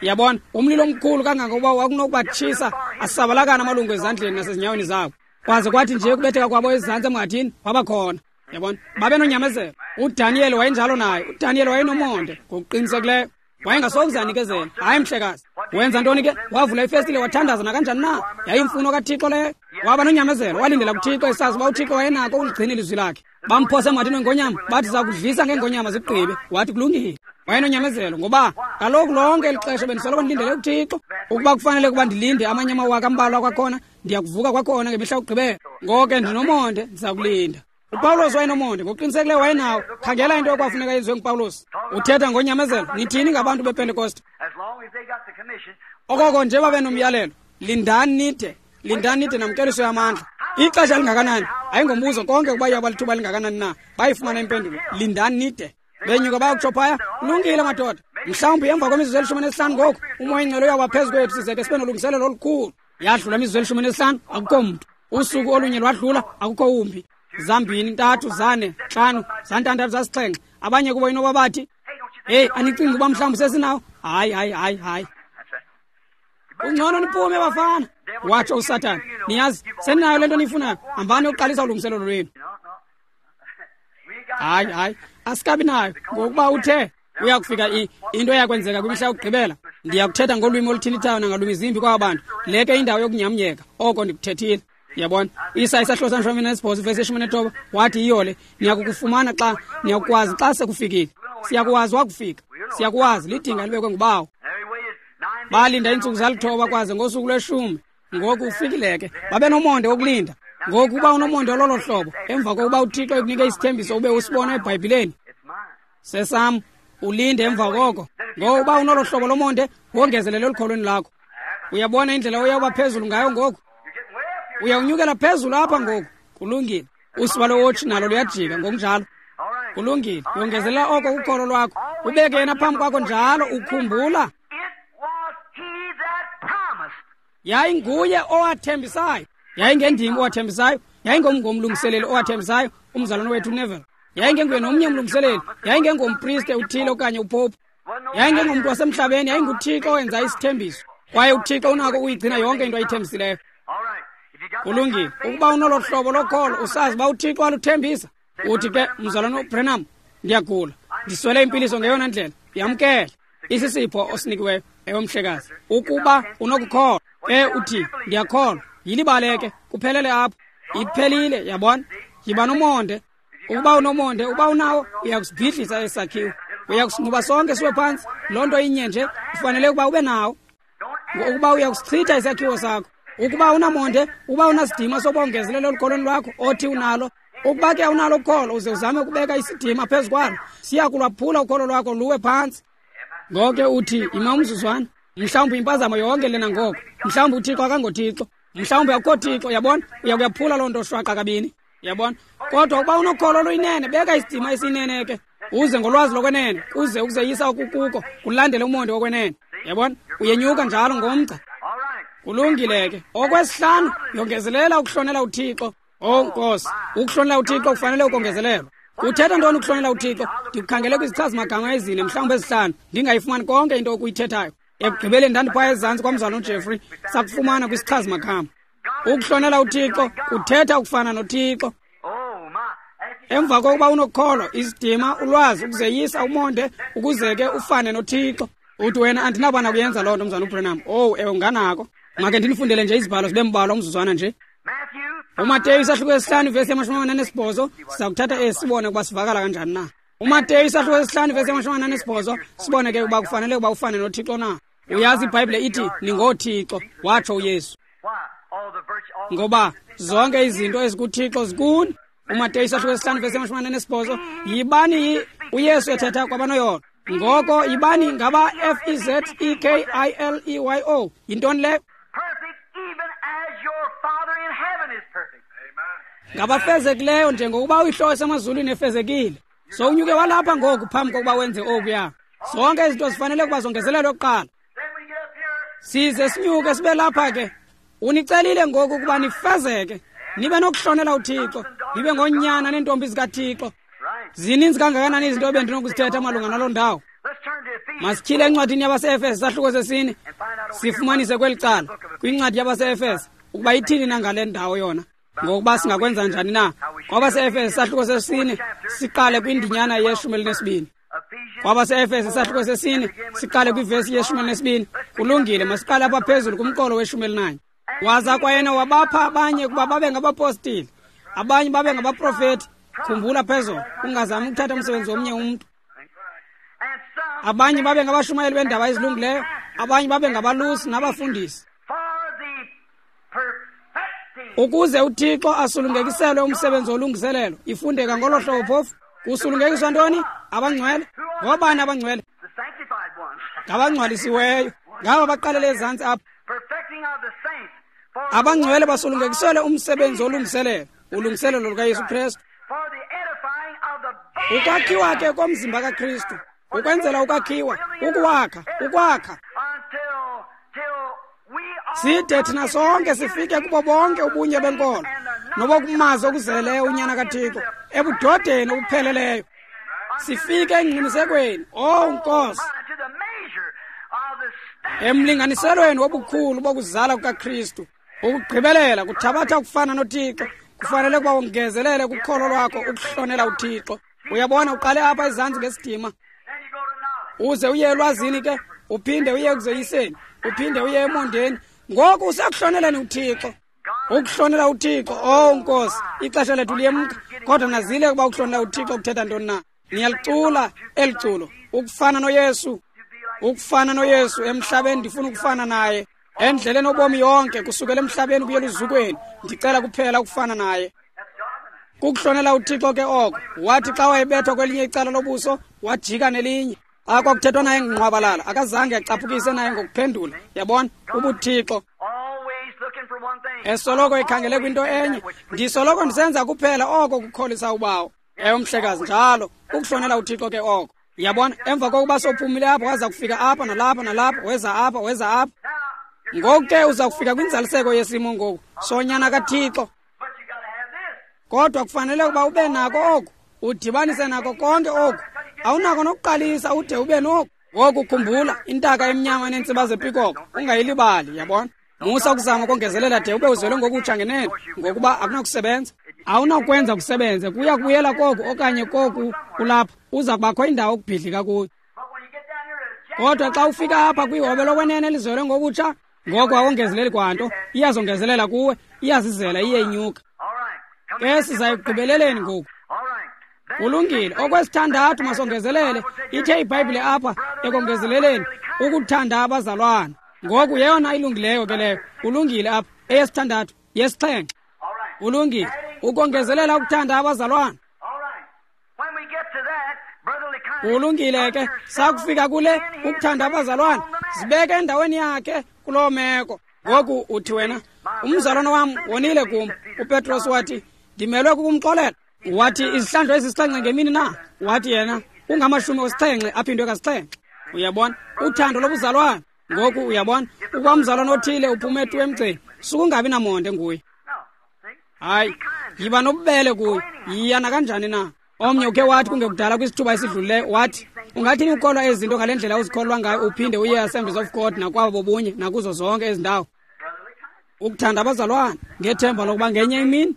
Yabona, umlilo omkhulu kangangokuba wakunokubatshisa asabalakana amalungu ezandleni nasezinyaweni zabo. Kwaze kwathi nje ukubetheka kwabo ezantsi emhathini, wabakhona. Yabona, babe nonyamezelo. UDaniel wayenjalo naye. UDaniel wayenomonde ngokuqinisekileyo. Wayengasokuze anikezele. Hayi mhlekazi. Wenza ntoni ke? Wavula ifestile wathandaza nakanjani na? Yayimfuno kaThixo leyo. Waba nonyamezelo, walindela kuThixo esazi uba uThixo wayenako ukuligcina ilizwi lakhe. Bamphosa emhathini wengonyama, bathi zakudlisa ngeengonyama zigqibe. Wathi kulungile. Wayenonyamezelo ngoba kaloku lonke eli xesha bendisoloko ndilindele kuThixo. Ukuba kufanele ukuba ndilinde amanye amawaka ambalwa kwakhona, ndiyakuvuka kwakhona ngemihla yokugqibela. Ngoko ke ndinomonde, ndiza kulinda. UPawulos wayenomonde, ngokuqinisekileyo wayenawo. Khangela into ekwafuneka yenziwe nguPawulos. Uthetha ngonyamezelo. Nithini ngabantu bePentekoste? Okoko nje babe nomyalelo, lindani nide, lindani nide namkeliso yamandla. Ixesha lingakanani? Ayingombuzo konke ukuba iyaba lithuba lingakanani na. Bayifumana impendulo, lindani nide. Benyuka bayokutsho phaya, kulungile madoda. Mhlawumbi emva kwemizuzu elishumi nesihlanu ngoku, umoya ingcwele uyawuba phezu kwethu size ke sibe nolungiselelo olukhulu. Yadlula imizuzu elishumi nesihlanu, akukho mntu. Usuku olunye lwadlula, akukho wumbi. Zambini, ntathu, zane, ntlanu, zantandathu, zasixhenxe. Abanye kubo inoba bathi, heyi, anicingi uba mhlawumbi sesinawo? Hayi, hayi, hayi, hayi. Ungcono niphume bafana, watsho uSathane. Niyazi, seninayo le nto niyifunayo. Hambani yokuqalisa ulungiselelo lwenu. Hayi, hayi, asikabi nayo, ngokuba uthe uya kufika into eyakwenzeka kwimihla yokugqibela. Ndiyakuthetha ngolwimi oluthintithayo nangalwimi zimbi kwaba bantu. Le ke indawo yokunyamnyeka, oko ndikuthethile. Yabona, Isaya isahluko samashumi anesibhozo ivesi yeshumi nethoba wathi yiyo le, niyakukufumana xa niyakukwazi xa sekufikile. Siyakwazi wakufika, siyakwazi, lidinga libekwe ngubawo. Balinda iintsuku zalithoba kwaze ngosuku lweshumi. Ngoku ufikile ke, babe nomonde wokulinda. Ngoku uba unomonde ololo hlobo, emva kokuba uThixo ekunike isithembiso ube usibona eBhayibhileni, sesam, ulinde emva koko. Ngoku uba unolo hlobo lomonde, wongezelele elukholweni lakho. Uyabona indlela oyawuba phezulu ngayo ngoku? Uyawunyukela phezulu apha ngoku. Kulungile. Usiba lowotshi nalo luyajika ngokunjalo. Kulungile. Yongezelela oko kukholo lwakho. Ubeke yena phambi kwakho njalo ukhumbula. Yayinguye owathembisayo. Yayingendim owathembisayo. Yayingomngomlungiseleli owathembisayo, umzalwane wethu Neville. Yayingenguye nomnye umlungiseleli. Yayingengompriste uthile okanye upopu. Yayingengomntu wasemhlabeni, yayinguThixo owenza isithembiso. Kwaye uThixo unako ukuyigcina yonke into ayithembisileyo. Kulungile. Ukuba unolo hlobo lokholo, usazi uba uThixo aluthembisa. Uthi ke, mzalwane uBrenham, ndiyagula. Ndiswele impiliso ngeyona ndlela. Yamkele. Isisipho osinikiweyo, ewe mhlekazi. Ukuba unokukholwa, ke uthi, ndiyakholwa. Yilibale ke, kuphelele apho. Iphelile, yabona? Yiba nomonde. Ukuba unomonde, uba unawo, uyakusibhidlisa esakhiwo. Uyakusinquba sonke siwe phantsi. Loo nto inye nje, ufanele ukuba ube nawo. Ukuba uyakusichitha isakhiwo sakho. Ukuba unamonde, uba unasidima sobongezelelo olukholweni lwakho othi unalo. Ukuba ke awunalo ukholo, uze uzame ukubeka isidima phezu kwalo, siya kulwaphula ukholo lwakho luwe phantsi. Ngoke uthi, ima umzuzwana. Mhlawumbi impazamo yonke lena ngoko. Mhlawumbi uThixo akangoThixo. Mhlawumbi akukho Thixo, yabona? Uyakuyaphula loo nto shwaqa kabini, yabona? Kodwa ukuba unokholo oluyinene, beka isidima esiyinene ke. Uze ngolwazi lokwenene, uze ukuzeyisa okukuko, kulandele umonde wokwenene. Yabona? Uyenyuka njalo ngomgca. Kulungile ke. Okwesihlanu, yongezelela ukuhlonela uThixo. Oh Nkosi, ukuhlonela uThixo kufanele ukongezelelwa. Kuthetha ntoni ukuhlonela uThixo? Ndikukhangele kwizichazi-magama ezine, mhlawumbi ezihlanu, ndingayifumani konke into okuyithethayo. Ekugqibeleni ndandiphaya ezantsi kwamzalwana uJeffrey, sakufumana kwisichazi-magama. Ukuhlonela uThixo kuthetha ukufana noThixo. Emva kokuba unokholo, isidima, ulwazi, ukuzeyisa, umonde, ukuze ke ufane noThixo. Uthi wena, andinaba nakuyenza loo nto, mzalwana uBrenham. Oh, ewe, unganako. Make ndinifundele nje izibhalo zibe mbalwa umzuzwana nje. UMateyu isahluko esihlanu ivesi yamashumi amane anesibhozo, siza kuthatha esi sibone ukuba sivakala kanjani na. UMateyu isahluko esihlanu ivesi yamashumi amane anesibhozo, sibone ke ukuba kufanele ukuba ufane noThixo na. Uyazi iBhayibhile ithi ningooThixo, watsho uYesu. Ngoba zonke izinto ezikuThixo zikuni. UMateyu isahluko esihlanu ivesi yamashumi amane anesibhozo, yibani uYesu ethetha kwabanoyolo. Ngoko yibani ngaba F E Z E K I L E Y O. Yintoni le? Ngabafezekileyo njengokuba uyihlo esemazulwini efezekile. So unyuke walapha ngoku phambi kokuba wenze okuya. Zonke izinto zifanele ukuba zongezelelwe kuqala. Size sinyuke sibe lapha ke. Unicelile ngoku ukuba nifezeke, nibe nokuhlonela uThixo, nibe ngoonyana neentombi zikaThixo. Zininzi kangakanani izinto ebendinokuzithetha malunga naloo ndawo. Masityhile encwadini yabaseEfese isahluko sesine, sifumanise kweli cala kwincwadi yabaseEfese ukuba ithini na ngale ndawo yona, ngokuba singakwenza njani na. KwabaseEfese isahluko sesine siqale kwindinyana yeshumi elinesibini. KwabaseEfese isahluko sesine siqale kwivesi yeshumi elinesibini. Kulungile, masiqale apha phezulu kumqolo weshumi elinanye. Waza kwayena wabapha abanye ukuba babe ngabapostile, abanye babe ngabaprofeti. Khumbula phezulu, ungazami ukuthatha umsebenzi womnye umntu. Abanye babe ngabashumayeli beendaba ezilungileyo, abanye babe ngabalusi nabafundisi, ukuze uThixo asulungekiselwe umsebenzi wolungiselelo. Ifundeka ngolo hlobo phofu. Kusulungekiswa ntoni? Abangcwele. Ngobani abangcwele? Ngabangcwalisiweyo. Ngaba baqalele ezantsi apha. Abangcwele basulungekiselwe umsebenzi wolungiselelo, ulungiselelo lukaYesu Kristu. Ukwakhiwa ke komzimba kaKristu, ukwenzela ukwakhiwa, ukuwakha, ukwakha, side thina sonke sifike kubo bonke ubunye benkolo nobokumazi okuzeleyo uNyana kaThixo ebudodeni obupheleleyo, sifike engqinisekweni, oh Nkosi, emlinganiselweni wobukhulu bokuzala kukaKristu. Ukugqibelela kuthabatha ukufana noThixo. Kufanele ukuba wongezelele kukholo lwakho ukuhlonela uThixo. Uyabona, uqale apha ezantsi ngesidima, uze uye elwazini ke, uphinde uye ekuzeyiseni, uphinde uye emondeni. Ngoku usekuhloneleni uThixo. Ukuhlonela uThixo, oh Nkosi, ixesha lethu liyemka, kodwa nazile ukuba ukuhlonela uThixo kuthetha ntoni na. Niyalicula eli culo, ukufana noYesu, ukufana noYesu emhlabeni, ndifuna ukufana naye. Endleleni obomi yonke, kusukela emhlabeni kuye eluzukweni, ndicela kuphela ukufana naye. Kukuhlonela uThixo ke oko. Wathi xa wayebethwa kwelinye icala lobuso, wajika nelinye. Xa kwakuthethwa naye ngqwabalala, akazange acaphukise naye ngokuphendula. Yabona, ubuThixo. Esoloko ekhangele kwinto enye. Ndisoloko ndisenza kuphela oko kukholisa uBawo. Ewe, mhlekazi, njalo ukuhlonela uThixo ke oko. Yabona, emva kokuba sophumile apho, waza kufika apha nalapha nalapha, weza apha, weza apha. Ngoku ke uza kufika kwinzaliseko yesimo ngoku sonyana kaThixo. Kodwa kufanele ukuba ube nako oku, udibanise nako konke oku. Awunako nokuqalisa ude ube noku. Ngoku khumbula, intaka emnyama neentsiba zepikoko, ungayilibali, yabona. Musa ukuzama ukongezelela de ube uzelwe ngokutsha ngenene, ngokuba akunakusebenza. Awunakwenza kusebenze, kuya kubuyela koku okanye koku kulapha, uza kubakho indawo okubhidlika kuyo. Kodwa xa ufika apha kwihobe lokwenene elizelwe ngokutsha, ngoko awongezeleli kwanto, iyazongezelela kuwe, iyazizela iye inyuka. Ke siza ekugqibeleleni ngoku. Kulungile, okwesithandathu masongezelele, ithe iBhayibhile apha ekongezeleleni ukuthanda abazalwana. Ngoku yeyona ilungileyo ke leyo. Kulungile apha, eyesithandathu, yesixhenxe. Kulungile, ukongezelela ukuthanda abazalwana. Kulungile ke, sakufika kule ukuthanda abazalwana, zibeke endaweni yakhe kuloo meko. Ngoku uthi wena, umzalwana wam wonile kum. UPetros wathi, ndimelwe kukumxolela. Wathi, izihlandlo ezisixhenxe ngemini na? Wathi yena, kungamashumi osixhenxe aphindwe kasixhenxe. Uyabona, uthando lobuzalwana. Ngoku uyabona, ukuba umzalwana othile uphume tu emgceni, sukungabi namonde nguye. Hayi, yiba nobubele kuye, yiya nakanjani na. Omnye ukhe wathi kungekudala kwisithuba esidlulileyo, wathi, ungathini ukholwa ezi zinto ngale ndlela uzikholwa ngayo, uphinde uye Assemblies of God nakwabo bobunye nakuzo zonke ezi ndawo. Ukuthanda abazalwana ngethemba lokuba ngenye imini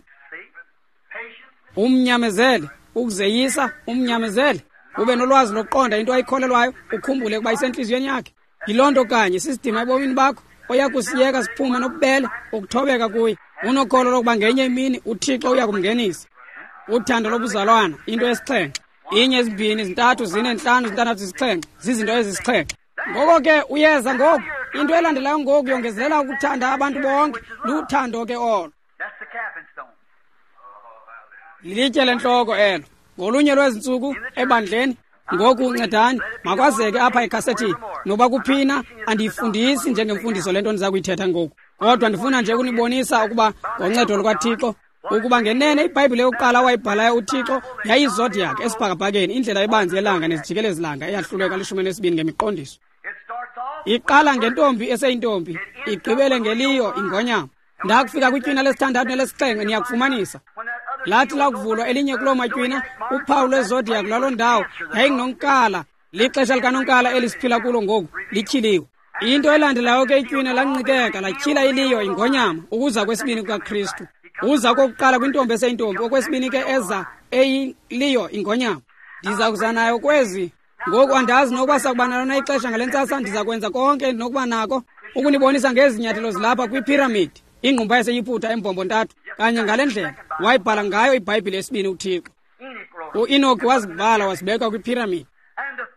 umnyamezele, ukuzeyisa umnyamezele, ube nolwazi lokuqonda into ayikholelwayo, ukhumbule ukuba isentliziyweni yakhe. Yiloo nto kanye sisidima ebomini bakho oya kusiyeka siphume nobubele, ukuthobeka kuye, unokholo lokuba ngenye imini uThixo uya kumngenisa. Uthando lobuzalwana, into esixhenxe. Inye, zimbini, zintathu, zine, ntlanu, zintandathu, zisixhenxe, zizinto ezisixhenxe. Ngoko ke uyeza ngoku, into elandelayo ngoku yongezelela ukuthanda abantu bonke, luthando ke olo. Lilitye lentloko elo. Ngolunye lwezi ntsuku ebandleni, ngoku ncedani, makwazeke apha ekhasethini, noba kuphina andiyifundisi njengemfundiso le nto ndiza kuyithetha ngoku. Kodwa ndifuna nje ukunibonisa ukuba ngoncedo lukaThixo, ukuba ngenene iBhayibhile yokuqala awayibhalayo uThixo yayizodiac esibhakabhakeni, indlela ebanzi yelanga nezijikelezi-langa eyahlulwe kalishumi nesibini ngemiqondiso. Iqala ngentombi eseyintombi, igqibele ngeliyo ingonyama. Ndakufika kwitywina lesithandathu nelesixhenxe niyakufumanisa. Lathi lakuvulwa elinye kuloo matywina, uphawu lwezodiac lwaloo ndawo yayingunonkala. Lixesha likanonkala eli siphila kulo ngoku lityhiliwe. Into elandelayo ke itywina lanqikeka, latyhila iliyo ingonyama, ukuza kwesibini kukaKristu. Uza kokuqala kwintombi eseyintombi, okwesibini ke eza eyiliyo ingonyama. Ndiza kuza nayo kwezi. Ngoku andazi nokuba sakuba nalo na ixesha ngale ntsasa, ndiza kwenza konke endinokuba nako ukunibonisa ngezi nyathelo zilapha kwiphiramidi, ingqumba yaseYiputa embombo ntathu, kanye ngale ndlela wayibhala ngayo iBhayibhile yesibini uThixo. U-Enoki wazibhala wazibeka kwiphiramidi.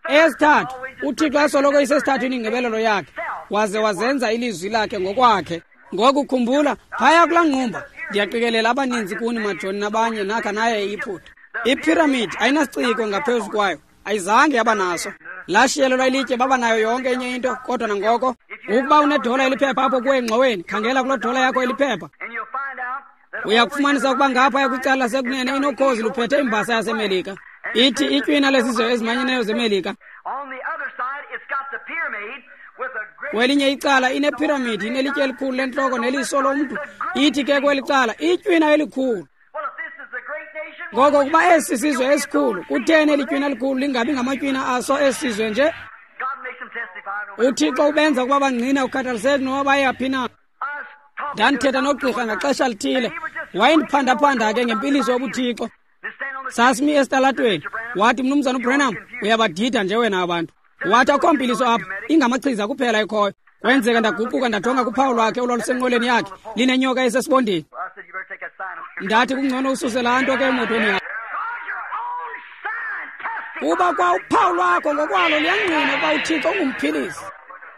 Eyesithathu, uThixo asoloko isesithathwini ingqibelelo yakhe, waze wazenza ilizwi lakhe ngokwakhe. Ngoku khumbula, phaya kulaa ngqumba, ndiyaqikelela abaninzi kuni majoni nabanye nakha naye eYiputa. Iphiramidi ayinasiciko ngaphezu kwayo, ayizange yaba naso. Lashiyelelwa ilitye, baba nayo yonke enye into, kodwa nangoko ukuba unedola eliphepha apho kuwe engxoweni, khangela kuloo dola yakho eliphepha. Uya kufumanisa ukuba ngaphaya kwicala lasekunene inokhozi luphethe imbasa yaseMelika. Ithi itywina lezizwe ezimanyeneyo zeMelika. Kwelinye icala inephiramidi, inelitye elikhulu lentloko neliso lomntu. Ithi ke kweli cala itywina elikhulu. Ngoko kuba esi sizwe esikhulu, kutheni eli tywina elikhulu lingabi ngamatywina aso esi sizwe nje? UThixo ubenza ukuba bangqine ukhathaliseki noba bayaphi na. Ndandithetha nogqirha ngaxesha lithile, wayendiphandaphanda ke ngempiliso yobuThixo. Sasimi esitalatweni, wathi, Mnumzana uBranham, uyabadida nje wena abantu. Wathi akho mpiliso apha, ingamachiza kuphela ekhoyo. Kwenzeka ndaguquka ndajonga kuphawu lwakhe olwalusenqoleni yakhe, linenyoka esesibondeni. Ndathi kungcono ususe laa nto ke emotweni yakho. Kuba kwa uphawu lwakho ngokwalo luyangqina ukuba uThixo ungumphilisi.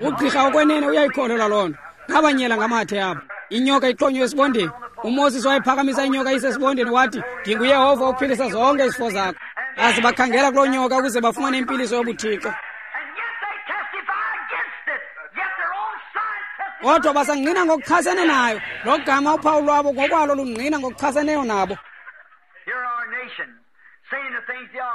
Ugqirha okwenene uyayikholelwa loo nto. Ngabanyela ngamathe apha. Inyoka ixhonywe esibondeni. UMoses wayephakamisa inyoka isesibondeni wathi, ndinguYehova ophilisa zonke izifo zakho. Baze bakhangela kuloo nyoka ukuze bafumane impiliso yobuThixo. Kodwa basangqina ngokuchasene nayo, lo gama uphawu lwabo ngokwalo lungqina ngokuchaseneyo nabo.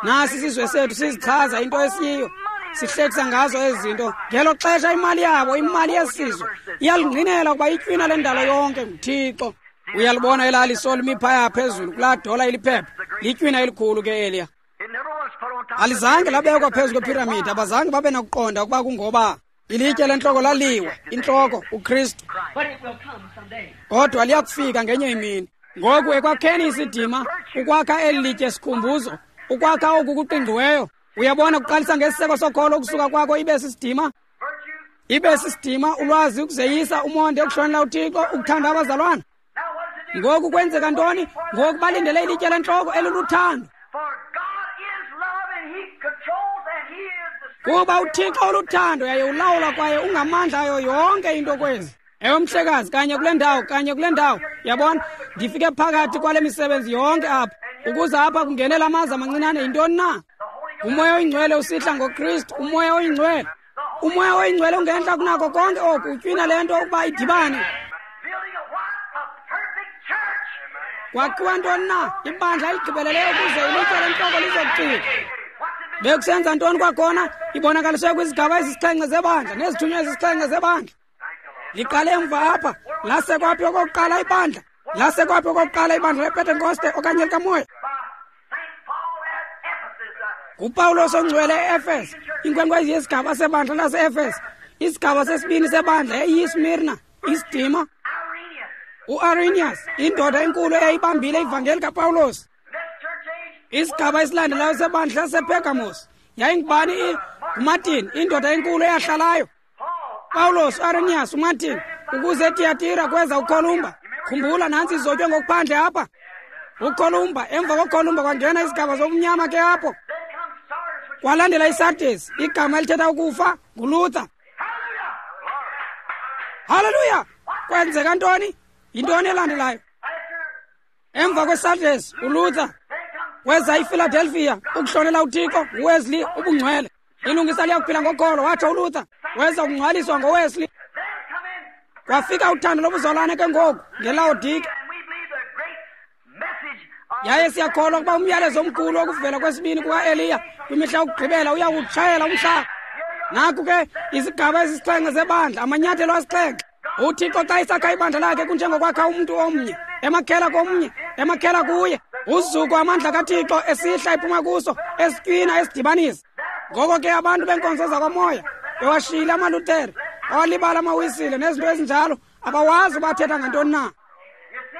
Nasi isizwe sethu sizichaza into esiyiyo, sihlekisa ngazo ezi zinto. Ngelo xesha imali yabo, imali yesizwe, iyalungqinela ukuba itywina lendalo yonke nguThixo. Uyalibona elaa liso limi phaya phezulu kulaa dola iliphepha, litywina elikhulu ke eliya. Alizange labekwa phezu kwephiramidi, abazange babe nakuqonda ukuba kungoba ilitye lentloko laliwa, intloko uKristu. Kodwa liyakufika ngenye imini. Ngoku ekwakheni isidima, ukwakha eli litye sikhumbuzo, ukwakha oku kuqingqiweyo, uyabona kuqalisa ngesiseko sokholo ukusuka kwakho ibe sisidima, ibe sisidima, ulwazi, ukuzeyisa, umonde, ukuhlonela uThixo, ukuthanda abazalwana. Ngoku kwenzeka ntoni? Ngoku balindele ilitye lentloko eliluthando. Kuba uThixo oluthando yaye ulawula kwaye ungamandla ayo yonke into kwezi. Ewe mhlekazi, kanye kule ndawo, kanye kule ndawo. Yabona, ndifike phakathi kwale misebenzi yonke apha. Ukuze apha kungenela amaza amancinane yintoni na? Umoya oyingcwele usihla ngoKristu, umoya oyingcwele. Umoya oyingcwele ungentla kunako konke oku, utywina le nto ukuba idibane. Kwakhiwa ntoni na? Ibandla eligqibeleleyo ukuze ilitye lentloko lizokucika. Bekusenza ntoni kwakhona? Ibonakaliswe kwizigaba ezisixhenxe zebandla nezithunywa ezisixhenxe zebandla. Liqale emva apha, lasekwaphi okokuqala ibandla? Lasekwaphi okokuqala ibandla lePentekoste okanye likamoya? NguPawulos ongcwele e-Efese, inkwenkwezi yesigaba sebandla lase-Efese. Isigaba sesibini sebandla yayiyiSmirna, isidima. U-Arrhenius, indoda enkulu eyayibambile ivangeli kaPawulos. Isigaba esilandelayo sebandla lasePergamos yayingubani? NguMartin, indoda enkulu eyahlalayo. Pawulos, Arrhenius, uMartin, ukuze eTiyatira kweza uKolumba. Khumbula, nantsi izotywe ngokuphandle apha. UKolumba, emva koKolumba kwangena izigaba zobumnyama ke apho. Kwalandela iSardis, igama elithetha ukufa, nguLuther. Haleluya! Kwenzeka ntoni? Yintoni elandelayo? Emva kweSardis, uLuther. Kweza iPhiladelphia, ukuhlonela uThixo, uWesley, ubungcwele. Ilungisa liyakuphila ngokholo, watsho uLuther. Weza ukungcwaliswa ngoWesley. Kwafika uthando lobuzalwane ke ngoku ngeLaodike. Yaye siyakholwa ukuba umyalezo omkhulu wokuvela kwesibini kuka-Eliya kwimihla yokugqibela uyawutshayela umhlaba. Naku ke izigaba ezisixhenxe zebandla, amanyathelo asixhenxe. UThixo xa isakha ibandla lakhe kunjengokwakha umntu omnye, emakhela komnye, emakhela kuye. Uzuko amandla kaThixo esihla ephuma kuso, esitywina, esidibanisa. Ngoko ke abantu benkonzo zakwamoya bewashiyile amaLuthere, awalibala amaWisile nezinto ezinjalo, abawazi bathetha ngantoni na.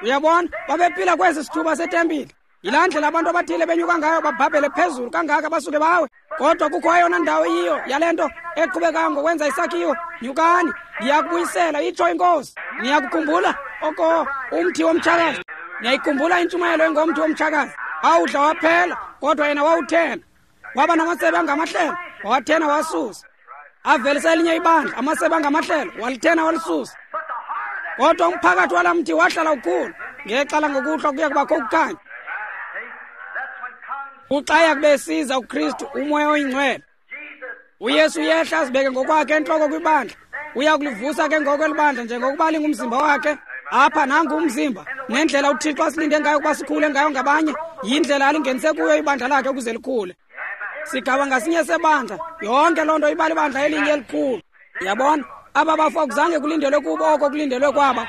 Uyabona, babephila kwesi sithuba setempile. Yilaa ndlela abantu abathile benyuka ngayo, babhabhele phezulu kangaka basuke bawe. Kodwa kukho eyona ndawo iyiyo yale nto eqhubekayo ngokwenza isakhiwo. Nyukani, ndiyakubuyisela, itsho iNkosi. Niyakukhumbula oko umthi womtshakazi? Niyayikhumbula intshumayelo engomthi womtshakazi? Wawudla waphela, kodwa yena wawuthena. Waba namasebe angamahlelo, wawathena wasusa. Avelisa elinye ibandla, amasebe angamahlelo, walithena walisusa. Kodwa umphakathi walaa mthi wahlala ukhula. Ngexa langokuhlwa kuya kubakho ukukhanya. Uxa yakube esiza uKristu, umoya oyingcwele, uYesu uyehla azibeke ngokwakhe entloko kwibandla. Uya kulivusa ke ngoko elibandla njengokuba lingumzimba wakhe. Apha nangu umzimba, nendlela uThixo asilinde ngayo ukuba sikhule ngayo ngabanye, yindlela alingenise kuyo ibandla lakhe ukuze likhule. Sigaba ngasinye sebandla, yonke loo nto iba libandla elinye elikhulu. Yabona, aba bafo akuzange kulindelwe kubo oko kulindelwe kwaba.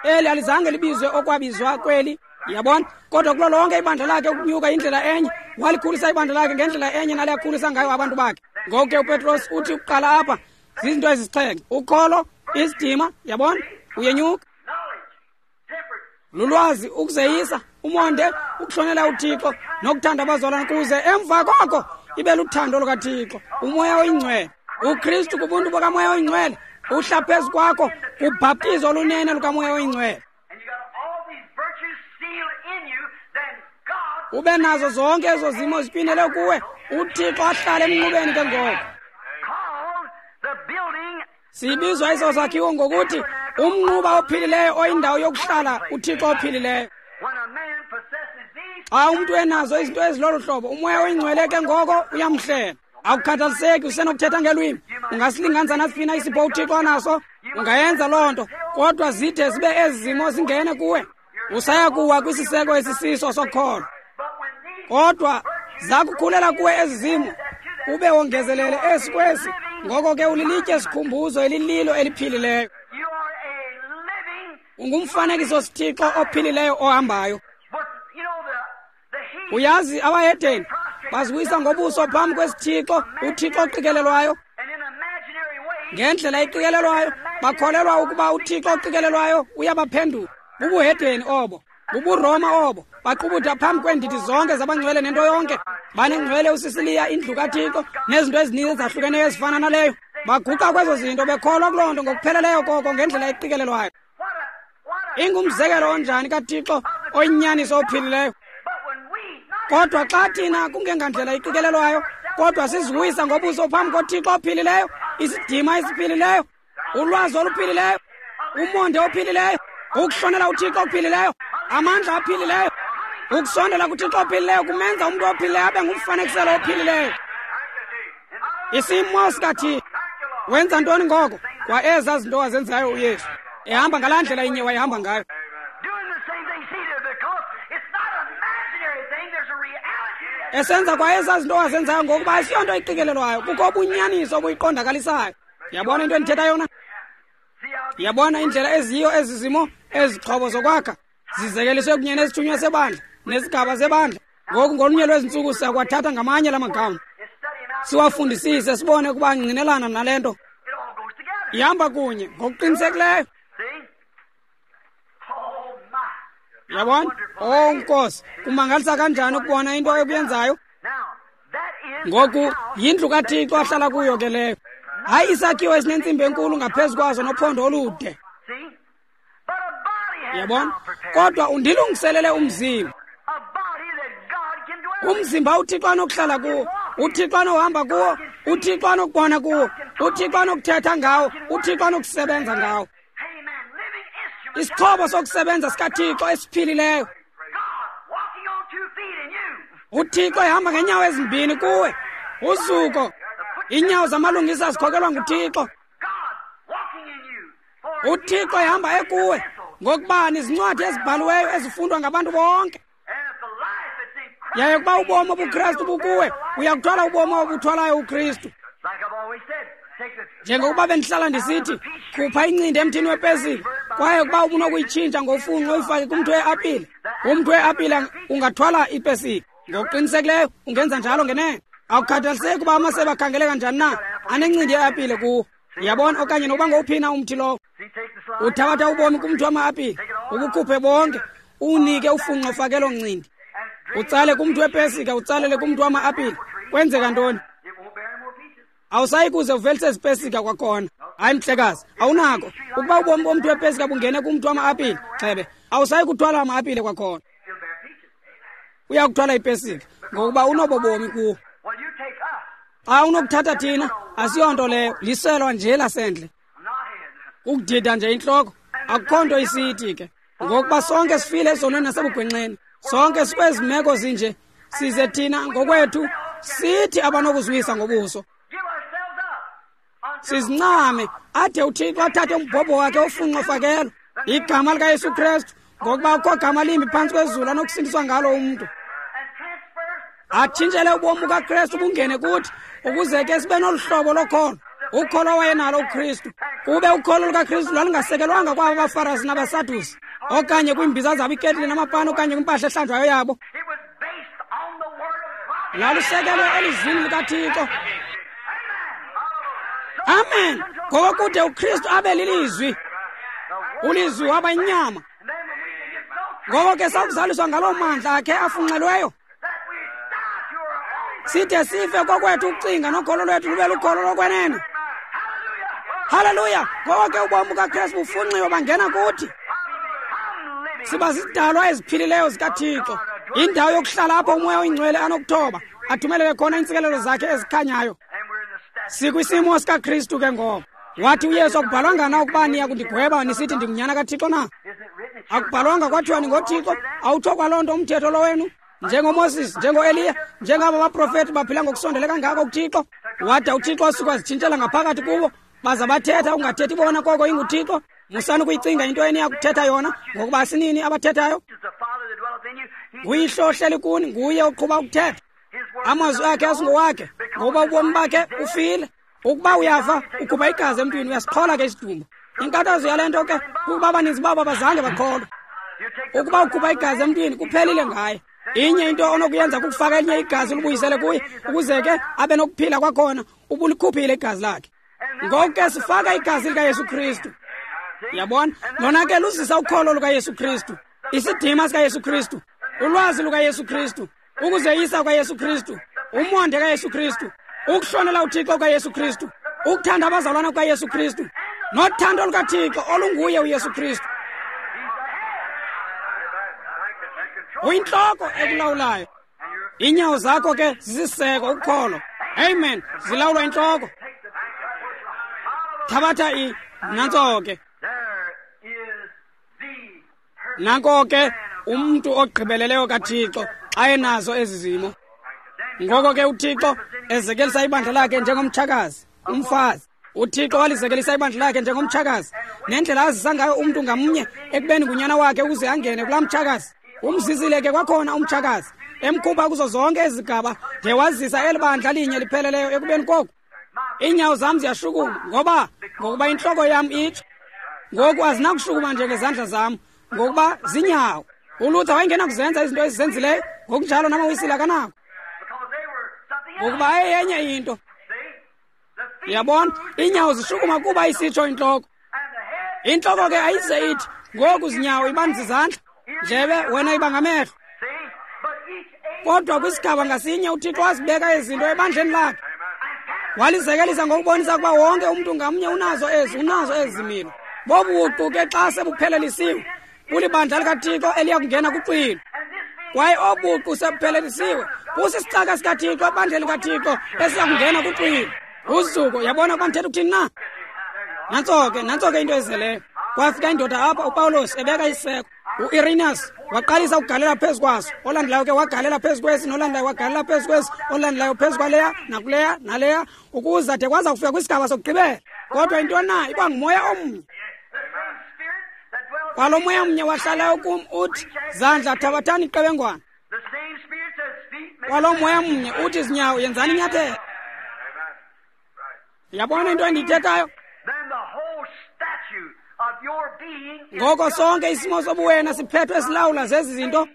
Eli alizange libizwe okwabizwa kweli. Yabona, kodwa kulo lonke ibandla lakhe ukunyuka indlela enye, walikhulisa ibandla lakhe ngendlela enye nale akhulisa ngayo abantu bakhe. Ngoku ke uPetros uthi ukuqala apha zizinto ezisixhenxe: ukholo, isidima, yabona, uyenyuka, lulwazi, ukuzeyisa, umonde, ukuhlonela uThixo nokuthanda abazalwane, kuze emva koko ibe luthando lukaThixo, umoya oyingcwele. UKristu kubuntu bukamoya oyingcwele uhla phezu kwakho kubhaptizo olunene lukamoya oyingcwele. Ube nazo zonke ezo zimo zitywinele kuwe, uThixo ahlale emnqubeni ke ngoko. Sibizwa eso sakhiwo ngokuthi umnquba ophilileyo oyindawo yokuhlala uThixo ophilileyo. Xa umntu enazo izinto ezilolu hlobo, umoya oyingcwele ke ngoko uyamhlela. Akukhathaliseki, usenokuthetha ngelwimi, ungasilinganisa nasiphi na isipho uThixo anaso, Ungayenza loo nto, kodwa zide zibe ezi zimo zingene kuwe, usaya kuwa kwisiseko esisiso sokholo. Kodwa zakukhulela kuwe ezi zimo, ube wongezelele esi kwesi, ngoko ke ulilitye sikhumbuzo elililo eliphilileyo. Ungumfanekiso sithixo ophilileyo ohambayo. Uyazi abahedeni baziwisa ngobuso phambi kwesithixo, uThixo oqikelelwayo. Ngendlela iqikelelwayo bakholelwa ukuba uThixo oqikelelwayo uyabaphendula. Bubuhedeni obo, bubuRoma obo. Baqubuda phambi kweendidi zonke zabangcwele nento yonke. Banengcwele uSisiliya, indlu kaThixo, nezinto ezininzi ezahlukeneyo ezifana naleyo. Baguqa kwezo zinto bekholwa kuloo nto ngokupheleleyo koko ngendlela eqikelelwayo. Ingumzekelo onjani kaThixo oyinyaniso ophilileyo. Kodwa xa thina kungengandlela iqikelelwayo, kodwa siziwisa ngobuso phambi koThixo ophilileyo, isidima esiphilileyo, ulwazi oluphilileyo, umonde ophilileyo, ukuhlonela uThixo ophilileyo, amandla aphilileyo. Ukusondela kuThixo ophilileyo kumenza umntu ophilileyo abe ngumfanekiselo ophilileyo. Isimo sikaThixo. Wenza ntoni ngoko? Kwa ezaa zinto wazenzayo uYesu, ehamba ngalaa ndlela inye wayehamba ngayo. Esenza kwa ezaa zinto wazenzayo ngokuba asiyonto iqikelelwayo, kukho ubunyaniso obuyiqondakalisayo. Yabona into endithetha yona? Yabona indlela eziyiyo ezi zimo, ezixhobo zokwakha zizekeliswe kunye nesithunywa sebandla nesigaba sebandla. Ngoku ngolunye lwezi ntsuku siyakwathatha ngamanye la magama, siwafundisise, sibone ukuba angqinelana nale nto. Ihamba kunye ngokuqinisekileyo. Yabona? Oh Nkosi, kumangalisa kanjani ukubona into ekuyenzayo. Ngoku yindlu kaThixo ahlala kuyo ke leyo. Hayi isakhiwo esinentsimbi enkulu ngaphezu kwazo nophondo olude. Yabona? Kodwa undilungiselele umzimba. Umzimba uThixo anokuhlala kuwo, uThixo anohamba kuwo, uThixo anokubona kuwo, uThixo anokuthetha ngawo, uThixo anokusebenza ngawo. Isixhobo sokusebenza sikaThixo esiphilileyo. UThixo ehamba ngeenyawo ezimbini kuwe. Uzuko. Iinyawo zamalungisa zikhokelwa nguThixo. UThixo ehamba ekuwe, ngokuba nizincwadi ezibhaliweyo ezifundwa ngabantu bonke. Yaye ukuba ubomi obuKristu bukuwe, uyakuthwala ubomi obuthwalayo uKristu. Njengokuba bendihlala ndisithi, khupha incindi emthini wepesika, kwaye ukuba ubunokuyitshintsha ngofunqo uyifake kumthi weapile, umthi weapile ungathwala ipesika. Ngokuqinisekileyo ungenza njalo ngenene. Awukhathaliseki ukuba amasebe akhangeleka njani na, anencindi yeapile kuwo. Yabona? Okanye nokuba ngowuphina umthi lowo. Uthabatha ubomi kumthi wama-apile, ubukhuphe bonke, uwunike ufunqo fakelo ncindi. Utsale kumthi wepesika, utsalele kumthi wama-apile. Kwenzeka ntoni? Awusayi kuze uvelise ezipesika kwakhona. Hayi mhlekazi, awunako. Ukuba ubomi bomthi wepesika bungene kumthi wama-apile, xebe, awusayi kuthwala ama-apile kwakhona. Uyakuthwala ipesika ngokuba unobo bomi kuwo. Xa unokuthatha thina, asiyonto leyo, liselwa nje lasendle. Ukudida nje intloko, akukho nto isithi ke. Ngokuba sonke sifile ezonweni nasebugwenxeni, sonke sikwezi meko zinje, size thina ngokwethu sithi abanokuziwisa ngobuso. Sizincame ade uThixo athathe umbhobho wakhe ofunqo fakelo, igama likaYesu Kristu, ngokuba akukho gama limbi phantsi kwezulu anokusindiswa ngalo umntu. Atshintshele ubomi bukaKristu bungene kuthi, ukuze ke sibe nolu hlobo lokholo, ukholo wayenalo uKristu. Kube ukholo lukaKristu lwalungasekelwanga kwaba baFarasi nabaSadusi, okanye kwiimbiza zabo iketile namapani, okanye kwimpahla ehlanjwayo yabo. Lalusekelwe elizwini likaThixo. Amen. Ngokokude uKristu abe lilizwi, ulizwi waba inyama. Ngoko ke sakuzaliswa ngaloo mandla akhe afunxelweyo, side sife kokwethu ukucinga nokholo lwethu lube lukholo lokwenene. Haleluya! Ngoko ke ubomi bukaKristu bufunxiwe bangena kuthi. Siba zizidalwa eziphilileyo zikaThixo, indawo yokuhlala apho uMoya oyiNgcwele anokuthoba athumelele khona iintsikelelo zakhe ezikhanyayo. Sikwisimo sikaKristu ke ngoko. Wathi uYesu, akubhalwanga na ukuba niya kundigweba nisithi ndingunyana kaThixo na? Akubhalwanga kwathiwa ningoThixo? Awutsho kwaloo nto umthetho lo wenu? NjengoMoses, njengoEliya, njengaba baprofeti baphila ngokusondele kangako kuThixo. Wada uThixo wasuka wazitshintshela ngaphakathi kubo, Baza bathetha ungathethi bona koko inguThixo. Musani ukuyicinga into eniyakuthetha yona, ngokuba sinini abathethayo. Nguyihlo ohleli kuni, nguye oqhuba ukuthetha. Amazwi akhe asingowakhe, ngokuba ubomi bakhe ufile. Ukuba uyafa, ukhupha igazi emntwini, uyasiqhola ke isidumbu. Inkathazo yale nto ke kukuba abaninzi babo abazange bakholwe. Ukuba ukhupha igazi emntwini, kuphelile ngaye. Inye into onokuyenza kukufaka elinye igazi ulibuyisele kuye, ukuze ke abe nokuphila kwakhona, ubulikhuphile igazi lakhe. Ngoku ke sifaka igazi likaYesu Kristu. Yabona? Lona ke luzisa ukholo lukaYesu Kristu, isidima sikaYesu Kristu, ulwazi lukaYesu Kristu, ukuzeyisa kukaYesu Kristu, umonde kaYesu Kristu, ukuhlonela uThixo kukaYesu Kristu, ukuthanda abazalwana kukaYesu Kristu, nothando lukaThixo olunguye uYesu Kristu. Uyintloko ekulawulayo. Iinyawo zakho ke zisiseko ukholo. Amen. Zilawulwa intloko. Thabatha i nantso ke. Nanko ke umntu ogqibeleleyo kaThixo xa enazo ezi zimo. Ngoko ke uThixo ezekelisa ibandla lakhe njengomtshakazi, umfazi. UThixo walizekelisa ibandla lakhe njengomtshakazi, nendlela azisa ngayo umntu ngamnye ekubeni ngunyana wakhe ukuze angene kulaa mtshakazi. Umzisile ke kwakhona umtshakazi, emkhupha kuzo zonke ezigaba de wazisa eli bandla linye lipheleleyo ekubeni koku. Iinyawo zam ziyashukuma, ngoba ngokuba intloko yam itsho. Ngoku azinakushukuma nje ngezandla zam, ngokuba zinyawo. ULuther wayengenakuzenza izinto ezizenzileyo, ngokunjalo namaWisile akanako, ngokuba ayeyenye into. Uyabona, iinyawo zishukuma kuba isitsho intloko. Intloko ke ayize ithi ngoku zinyawo ibani zizandla, ndlebe wena iba ngamehlo. Kodwa kwisigaba ngasinye uThixo wazibeka izinto ebandleni lakhe. Walizekelisa ngokubonisa ukuba wonke umntu ngamnye unazo ezi, unazo ezi zimilo. Bobuqu ke xa sebuphelelisiwe, bulibandla likaThixo eliya kungena kuxwilo. Kwaye obuqu sebuphelelisiwe, busisicaka sikaThixo ebandleni likaThixo esiya kungena kuxwilo. Uzuko, yabona ukuba ndithetha ukuthini na? Nantso ke, nantso ke into ezeleyo. Kwafika indoda apha, uPawulos ebeka isiseko. U-Irenaeus waqalisa ukugalela phezu kwaso. Olandelayo ke wagalela phezu kwesi, nolandelayo wagalela phezu kwesi, olandelayo phezu kwaleya, nakuleya, naleya, ukuza de kwaza kufika kwisigaba sokugqibela. Kodwa into na iba ngumoya omnye. Kwalo moya omnye wahlalayo kum uthi, zandla thabathani iqebengwana. Kwalo moya omnye uthi, zinyawo yenzani inyathelo. Yabona into endiyithethayo? Ngoko sonke isimo sobuwena siphethwe silawula zezi zinto,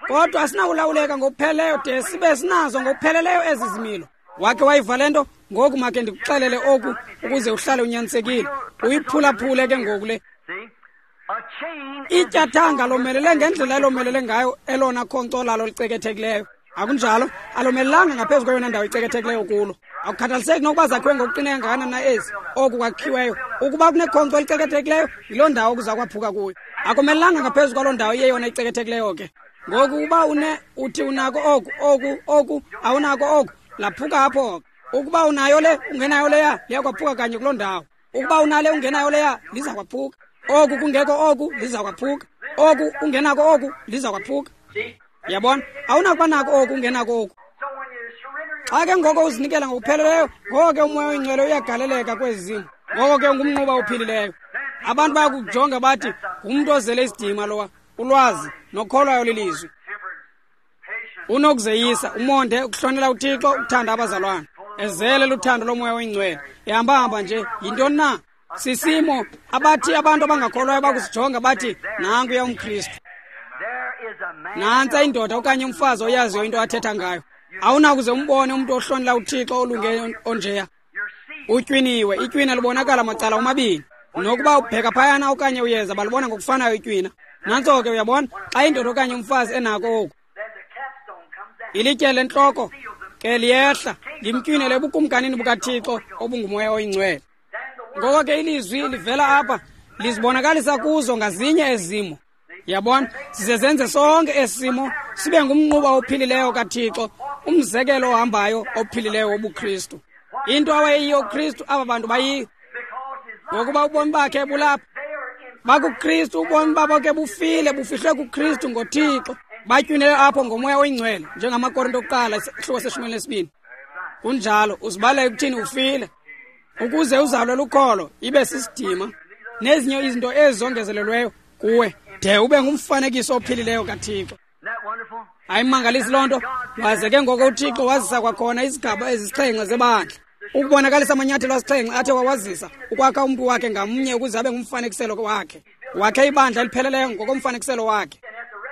kodwa asinakulawuleka ngokupheleleyo de sibe sinazo ngokupheleleyo ezi zimilo. Wakhe wayiva le nto? Ngoku makhe ndikuxelele oku ukuze uhlale unyanisekile. Uyiphulaphule ke ngoku le. Ityathanga lomelele ngendlela elomelele ngayo elona khonkco lalo licekethekileyo. Akunjalo, alomelelanga ngaphezu kweyona ndawo icekethekileyo kulo. Akukhathaliseki nokuba zakhiwe ngokuqine kangakanani na ezi, oku kwakhiweyo. Ukuba kunekhonkco elicekethekileyo, yiloo ndawo kuza kwaphuka kuyo. Akomelelanga ngaphezu kwaloo ndawo iyeyona icekethekileyo ke. Ngoku uba une uthi unako oku, oku, oku, awunako oku, laphuka apho ke. Ukuba unayo le, ungenayo leya, liya kwaphuka kanye kuloo ndawo. Ukuba unale ungenayo leya, liza kwaphuka. Oku kungekho oku, liza kwaphuka. Oku ungenako oku, liza kwaphuka. Yabona, awunakuba nako oku ungenako oku. Xa ke ngoko uzinikela ngokupheleleyo, ngoko ke umoya oyingcwele uyagaleleka kwezi zimo. Ngoko ke ungumnquba ophilileyo. Abantu bayakujonga bathi ngumntu ozele isidima lowa, ulwazi nokholwayo lilizwi. Unokuzeyisa, umonde, ukuhlonela uThixo, ukuthanda abazalwana. Ezele luthando lomoya oyingcwele. Ehamba-hamba nje, yintoni na? Sisimo abathi abantu abangakholwayo bakusijonga bathi nankuya umKristu. Nantsa indoda okanye umfazi oyaziyo into athetha ngayo. Awunakuze umbone umntu ohlonela uThixo olunge onjeya. Utywiniwe, itywina libonakala macala omabini. Nokuba ubheka phayana okanye uyeza, balibona ngokufanayo itywina. Nantso ke uyabona, xa indoda okanye umfazi enako oku, ilitye lentloko ke liyehla limtywinele ebukumkanini bukaThixo obungumoya oyingcwele. Ngoko ke ilizwi livela apha lizibonakalisa kuzo ngazinye ezimo. Yabona, size senze sonke esimo sibe ngumnquba ophilileyo kaThixo, umzekelo ohambayo ophilileyo wobuKristu. Into awayeyiyo uKristu, aba bantu bayiyo, ngokuba ubomi bakhe bulapha. BakuKristu, ubomi babo ke bufile, bufihlwe kuKristu ngoThixo. Batywinele apho ngomoya oyingcwele, njengamaKorinto okuqala isahluko seshumi elinesibini. Kunjalo, uzibala ekuthini ufile. Ukuze uzalwe lukholo ibe sisidima nezinye izinto ezongezelelweyo kuwe de ube ngumfanekiso ophilileyo kaThixo. Ayimangalisi loo nto. Waze ke ngoko uThixo wazisa kwakhona izigaba ezisixhenxe zebandla, ukubonakalisa amanyathelo asixhenxe athe wawazisa ukwakha umntu wakhe ngamnye ukuze abe ngumfanekiselo wakhe. Wakhe ibandla elipheleleyo ngokomfanekiselo wakhe.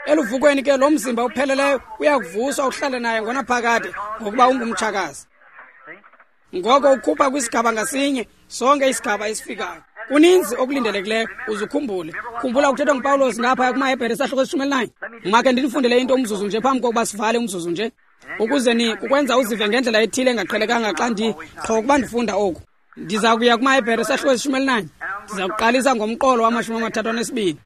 Eluvukweni ke lo mzimba upheleleyo uyakuvuswa uhlale naye ngonaphakade ngokuba ungumtshakazi. Ngoko ukhupha kwisigaba ngasinye sonke isigaba esifikayo. Kuninzi okulindelekileyo uzukhumbule. Khumbula ukuthethwa nguPawulos ngapha kumaHebhere isahluko esishumi elinanye. Makhe ndinifundele into umzuzu nje phambi kokuba sivale umzuzu nje, ukuze ni kukwenza uzive ngendlela ethile engaqhelekanga xa ndi qho ukuba ndifunda oku. Ndiza kuya kumaHebhere isahluko esishumi elinanye. Ndiza kuqalisa ngomqolo wamashumi amathathu anesibini.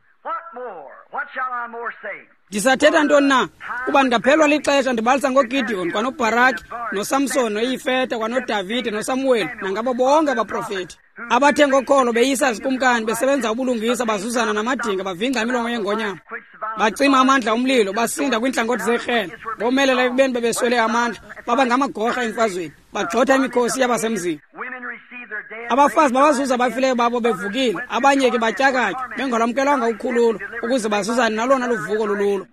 Ndisathetha ntoni na? Kuba ndingaphelwa lixesha ndibalisa ngoGideon kwanoBharaki noSamson noYifeta kwanoDavide noSamuweli nangabo bonke abaprofeti abathe ngokholo beyisa zikumkani besebenza ubulungisa bazuzana namadinga bavingca imilomo yengonyama bacima amandla omlilo basinda kwiintlangothi zekrele bomelela ekubeni bebeswele amandla baba ngamagorha emfazweni bagxotha imikhosi yabasemzini. Abafazi babazuza abafileyo babo bevukile, abanye ke batyakatywa bengalwamkelwanga ukhululo ukuze bazuzane nalona luvuko lululo.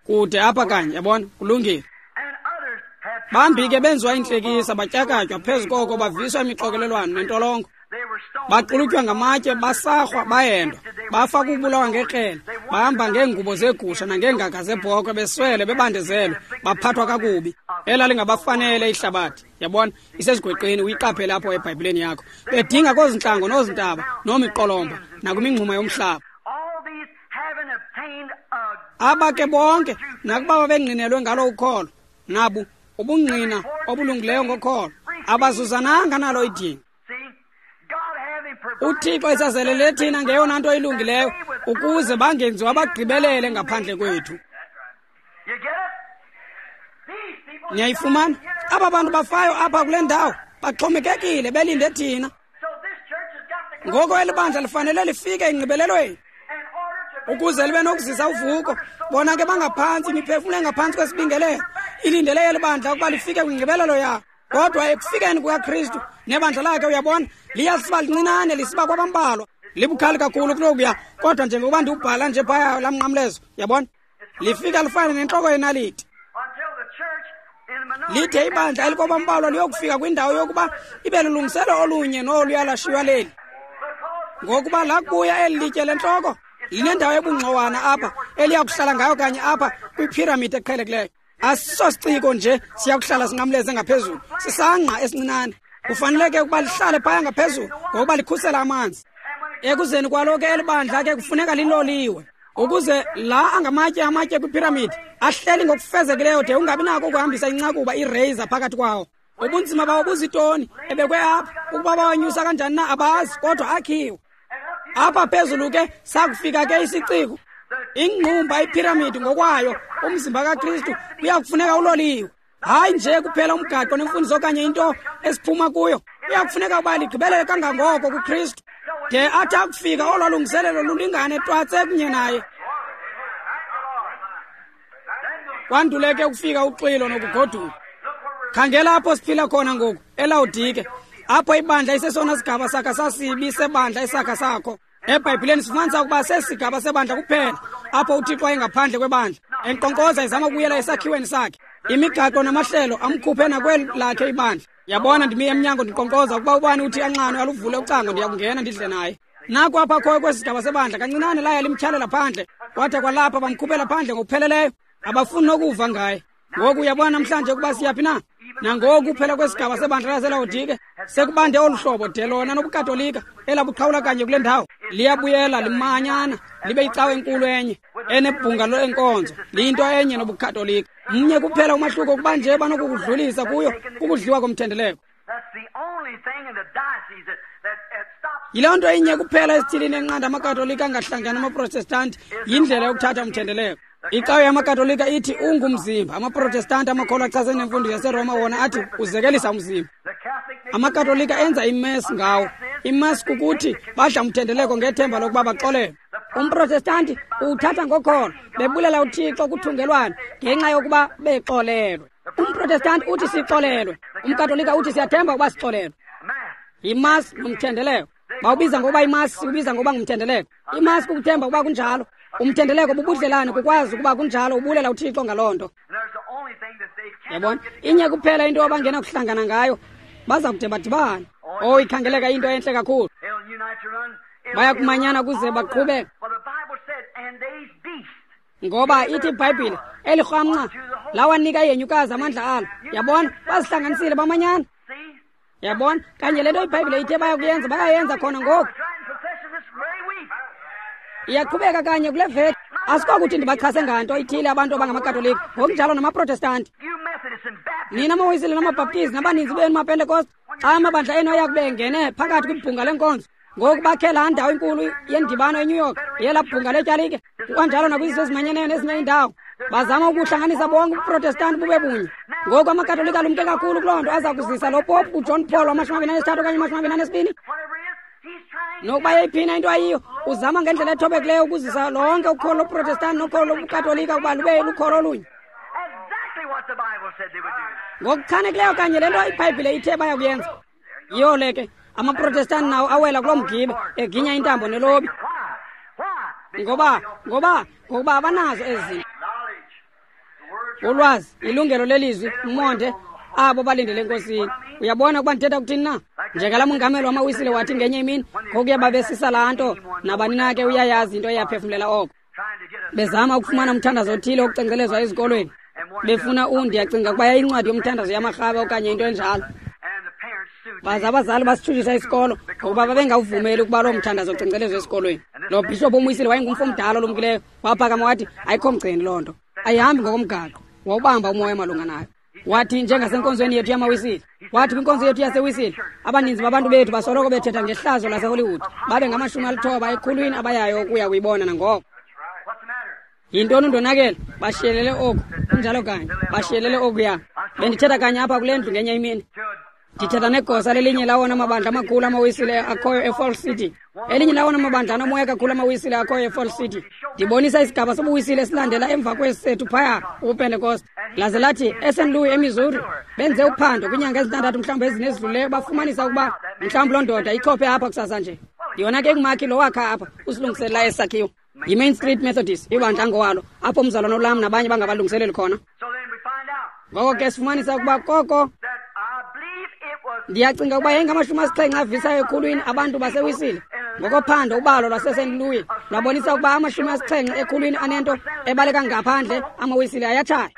Kude apha kanye, yabona, kulungile. Bambi ke benziwa intlekisa batyakatywa, phezu koko baviswa imixokelelwano nentolongo. Baxulutywa ngamatye, basarhwa, bahendwa, bafa kubulawa ngekrele, bahamba ngeengubo zegusha nangeengaga zebhokhwe, beswele, bebandezelwe, baphathwa kakubi. Elalingabafanele ihlabathi, yabona, isezigweqeni, uyiqaphele apho eBhayibhileni yakho. Bedinga koozintlango noozintaba nomiqolomba nakwimingxuma yomhlaba. Aba ke bonke nakuba babengqinelwe ngalo ukholo, nabu ubungqina obulungileyo ngokholo, abazuzananga nalo idinga. UThixo esazelele thina ngeyona nto ilungileyo ukuze bangenziwa bagqibelele ngaphandle kwethu. Niyayifumana? Aba bantu bafayo apha kule ndawo baxhomekekile belinde thina. Ngoko eli bandla lifanele lifike engqibelelweni ukuze libe nokuzisa uvuko. Bona ke bangaphantsi, imiphefumlo engaphantsi kwesibingelelo ilindele eli bandla ukuba lifike kwingqibelelo yalo. Kodwa ekufikeni kukaKristu nebandla lakhe, uyabona, liyasiba lincinane, lisiba kwabambalwa, libukhali kakhulu kunokuya. Kodwa njengokuba ndiwubhala nje phaya laa mnqamlezo, uyabona, lifika lifane nentloko yenaliti. Lithe ibandla elikwabambalwa liyokufika kwindawo yokuba ibe lulungiselo olunye noluya lashiywa leli. Ngokuba lakubuya eli litye lentloko linendawo ebungxowana apha eliya kuhlala ngayo kanye apha kwiphiramidi eqhelekileyo. Asisosiciko nje siya kuhlala sinqamleze ngaphezulu, sisangqa esincinane. Kufaneleke ukuba lihlale phaya ngaphezulu ngokuba likhusela amanzi. Ekuzeni kwalo ke eli bandla ke kufuneka liloliwe ukuze la angamatye amatye kwiphiramidi ahleli ngokufezekileyo de ungabi nako ukuhambisa incakuba ireyiza phakathi kwawo. Ubunzima bawo buzitoni ebekwe apha, ukuba bawanyusa kanjani na abazi, kodwa akhiwe. Apha phezulu ke sakufika ke isiciko, ingqumba iphiramidi ngokwayo, umzimba kaKristu kuyakufuneka uloliwe. Hayi nje kuphela umgaqo nemfundiso okanye into esiphuma kuyo, kuyakufuneka ukuba ligqibelele kangangoko kuKristu de athi akufika olwa lungiselelo lulingane twatse kunye naye. Kwandule ke ukufika uxwilo nokugoduka. Khangela apho siphila khona ngoku, eLawodike, apho ibandla isesona sigaba sakha sasibi sebandla esakha sakho. EBhayibhileni sifumanisa ukuba sesigaba sebandla kuphela apho uThixo wayengaphandle kwebandla enkqonkqoza ezama ukubuyela esakhiweni sakhe. Imigaqo namahlelo amkhuphe nakweli lakhe ibandla. Yabona, ndimi emnyango ndinkqonkqoza, ukuba ubani uthi anxanwe aluvule ucango, ndiyakungena ndidle naye. Naku apha khoyo kwesi sigaba sebandla kancinane laya limtyhalela phandle, kwade kwalapha bamkhuphela phandle ngokupheleleyo, abafuni nokuva ngaye. Ngoku uyabona namhlanje ukuba siyaphi na? Nangoku kuphela kwesigaba sebandla laseLawodike sekubande olu hlobo de lona nobuKatolika elabuqhawula kanye kule ndawo liyabuyela limanyana libe yicawa enkulu enye enebhunga lenkonzo, liyinto enye nobuKatolika. Mnye kuphela umahluko kuba nje banokukudlulisa kuyo kukudliwa komthendeleko. Yiloo nto inye kuphela esithilini enqanda amaKatolika angahlangani amaProtestanti, yindlela yokuthatha umthendeleko. Icawe yamaKatolika ithi ungumzimba, amaProtestanti amakholwa achasene nemfundo yaseRoma wona athi uzekelisa umzimba. AmaKatolika enza imesi ngawo. Imesi kukuthi badla umthendeleko ngethemba lokuba baxolelwe. UmProtestanti uwuthatha ngokholo, bebulela uThixo kuthungelwano ngenxa yokuba bexolelwe. UmProtestanti uthi sixolelwe, umKatolika uthi siyathemba ukuba sixolelwe. Yimasi nomthendeleko. Bawubiza ngokuba yimasi, ubiza ngokuba ngumthendeleko. Imasi kukuthemba ukuba kunjalo. Umthendeleko bubudlelane, kukwazi ukuba kunjalo, ubulela uThixo ngaloo nto. Yabona, inye kuphela into abangena kuhlangana ngayo, baza kude badibane. Oh, ikhangeleka into entle kakhulu. Baya kumanyana kuze baqhube. Ngoba ithi iBhayibhile, eli rhamnca lawanika ihenyukazi amandla alo. Yabona, bazihlanganisile bamanyana. Yabona, kanye le nto iBhayibhile ithe bayakuyenza, bayayenza khona ngoku. Iyaqhubeka kanye kule veki. Asikokuthi ndibachase nganto ithile abantu abangamakatolika, ngokunjalo namaprotestanti. Nina amaWisile namaBhaptizi nabaninzi benu maPentekoste, xa amabandla enu ayakube engene phakathi kwibhunga lenkonzo, ngoku bakhe laa ndawo inkulu yendibano eNew York, yelaa bhunga letyalike, kwanjalo nakwizizwe ezimanyeneyo nezinye iindawo. Bazama ukuhlanganisa bonke ubuprotestanti bube bunye. Ngoku amakatolika alumke kakhulu kuloo nto, aza kuzisa lo popu uJohn Paul wamashumi amabini anesithathu okanye amashumi amabini anesibini. Nokuba yeyiphina into ayiyo, uzama ngendlela ethobekileyo ukuzisa lonke ukholo lobuprotestanti nokholo lobukatolika ukuba lube lukholo olunye. Ngokuchanekileyo kanye le nto iBhayibhile ithe bayakuyenza. Yiyo le ke, amaprotestanti nawo awela kuloo mgibe, eginya intambo nelobi. Ngoba, ngoba, ngokuba abanazo ezi zinto. Ulwazi, ilungelo lelizwi, umonde, abo balindele eNkosini. Uyabona ukuba ndithetha kuthini na? Njengalaa mongameli wamaWisile wathi ngenye imini, ngokuya babesisa laa nto, nabani na ke uyayazi into eyaphefumlela oko. Bezama ukufumana umthandazo othile wokucengcelezwa ezikolweni. Befuna u, ndiyacinga ukuba yayincwadi yomthandazo yamarhabe okanye into enjalo. Baza abazali basitshutshisa isikolo ngokuba babengawuvumeli ukuba loo mthandazo ucengcelezwe esikolweni. Lo bhishophu omwisile wayengumfo omdala olumkileyo, waphakama wathi ayikho mgceni loo nto, ayihambi ngokomgaqo. Wawubamba umoya malunga nayo. Wathi njengasenkonzweni yethu yamaWisile, wathi kwinkonzo yethu yaseWisile, abaninzi babantu bethu basoloko bethetha ngehlazo laseHollywood, babe ngamashumi alithoba ekhulwini abayayo ukuya kuyibona nangoko. Yintoni undonakele? Bashiyelele oku, kunjalo kanye, bashiyelele okuya. Bendithetha kanye apha kule ndlu ngenye imini. Ndithetha negosa lelinye lawona mabandla amakhulu amaWisile akhoyo eFalls City. Elinye lawona mabandla anomoya kakhulu amaWisile akhoyo eFalls City. Ndibonisa isigaba sobuwisile esilandela emva kwesi sethu phaya ubuPentekoste. Laze lathi eSaint Louis eMissouri benze uphando kwiinyanga ezintandathu mhlawumbi ezine ezidlulileyo, bafumanisa ukuba mhlawumbi loo ndoda ichophe apha kusasa nje. Yona ke ngumakhi lo wakha apha usilungiselela esi sakhiwo. YiMain Street Methodist, ibandla ngowalo, apho umzalwana uLam nabanye bangabalungiseleli khona. Ngoko ke sifumanisa ukuba koko ndiyacinga ukuba yayingamashumi asixhenxe avisayo ekhulwini abantu baseWisile. Ngokophando ubalo lwaseSaint Louis lwabonisa ukuba amashumi asixhenxe ekhulwini anento ebaleka ngaphandle amaWisile ayatshaya,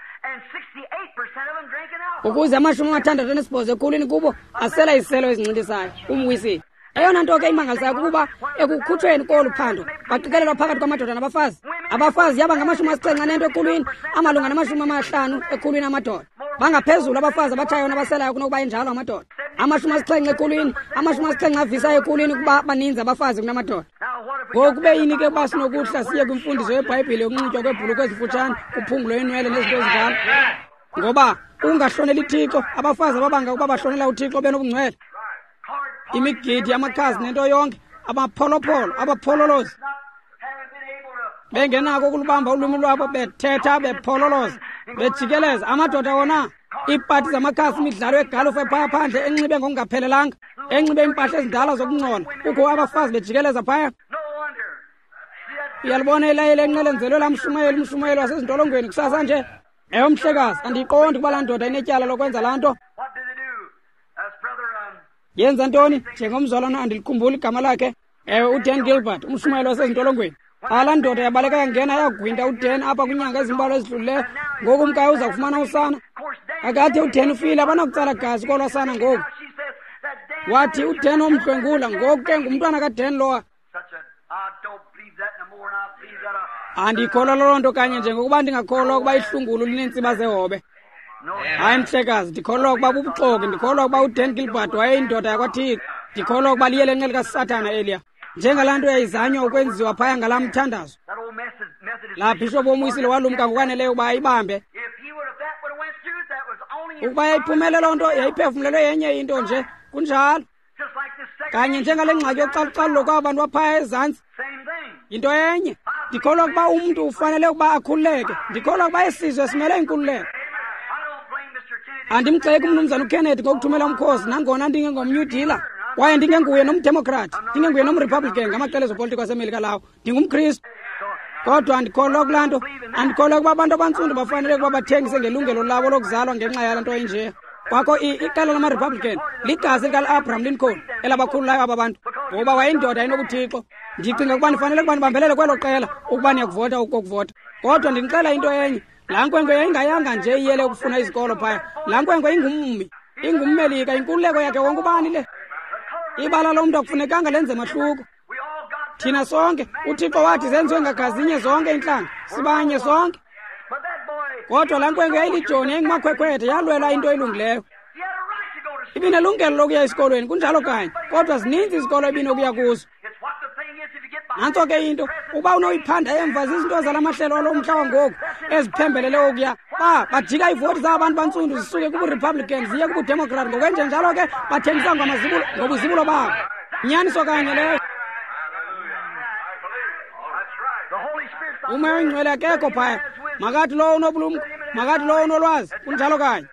ukuze amashumi amathandathu anesibhozo ekhulwini kubo asela iziselo ezincintisayo umwisile. Eyona nto ke imangalisayo kukuba ekukhutshweni kolu phando baqikelelwa phakathi kwamadoda nabafazi. Abafazi yaba ngamashumi asixhenxe anento ekhulwini, amalunga namashumi amahlanu ekhulwini amadoda. Bangaphezulu abafazi abatshayo nabaselayo kunokuba enjalo amadoda. Amashumi asixhenxe ekhulwini, amashumi asixhenxe avisayo ekhulwini kuba baninzi abafazi kunamadoda. Ngoku kube yini ke uba sinokuhla siye kwimfundiso yeBhayibhile yokunxitywa kweebhulukhwe ezifutshane, kuphungulwe iinwele nezinto ezinjalo? Ngoba ungahloneli Thixo, abafazi ababanga ukuba bahlonela uThixo benobungcwele. Imigidi yamakhasi nento yonke, abapholopholo, abaphololozi, bengenako ukulubamba ulwimi lwabo, bethetha bephololoza, bejikeleza. Amadoda wona, iipati zamakhasi, imidlalo yegalufa ephaya phandle, enxibe ngokungaphelelanga, enxibe iimpahla ezindala zokungcola, kukho abafazi bejikeleza phaya. Uyalibona ilayeli enqelenzelwe laa mshumayeli, umshumayeli wasezintolongweni kusasa nje. Ewe mhlekazi, andiyiqondi ukuba laa ndoda inetyala lokwenza laa nto. Yenza ntoni? Njengomzalwana andilikhumbuli igama lakhe. Ewe, uDan Gilbert, umshumayeli wasezintolongweni. Xa laa ndoda yabaleka yangena yagwinta uDan apha kwiinyanga ezimbalwa ezidlulileyo, ngoku umkayo uza kufumana usana. Akade uDan ufile, abanakutsala gazi kolwa sana ngoku. Wathi uDan womdlwengula, ngoku ke ngumntwana kaDan lowa. Andikholwa loo nto kanye njengokuba ndingakholwa ukuba ihlungulu lineentsiba zehobe. Hayi mhlekazi, ndikholwa ukuba bubuxoki, ndikholwa ukuba uDan Gilbert wayeyindoda yakwaThixo. Ndikholwa ukuba liye lenqe likaSathana eliya. Njengalaa nto yayizanywa ukwenziwa phaya ngalaa mthandazo. Laa bhishophu omwisile walumka ngokwaneleyo ukuba ayibambe. Ukuba yayiphumele loo nto, yayiphefumlelwe yenye into nje, kunjalo. Kanye njengale ngxaki yocalucalulo kwaba bantu baphaya ezantsi, yinto enye. Ndikholwa ukuba umntu ufanele ukuba akhululeke. Ndikholwa ukuba isizwe simele inkululeko. Andimgxeki umnumzana uKennedy ngokuthumela umkhosi, nangona ndingengomNew Dealer. Kwaye ndingenguye nomdemokrat, ndingenguye nomrepublican ngamaqela ezopolitiko aseMelika lawo. NdingumKristu. Kodwa andikholwa kulaa nto. Andikholwa ukuba abantu abantsundu bafanele ukuba bathengise ngelungelo labo lokuzalwa ngenxa yale nto inje. Kwakho iqela lama-Republican ligazi lika-Abraham Lincoln elabakhululayo aba bantu, ngoba wayeyindoda enobuthixo. Ndicinga ukuba nifanele ukuba nibambelele kwelo qela ukuba niyakuvota ukokuvota. Kodwa ndinixela into enye, laa nkwenkwe yayingayanga nje iyele ukufuna izikolo phaya. Laa nkwenkwe ingummi, ingummelika, inkululeko yakhe wonke ubani le. Ibala lomntu akufunekanga lenze mahluko. Thina sonke, uThixo wathi zenziwe ngagazinye zonke iintlanga, sibanye sonke. Kodwa laa nkwenkwe yayilijoni, yayingumakhwekhwethe, yalwela into elungileyo. Ibinelungelo lokuya esikolweni, kunjalo kanye, kodwa zininzi izikolo ebinokuya kuzo. Nantso ke into, uba unoyiphanda emva zizinto zala mahlelo alo mhla wangoku eziphembelele okuya. Ba bajika iivoti zabantu bantsundu zisuke kubuRepublican ziye kubuDemokrat, ngokwenjenjalo ke bathengisa ngamazibulo ngobuzibulo babo. Nyaniso kanye leyo. Umoya oyingcwele akekho phaya. Makathi lowo unobulumko, makathi lowo unolwazi, kunjalo kanye.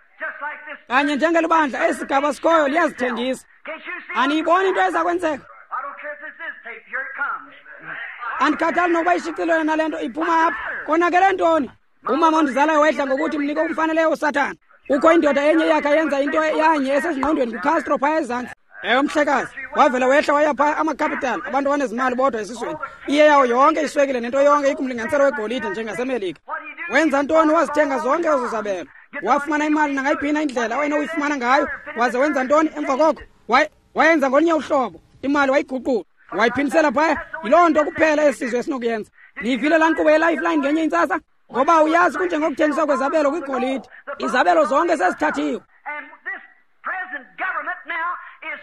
Kanye njengelibandla esigaba sikhoyo liyazithengisa. Aniyiboni into eza kwenzeka? Andikhathali nokuba ishicilelwe nale nto iphuma apha. Konakele ntoni? Umama ondizalayo wayedla ngokuthi mnike umfaneleyo uSathana. Kukho indoda enye yakhe yenza into yanye esezingqondweni kuCastro phaya ezantsi. Ewe mhlekazi, wavela wehla waya phaya amacapital, abantu abanezimali bodwa esizweni. Iye yawo yonke iswekile nento yonke ikumlinganiselo wegolide njengaseMelika. Wenza ntoni? Wazithenga zonke ezo zabelo. Wafumana imali nangayiphi indlela awayenokuyifumana ngayo. Waze wenza ntoni emva koko? Wayenza ngolunye uhlobo. Imali wayiguqula, wayiphindisela phaya. Yiloo nto kuphela esizwe esinokuyenza. Niyivile laa nkqubo yeLifeline ngenye intsasa? Ngoba uyazi kunjengokuthengiswa kwezabelo kwigolide. Izabelo zonke sezithathiwe.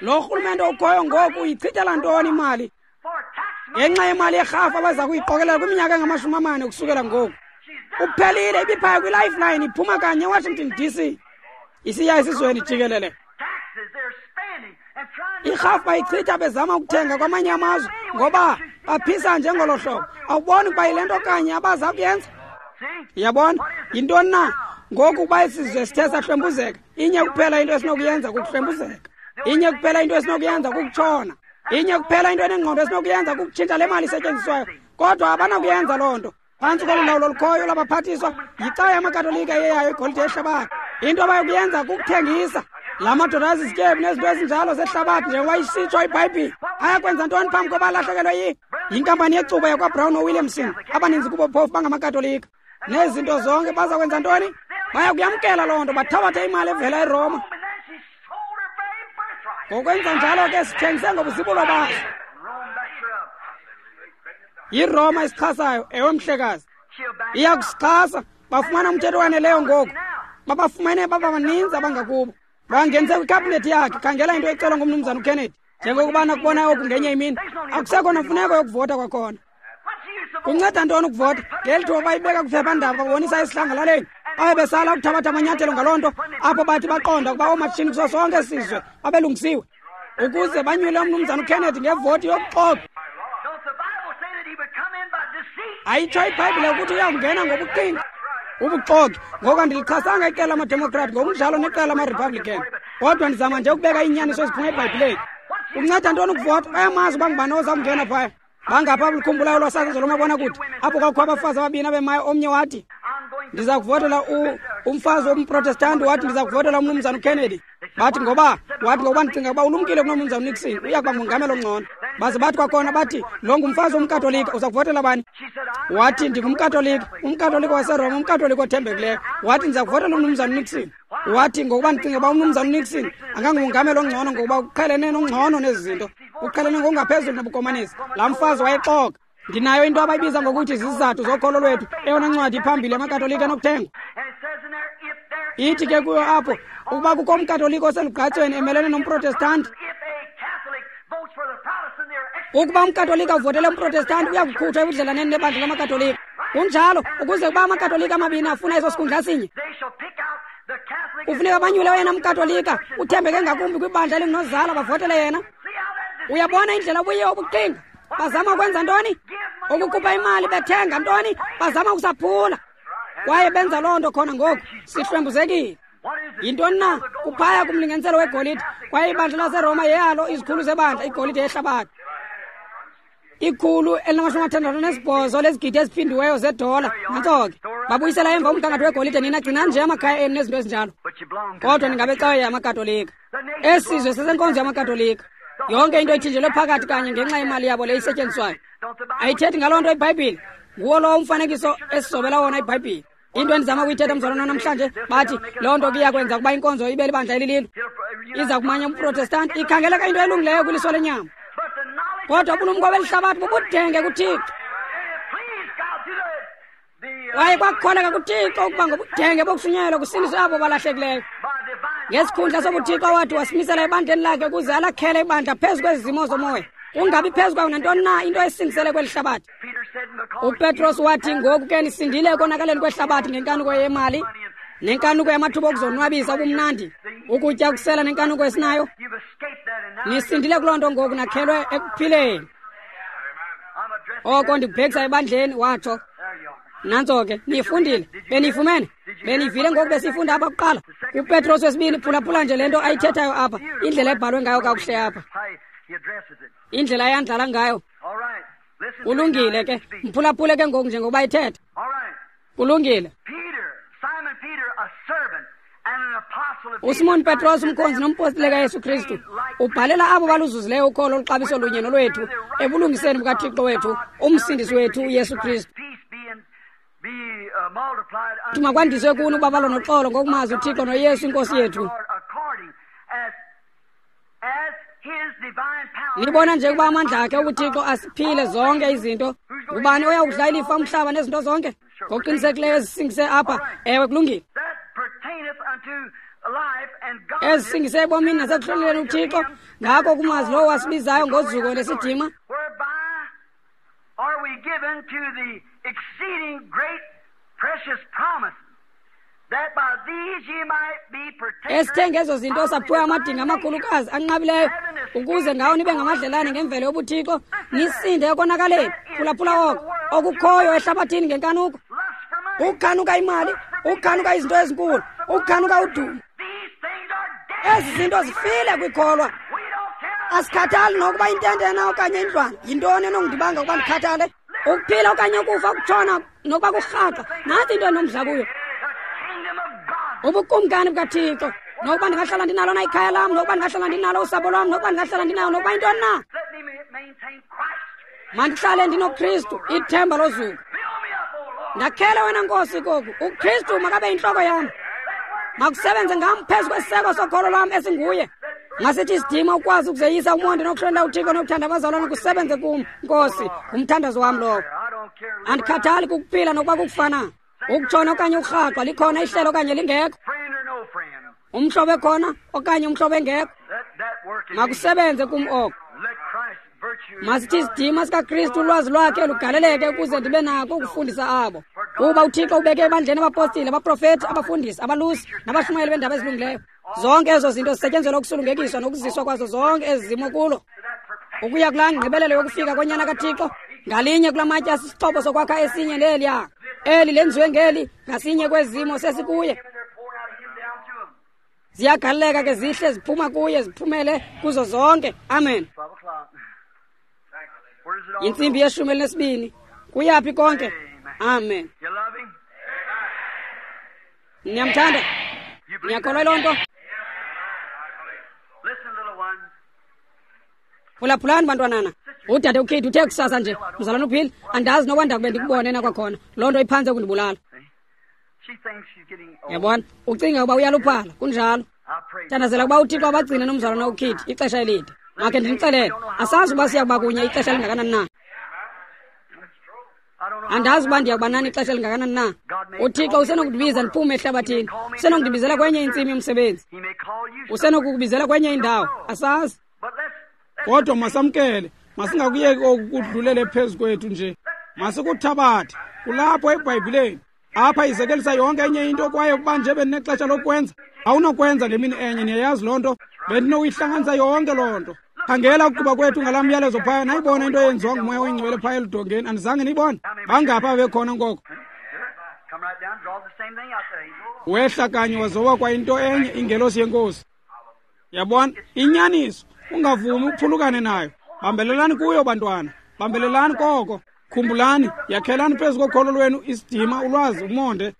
Lo rhulumente ukhoyo ngoku uyichithela ntoni imali? Ngenxa yemali yerhafu abaza kuyiqokelela kwiminyaka engamashumi amane ukusukela ngoku. Uphelile, ibiphaya kwiLifeline, iphuma kanye eWashington D C isiya esizweni jikelele. Irhafu bayichitha bezama ukuthenga kwamanye amazwe ngoba baphisa njengolo hlobo. Awuboni ukuba yile nto kanye abaza kuyenza? Yabona? Yintoni na? Ngoku ukuba isizwe sithe sahlwempuzeka, inye kuphela into esinokuyenza kukuhlwempuzeka. Inye kuphela into esinokuyenza kukutshona. Inye kuphela into enengqondo esinokuyenza kukutshintsha le mali isetyenziswayo. Kodwa abanakuyenza loo nto. Phantsi kolu lawulo lukhoyo lwabaphathiswa yicawa yamaKatolika eyeyayo igolide yehlabathi. Into abayokuyenza kukuthengisa. La madoda azizityebi nezinto ezinjalo zehlabathi njengoba isitsho iBhayibhile. Ayakwenza ntoni phambi koba alahlekelwe yi yinkampani yecuba yakwaBrown noWilliamson, abaninzi kubo phofu bangamakatolika. Nezinto zonke baza kwenza ntoni? Bayakuyamkela loo nto, bathabathe imali evela eRoma. Ngokwenza njalo ke sithengise ngobuzibulo baso. YiRoma isixhasayo, ewe mhlekazi. Iyakusixhasa, bafumana umthetho waneleyo ngoku. Babafumene baba baninzi abangakubo. Bangenise kwikhabhinethi yakhe, khangela into ecelwa ngumnumzana uKennedy. Njengokuba nakubona oku ngenye imini, akusekho namfuneko yokuvota kwakhona. Kunceda ntoni ukuvota? Ngeli thuba bayibeka kwiphephandaba babonisa esihlangalaleni. Baye besala ukuthabatha amanyathelo ngaloo nto, apho bathi baqonda ukuba oomatshini kuso sonke isizwe babelungisiwe ukuze banyule umnumzana uKennedy ngevoti yobuxoki. Ayitsho iBhayibhile ukuthi uyakungena ngobuqhinga, ubuxoki. Ngoku andilichasanga iqela lamaDemokrat ngokunjalo neqela lamaRepublican, kodwa ndizama nje ukubeka iinyaniso eziphuma eBhayibhileni. Kunceda ntoni ukuvota? Bayamazi uba ngubani oza kungena phaya. Bangapha abalikhumbulayo lwasasazo lomabonakude apho kwakukho abafazi ababini abemayo. Omnye wathi ndiza kuvotela umfazi womprotestanti, wathi ndiza kuvotela umnumzana uKennedy. Bathi ngoba? Wathi ngokuba ndicinga ukuba ulumkile kunomnumzana uNixon, uya kuba ngumongameli ongcono. Baze bathi kwakhona bathi lo ngumfazi womkatolika, uza kuvotela bani? Wathi ndingumkatolika, umkatolika waseRoma, umkatolika othembekileyo. Wathi ndiza kuvotela umnumzana uNixon. Wathi ngokuba ndicinga uba umnumzana uNixon angangumongameli ongcono ngokuba uqhelene nongcono nezi zinto, uqhelene ngokungaphezulu nobukomanisi. Laa mfazi wayexoka. Ndinayo into abayibiza ngokuthi zizizathu zokholo lwethu, eyona ncwadi iphambili yamakatolika enokuthengwa. Ithi ke kuyo apho ukuba kukho umkatolika oselugqatsweni emelene nomprotestanti, ukuba umkatolika uvotele umprotestanti uya kukhutshwa ebudlelaneni nebandla lamakatolika. Kunjalo, ukuze ukuba amakatolika amabini afuna eso sikhundla sinye, kufuneka banyule oyena mkatolika uthembeke ngakumbi kwibandla elingunozala, bavotele yena. Uyabona indlela obuye obuqhinga? Bazama ukwenza ntoni? Ukukhupha imali bethenga ntoni? Bazama ukusaphula. Kwaye benza loo nto khona ngoku. Sihlwempuzekile. Yintoni na? Kuphaya kumlinganiselo wegolide. Kwaye ibandla laseRoma yeyalo izikhulu zebandla, igolide yehlabathi. Ikhulu elinamashumi amathandathu nesibhozo lezigidi eziphindiweyo zedola. Nantso ke. Babuyisela emva umgangatho wegolide. Nina gcinani nje amakhaya enu nezinto ezinjalo. Kodwa ningabecawe yamaKatolika. Esi sizwe sesenkonzo yamaKatolika. Yonke into ithinjelwe phakathi kanye ngenxa yemali yabo le isetyenziswayo. Ayithethi ngaloo nto iBhayibhile. Nguwo lowo umfanekiso esizobela wona iBhayibhile. Into endizama ukuyithetha mzalwana namhlanje, bathi loo nto kuyakwenza ukuba inkonzo ibe libandla elililo. Iza kumanya umprotestanti. Ikhangeleka into elungileyo kwiliso lenyama. Kodwa ubulumko belihlabathi bubudenge kuThixo. Kwaye kwakukholeka kuThixo ukuba ngobudenge bokushunyayelwa kusindiswe abo balahlekileyo. Ngesikhundla sobuThixo wathi wasimisela ebandleni lakhe ukuze alakhele ibandla phezu kwezimo zomoya, kungabi phezu kwayo nantoni na into esingisele kweli hlabathi. UPetros wathi ngoku ke nisindile ekonakaleni kwehlabathi ngenkanuko yemali nenkanuko yamathuba okuzonwabisa ubumnandi, ukutya, ukusela nenkanuko esinayo. Nisindile kuloo nto ngoku nakhelwe ekuphileni. Oko ndikubhekisa ebandleni, watsho. Nantso ke, niyifundile, beniyifumene, beniyivile ngoku besiyifunda apha kuqala. UPetros wesibini, phulaphula nje le nto ayithethayo apha, indlela ebhalwe ngayo kakuhle apha, indlela ayandlala ngayo. Kulungile ke, mphulaphule ke ngoku njengokuba ithetha. Kulungile. USimon Petros, umkhonzi nompostile kaYesu Kristu, ubhalela abo baluzuzileyo ukholo oluxabiso lunye nolwethu ebulungiseni bukaThixo wethu, umsindisi wethu uYesu Kristu. Makwandiswe kuni ubabalo noxolo ngokumazi uThixo noYesu iNkosi yethu. Nibona nje ukuba amandla akhe uThixo asiphile zonke izinto. Ngubani oya kudla ilifa umhlaba nezinto zonke? Ngokuqinisekileyo ezisingise apha. Ewe, kulungile. Ezisingise ebomini nasekuhloneleni uThixo, ngako kumazi lowo wasibizayo ngozuko lesidima. Esithe ngezo zinto saphiwe amadinga amakhulukazi anqabileyo, ukuze ngawo nibe ngamadlelane ngemvelo yobuthixo, nisinde ekonakaleni. Phulaphula oko okukhoyo ehlabathini ngenkanuko, ukukhanuka imali, ukukhanuka izinto ezinkulu, ukukhanuka udumo. Ezi zinto zifile kwikholwa. Asikhathali nokuba intente na okanye indlwana. Yintoni enongidibanga ukuba ndikhathale? Ukuphila okanye ukufa, ukutshona nokuba kurhaqa. Nantsi into endinomdla kuyo, ubukumkani bukaThixo. Nokuba ndingahlala ndinalo na ikhaya lam, nokuba ndingahlala ndinalo usapho lwam, nokuba ndingahlala ndinayo nokuba yintoni na, mandihlale ndinoKristu, ithemba lozuko. Ndakhele wena Nkosi koku. UKristu makabe yintloko yam, makusebenze ngam phezu kwesiseko sokholo lwam esinguye. Ngasithi isidima ukwazi ukuzeyisa umonde nokuhlonela uThixo nokuthanda abazalwane kusebenze kum, Nkosi. Ngumthandazo wam lowo. Andikhathali kukuphila nokuba kukufana, ukutshona okanye ukurhaqwa, likhona ihlelo okanye lingekho, umhlobo ekhona okanye umhlobo engekho, makusebenze kum oko. Masithi isidima sikaKristu, ulwazi lwakhe lugaleleke ukuze ndibe nako ukufundisa abo. Kuba uThixo ubeke ebandleni abapostile, abaprofethi, abafundisi, abalusi nabashumayeli beendaba ezilungileyo. Zonke ezo zinto zisetyenzelwa ukusulungekiswa nokuziswa kwazo zonke ezi zimo kulo, ukuya kulaa ngqibelelo yokufika konyana kaThixo. Ngalinye kula matye asisixhobo sokwakha esinye neliya. Eli lenziwe ngeli, ngasinye kwezimo sesikuye. Ziyagaleleka ke zihle ziphuma kuye, ziphumele kuzo zonke. Amen. Intsimbi yeshumi elinesibini. Kuyaphi konke? Amen. Niyamthanda? Niyakholwa loo nto? Phulaphulani bantwanana. Udade uKate uthe kusasa nje, mzalwana uPhil, andazi noba ndakube ndikubone na kwakhona. Loo nto iphantse ukundibulala. Yabona, ucinga ukuba uyaluphala, kunjalo. Thandazela ukuba uThixo abagcine nomzalwana uKate ixesha elide. Makhe ndinixelele, asazi uba siya kuba kunye ixesha elingakanani na. Andazi uba ndiya kuba nani ixesha elingakanani na. UThixo usenokundibiza ndiphume ehlabathini, usenokundibizela kwenye intsimi yomsebenzi, usenokukubizela kwenye indawo, asazi. Kodwa masamkele, masingakuyeki oku kudlulele phezu kwethu nje. Masikuthabathe kulapho eBhayibhileni. Apha izekelisa yonke enye into, kwaye ukuba nje bendinexesha lokwenza, awunokwenza ngemini enye, niyayazi loo nto. Bendinokuyihlanganisa yonke loo nto. Khangela ukuba kwethu ngalaa myalezo phaya, nayibona into eyenziwa nguMoya oyiNgcwele phaya eludongeni. Andizange niyibone? Bangaphi abebekhona ngoko? Wehla kanye wazoba kwayinto enye, ingelosi yenkosi. Yabona, inyaniso, ungavumi uphulukane nayo. Bambelelani kuyo bantwana, bambelelani koko. Khumbulani, yakhelani phezu kokholo lwenu isidima, ulwazi, umonde.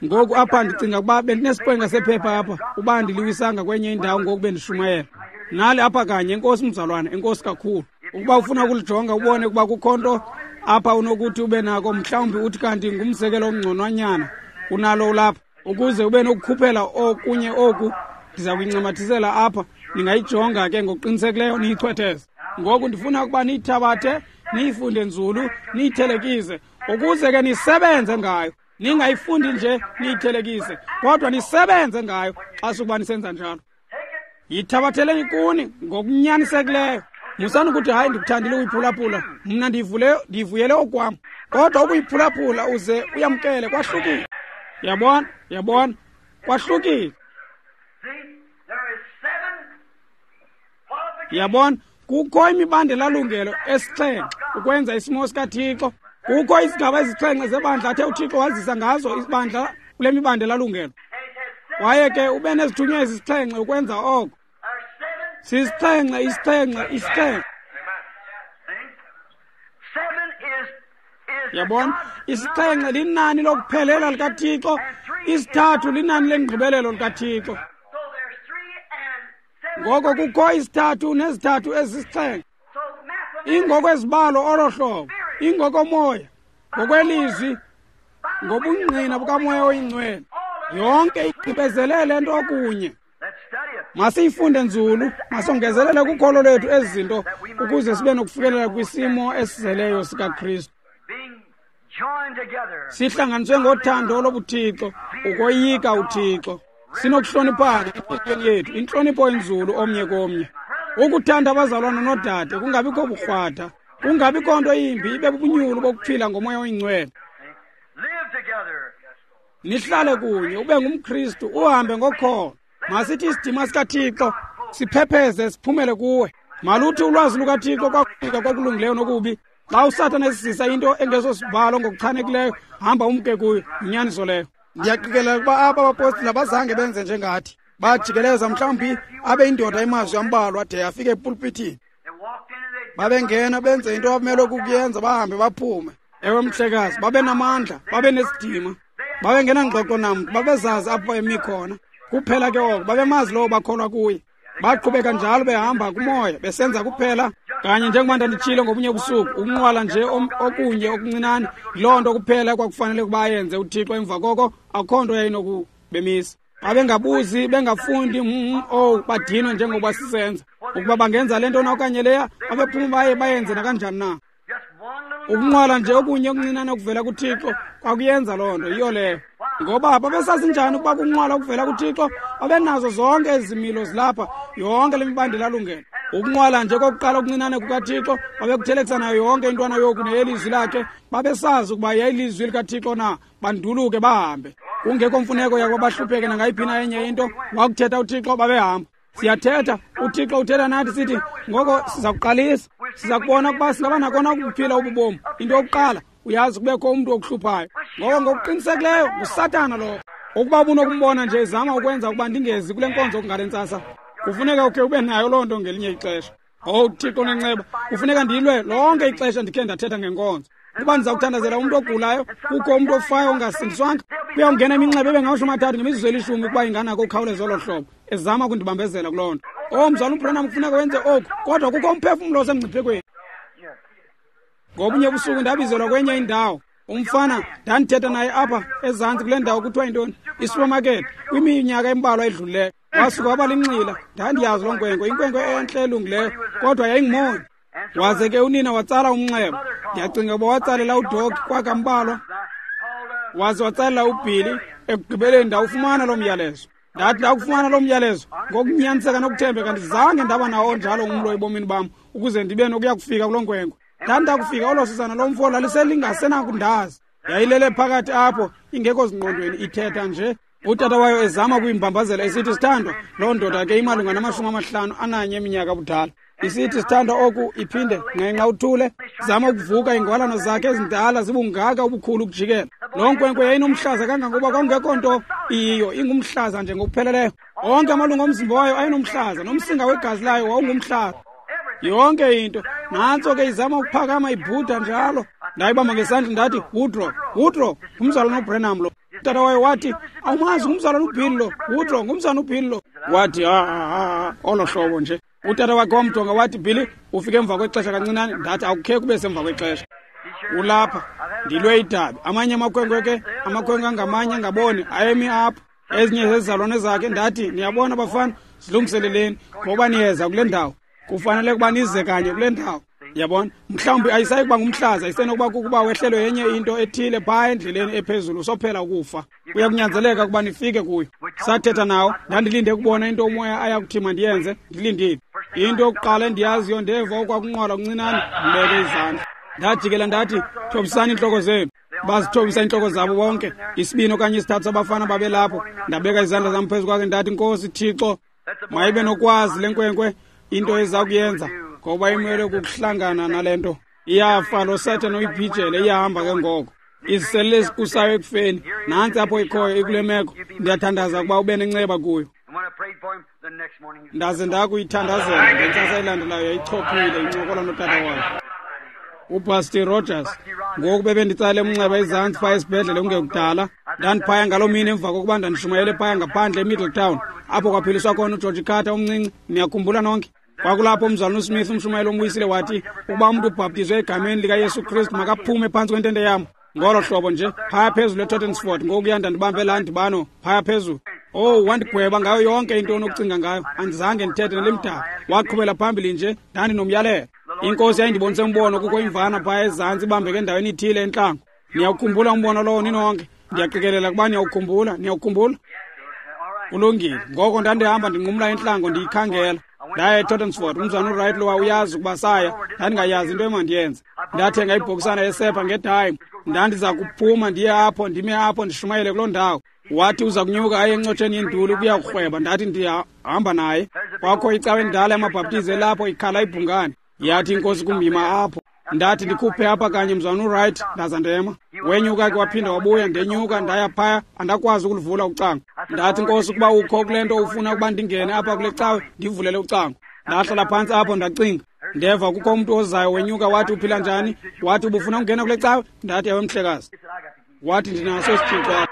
Ngoku apha ndicinga ukuba bendinesiqwenga sephepha apha, uba ndiliwisanga kwenye indawo ngoku bendishumayela. Nali apha kanye, enkosi mzalwana, enkosi kakhulu. Ukuba ufuna ukulijonga ubone ukuba kukho nto apha unokuthi ube nako, mhlawumbi uthi kanti ngumzekelo ongconwanyana kunalo ulapha, ukuze ube nokukhuphela okunye oku, ndiza kuyincamathisela apha. Ningayijonga ke ngokuqinisekileyo niyichwetheze. Ngoku ndifuna ukuba niyithabathe, niyifunde nzulu, niyithelekise, ukuze ke nisebenze ngayo. Ningayifundi nje niyithelekise, kodwa nisebenze ngayo xa sukuba nisenza njalo. Yithabatheleni kuni ngokunyanisekileyo. Musani ukuthi hayi ndikuthandile ukuyiphulaphula, mna ndiyivule ndiyivuyele okwam. Kodwa ukuyiphulaphula uze uyamkele kwahlukile. Yabona, yabona, kwahlukile. Yabona, kukho imibandela lungelo esixhenxe ukwenza isimo sikaThixo. Kukho izigaba ezixhenxe zebandla athe uThixo wazisa ngazo ibandla kule mibandela lungelo. Kwaye ke ube nezithunywa ezisixhenxe ukwenza oko. Sisixhenxe, isixhenxe, isixhenxe. Yabona, isixhenxe linani lokuphelela likaThixo, isithathu linani lengqibelelo likaThixo. Ngoko kukho isithathu nezithathu ezisixhenxe. Ingokwezibalo olo hlobo, ingokomoya, ngokwelizwi, ngobungqina bukaMoya oyiNgcwele. Yonke igqibezelele nto kunye. Masiyifunde nzulu, masongezelele kukholo lwethu ezi zinto ukuze sibe nokufikelela kwisimo esizeleyo sikaKristu. Sihlanganiswe ngothando lobuThixo, ukoyika uThixo. Sinokuhloniphana entliziyweni yethu, intlonipho enzulu omnye komnye. Ukuthanda abazalwana noodade, kungabikho burhwatha, kungabikho nto yimbi, ibe bubunyulu bokuphila ngoMoya oyiNgcwele. Nihlale kunye, ube ngumKristu, uhambe ngokholo. Masithi isidima sikaThixo siphepheze siphumele kuwe. Maluthi ulwazi lukaThixo kwakufika kokulungileyo nokubi. Xa uSathana esizisa into engesosibhalo ngokuchanekileyo, hamba umke kuyo. Yinyaniso leyo. Ndiyaqikelela ukuba aba bapostile abazange benze njengathi. Bajikeleza mhlawumbi abe indoda imazwi ambalwa de afike epulpithini. Babengena benze into abamelwe kukuyenza, bahambe baphume. Ewe mhlekazi, babe namandla, babe nesidima. Babengena ngxoxo namntu, babezazi apho emi khona. Kuphela ke oko, babemazi lowo bakholwa kuye. Baqhubeka njalo behamba kumoya, besenza kuphela kanye njengoba ndanditshilo ngobunye ubusuku, ukunqwala nje okunye okuncinane, yiloo nto kuphela kwakufanele ukuba ayenze uThixo. Emva koko akukho nto yayinokubemisa. Babengabuzi, bengafundi, mm, oh, badinwe njengoba sisenza. Ukuba bangenza le nto na okanye leya, babephuma baye bayenze nakanjani na. Ukunqwala nje okunye okuncinane okuvela kuThixo kwakuyenza loo nto, yiyo leyo. Ngoba babesazi njani ukuba kunqwala okuvela kuThixo? Babenazo zonke ezi zimilo zilapha, yonke le mibandela lungelo. Ukunqwala nje kokuqala okuncinane kukaThixo, babekuthelekisa nayo yonke intwana yoku neyelizwi lakhe. Babesazi ukuba yayilizwi likaThixo na, banduluke bahambe. Kungekho mfuneko yakuba bahlupheke nangayiphi na enye into. Wakuthetha uThixo, babehamba. Siyathetha, uThixo uthetha nathi sithi, ngoko siza kuqalisa, siza kubona ukuba singaba nakona ukuphila ububomi. Into yokuqala, uyazi kubekho umntu okuhluphayo. Ngoko ngokuqinisekileyo nguSathana lowo. Ukuba ubunokumbona nje ezama ukwenza ukuba ndingezi kule nkonzo ngale ntsasa, kufuneka ukhe ube nayo loo nto ngelinye ixesha. Owu Thixo nenceba, kufuneka ndilwe lonke ixesha ndikhe ndathetha ngenkonzo. Kuba ndiza kuthandazela umntu ogulayo, kukho umntu ofayo ongasindiswanga, kuyawungena iminxeba ebe ngamashumi amathathu ngemizuzu elishumi ukuba inganako ukhawuleza olo hlobo, ezama ukundibambezela kuloo nto. Oh mzalwana uBranham, kufuneka wenze oku, kodwa kukho umphefumlo osemngciphekweni. Ngobunye ubusuku ndabizelwa kwenye indawo. Umfana ndandithetha naye apha ezantsi kule ndawo kuthiwa yintoni, isupermarket, kwiminyaka embalwa edlulileyo. Wasuka waba linxila. Ndandiyazi loo nkwenkwe, inkwenkwe entle elungileyo, kodwa yayingumoni. Waze ke unina watsala umnxeba. Ndiyacinga ukuba watsalela uDog kwakambalwa, waze watsalela uBilly. Ekugqibeleni ndawufumana loo myalezo. Ndathi ndakufumana loo myalezo ngokunyaniseka nokuthembeka, ndizange ndaba nawo njalo umlo ebomini bam ukuze ndibe nokuya kufika kuloo nkwenkwe. Ndathi ndakufika olo susana lomfo laliselingasenakundazi. Yayilele phakathi apho ingekho zingqondweni, ithetha nje. Utata wayo ezama ukuyimbambazela esithi, sithandwa, loo ndoda ke imalunga namashumi amahlanu ananye eminyaka budala. Isithi, sithandwa, oku iphinde ngenxa uthule. Zama ukuvuka, ingwalano zakhe ezindala zibungaka ubukhulu ukujikela. Loo nkwenkwe yayinomhlaza kangangokuba kwakungekho nto Iyiyo ingumhlaza nje ngokupheleleyo. Onke amalungu omzimba wayo ayenomhlaza, nomsinga wegazi layo wawungumhlaza. Yonke into. Nantso ke izama ukuphakama ibhuda njalo. Ndayibamba ngesandla ndathi, Woodrow, Woodrow, ngumzalwana uBranham lo. Utata wayo wathi, awumazi ngumzalwana uBill lo, Woodrow, ngumzalwana uBill lo. Wathi, ha ha, olo hlobo nje. Utata wakhe wamjonga wathi, Billy, ufike emva kwexesha kancinane. Ndathi, akukhe kube semva kwexesha. Ulapha, ndilwe idabi. Amanye amakhwenkwe ke, amakhwenkwe angamanye angaboni, ayemi apho. Ezinye zezizalwane zakhe. Ndathi, niyabona bafana, zilungiseleleni, ngoba niyeza kule ndawo. Kufanele ukuba nize kanye kule ndawo. Yabona, mhlawumbi ayisayi kuba ngumhlaza, isenokuba kukuba wehlelwe yenye into ethile phaa endleleni ephezulu, sophela ukufa. Kuya kunyanzeleka ukuba nifike kuyo. Sathetha nawo, ndandilinde ukubona into umoya aya kuthi mandiyenze, ndilindile. Into yokuqala endiyaziyo, ndeva okwakunqwala kuncinane, ndibeke izandla. Ndajikela ndathi, thobisani iintloko zenu. Bazithobisa iintloko zabo bonke, isibini okanye isithathu sabafana babelapho. Ndabeka izandla zam phezu kwakhe ndathi, Nkosi Thixo, mayibe nokwazi le nkwenkwe into eza kuyenza, ngoba imele kukuhlangana nale nto. Iyafa lo Sathane uyibhijele, iyahamba ke ngoko. Izisele ezikusayo ekufeni, nantsi apho ikhoyo ikule meko. Ndiyathandaza ukuba ube nenceba kuyo. Ndaze ndakuyithandazela, ngentsasa elandelayo yayichophile incokola notata wayo. UBusty Rogers, ngoku bebenditsale umnxeba ezantsi phaya esibhedlele kungekudala. Ndandiphaya ngaloo mini emva kokuba ndandishumayele phaya ngaphandle eMiddletown, apho kwaphiliswa khona uGeorge Carter omncinci. Niyakhumbula nonke? Kwakulapho umzalwana uSmith umshumayeli ombuyisile wathi, ukuba umntu ubhaptizwe egameni likaYesu Kristu makaphume phantsi kwentente yam. Ngolo hlobo nje, phaya phezulu eTottenford, ngokuya ndandibambe laa ndibano phaya phezulu. Oh, wandigweba ngayo yonke into onokucinga ngayo. Andizange ndithethe nelimdaka. Waqhubela phambili nje, ndandinomyalelo. Inkosi yayindibonise umbono, kukho imvana phaya ezantsi ibambeke endaweni ithile entlango. Niyawukhumbula umbono lowo ninonke? Ndiyaqikelela ukuba niyawukhumbula. Niyawukhumbula? Kulungile. Ngoko ndandihamba ndinqumla entlango ndiyikhangela. Ndaya eTottenford, umzalwana uWright lowa uyazi ukuba saya. Ndandingayazi into emandiyenze. Ndathenga ibhokisana yesepha ngedime. Ndandiza kuphuma ndiye apho, ndime apho ndishumayele kuloo ndawo. Wathi uza kunyuka aye encotsheni yenduli ukuya kurhweba. Ndathi ndiyahamba naye. Kwakho icawa endala yamaBhaptizi elapho ikhala ibhungane. Yathi inkosi kumyima apho. Ndathi ndikhuphe apha kanye mzalwana uWright, ndaza ndema. Wenyuka ke waphinda wabuya, ndenyuka ndaya phaya, andakwazi ukuluvula ucango. Ndathi, Nkosi, ukuba ukho kule nto ufuna ukuba ndingene apha kule cawe, ndivulele ucango. Ndahlala phantsi apho ndacinga. Ndeva kukho umntu ozayo wenyuka wathi, uphila njani? Wathi, ubufuna ukungena kule cawe? Ndathi, ewe mhlekazi. Wathi, ndinaso isithixo apha.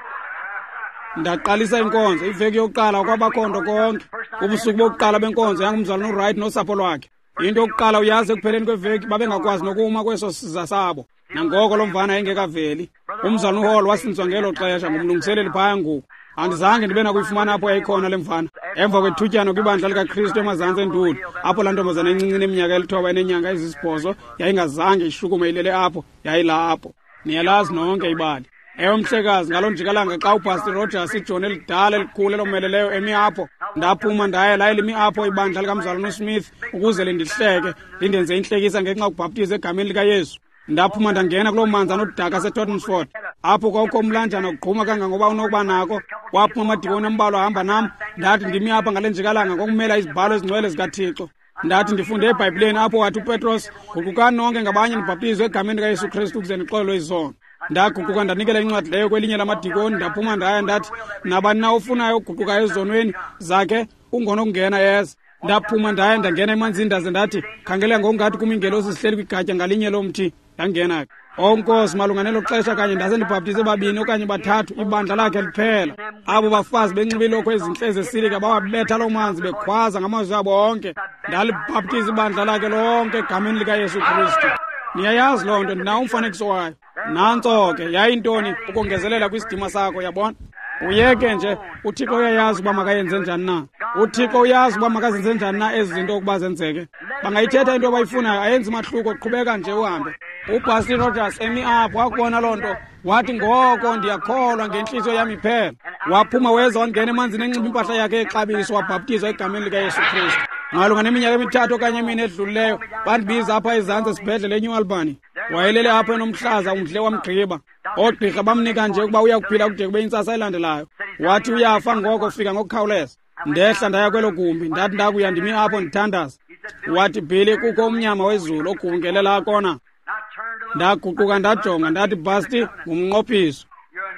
Ndaqalisa inkonzo. Iveki yokuqala kwabakho nto konke. Ubusuku bokuqala benkonzo yangumzalwana uWright nosapho lwakhe. Into yokuqala uyazi, ekupheleni kweveki babengakwazi nokuma kweso siza sabo. Nangoko lo mvana yayingekaveli. Umzalwana uHall wasinzwa ngelo xesha ngumlungiseleli phaya ngoku. Andizange ndibe nakuyifumana apho yayikhona le mvana. Emva kwethutyana kwibandla likaKristu emazantsi enduli, apho laa ntombazana encinci eneminyaka elithoba eneenyanga ezisibhozo yayingazange ishukume ilele apho, yayilapho. Niyalazi nonke ibali. Ewe mhlekazi, ngaloo njikalanga xa uPastor Rogers, ijoni elidala elikhulu elomeleleyo, emi apho, ndaphuma ndaya laye limi apho ibandla likamzalwana uSmith ukuze lindihleke, lindenze intlekisa ngenxa yokubhaptiza egameni likaYesu. Ndaphuma ndangena kuloo manzi anodaka aseTottenford, apho kwakukho umlanjana ugquma kangangoba unokuba nako. Waphuma amadikoni ambalwa ahamba nam. Ndathi, ndimi apha ngale njikalanga ngokumela izibhalo ezingcwele zikaThixo. Ndathi, ndifunde eBhayibhileni apho wathi uPetros, guqukani nonke ngabanye nibhaptizwe egameni likaYesu Kristu ukuze nixolelwe izono. Ndaguquka ndanikela incwadi leyo kwelinye lamadikoni, ndaphuma ndaya ndathi, nabani na ofunayo ukuguquka ezonweni zakhe ungonokungena yeza. Ndaphuma ndaya ndangena emanzini ndaze ndathi, khangela ngokungathi kum iingelosi zihleli kwigatya ngalinye lomthi. Ndangena ke. O Nkosi, malunga nelo xesha kanye ndase ndibhaptize babini okanye bathathu, ibandla lakhe liphela. Abo bafazi benxibe iilokhwe ezintle zesilika bawabetha loo manzi bekhwaza ngamazwi abo onke. Ndalibhaptiza ibandla lakhe lonke egameni likaYesu Kristu. Niyayazi loo nto, ndinawo umfanekiso wayo. Nantso ke, yayintoni ukongezelela kwisidima sakho, yabona? Uyeke nje, uThixo uyayazi uba makayenze njani na. UThixo uyazi uba makazenze njani na ezi zinto ukuba zenzeke. Bangayithetha into abayifunayo, ayenzi mahluko, qhubeka nje uhambe. UPastor Rogers emi apho wakubona loo nto, wathi, ngoko ndiyakholwa ngentliziyo yam iphela. Waphuma weza wangena emanzini enxiba impahla yakhe yexabiso, wabhaptizwa egameni likaYesu Kristu. Malunga neminyaka emithathu okanye emine edlulileyo, bandibiza apha ezantsi esibhedlele eNew Albany. Wayelele apho enomhlaza umdle wamgqiba. Oogqirha bamnika nje ukuba uya kuphila kude kube intsasa elandelayo. Wathi uyafa ngoko, fika ngokukhawuleza. Ndehla ndaya kwelo gumbi, ndathi ndakuya ndimi apho ndithandaza. Wathi, Billy, kukho umnyama wezulu ogubungelela kona. Ndaguquka ndajonga, ndathi, Basti, ngumnqophiso.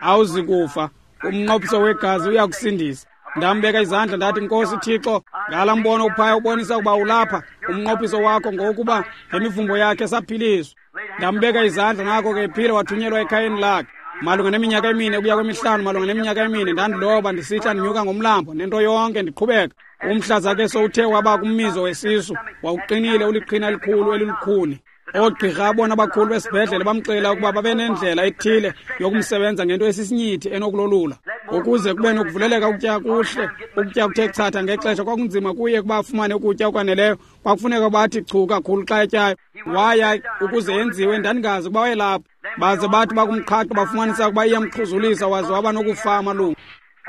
Awuzi kufa, Umnqophiso wegazi uyakusindisa. Ndambeka izandla ndathi, Nkosi Thixo, ngala mbono uphaya ubonisa ukuba ulapha, umnqophiso wakho ngokuba ngemivumbo yakhe saphiliswa. Ndambeka izandla, nako ke ephila, wathunyelwa ekhayeni lakhe. Malunga neminyaka emine ukuya kwemihlanu, malunga neminyaka emine, ndandiloba ndisihla ndinyuka ngomlambo nento yonke ndiqhubeka. Umhlaza ke sowuthe waba kummizo wesisu, wawuqinile uliqhina elikhulu elilukhuni. Oogqirha abona abakhulu besibhedlele bamxelela ukuba babe nendlela ethile yokumsebenza ngento esisinyithi enokulolula ukuze kube nokuvuleleka ukutya kuhle, ukutya kuthe chatha ngexesha. Kwakunzima kuye ukuba afumane ukutya okwaneleyo, kwakufuneka bathi chu kakhulu xa etyayo. Waya ukuze yenziwe, ndandingazi ukuba wayelapho. Baze bathi bakumqhaqha bafumanisa ukuba iyamxhuzulisa, waze waba nokufa amalungu.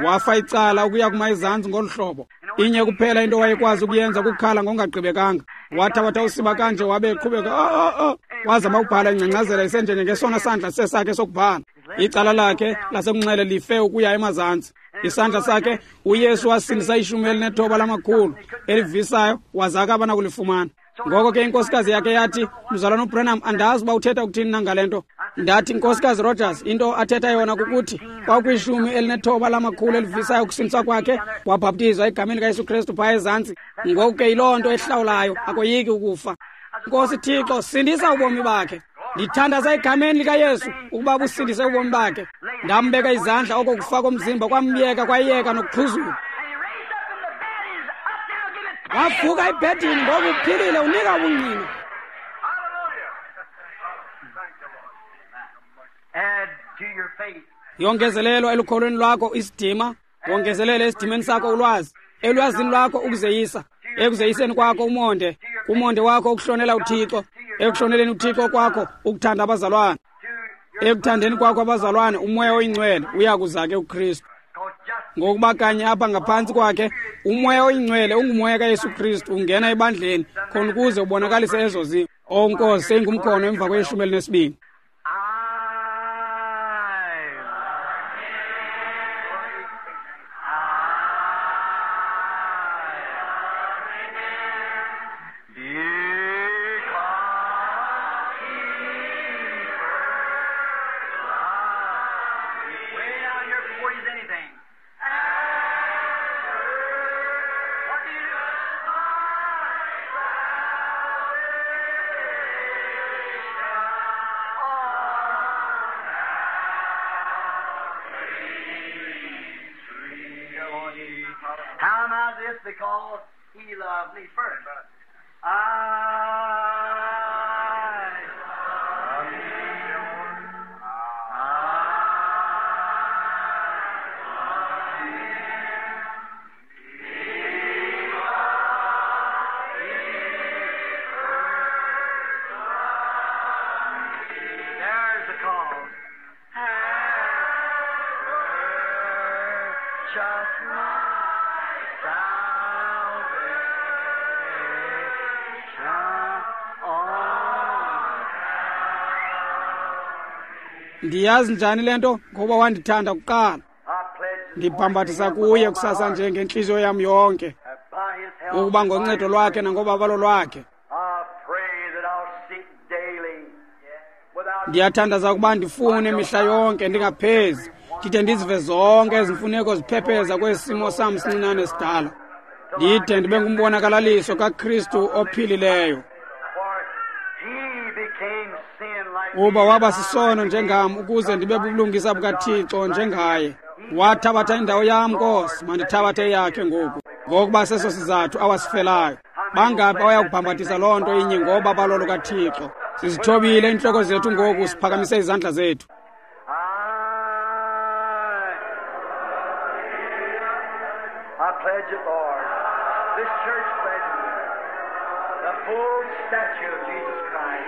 Wafa icala ukuya kuma ezantsi ngolu hlobo. Inye kuphela into wayekwazi ukuyenza kukhala ngokungagqibekanga. Wathabatha usiba kanje wabe eqhubeka, oh, oh, oh. Wazama ukubhala ingcangcazela isenjenje ngesona sandla sesakhe sokubhala. Icala lakhe lasekunxele life ukuya emazantsi. Isandla sakhe uYesu wasindisa ishumi elinethoba lamakhulu elivisayo, waza akaba nakulifumana. Ngoko ke inkosikazi yakhe yathi, Mzalwana uBranham, andazi uba uthetha ukuthini na ngale nto. Ndathi, Nkosikazi Rogers, into athetha yona kukuthi kwakwishumi elinethoba lamakhulu elivisayo ukusindiswa kwakhe, wabhaptizwa egameni likaYesu Kristu phaya ezantsi. Ngoku ke yiloo nto ehlawulayo, akoyiki ukufa. Nkosi Thixo, sindisa ubomi bakhe. Ndithandaza egameni likaYesu ukuba busindise ubomi bakhe. Ndambeka izandla, oko kufa komzimba kwamyeka, kwayeka nokuxhuzula. Wavuka ebhedini ngoku uphilile, unika ubungqina. Yongezelelwa elukholweni lwakho isidima, wongezelele esidimeni sakho ulwazi, elwazini lwakho ukuzeyisa, ekuzeyiseni kwakho umonde, kumonde wakho ukuhlonela uThixo, ekuhloneleni uThixo kwakho ukuthanda abazalwane, ekuthandeni kwakho abazalwane uMoya oyiNgcwele uyakuza ke uKristu. Ngokuba kanye apha ngaphantsi kwakhe uMoya oyiNgcwele unguMoya kaYesu Kristu ungena ebandleni khona ukuze ubonakalise ezo zinto. O Nkosi, seyingumkhono emva kweshumi elinesibini. Because he loved me first. I love you. I love you. There's the call. Just my salvation on. Ndiyazi njani le nto? Ngoba wandithanda kuqala. Ndibhambathisa kuye kusasa nje ngentliziyo yam yonke, ukuba ngoncedo lwakhe nangobabalo lwakhe. Ndiyathandaza ukuba ndifune mihla yonke ndingaphezi, ndide ndizive zonke ezi mfuneko ziphepheza kwesi simo sam sincinane sidala, ndide ndibe ngumbonakalaliso kaKristu ophilileyo. Uba waba sisono njengam ukuze ndibe bubulungisa bukaThixo njengaye. Wathabatha indawo yam, Nkosi, mandithabathe eyakhe ngoku, ngokuba seso sizathu awasifelayo. Bangaphi awayakubhambathisa loo nto inye ngoba balolo kaThixo? Sizithobile iintloko zethu ngoku, siphakamise izandla zethu. I pledge it, Lord. This church pledges the full stature of Jesus Christ.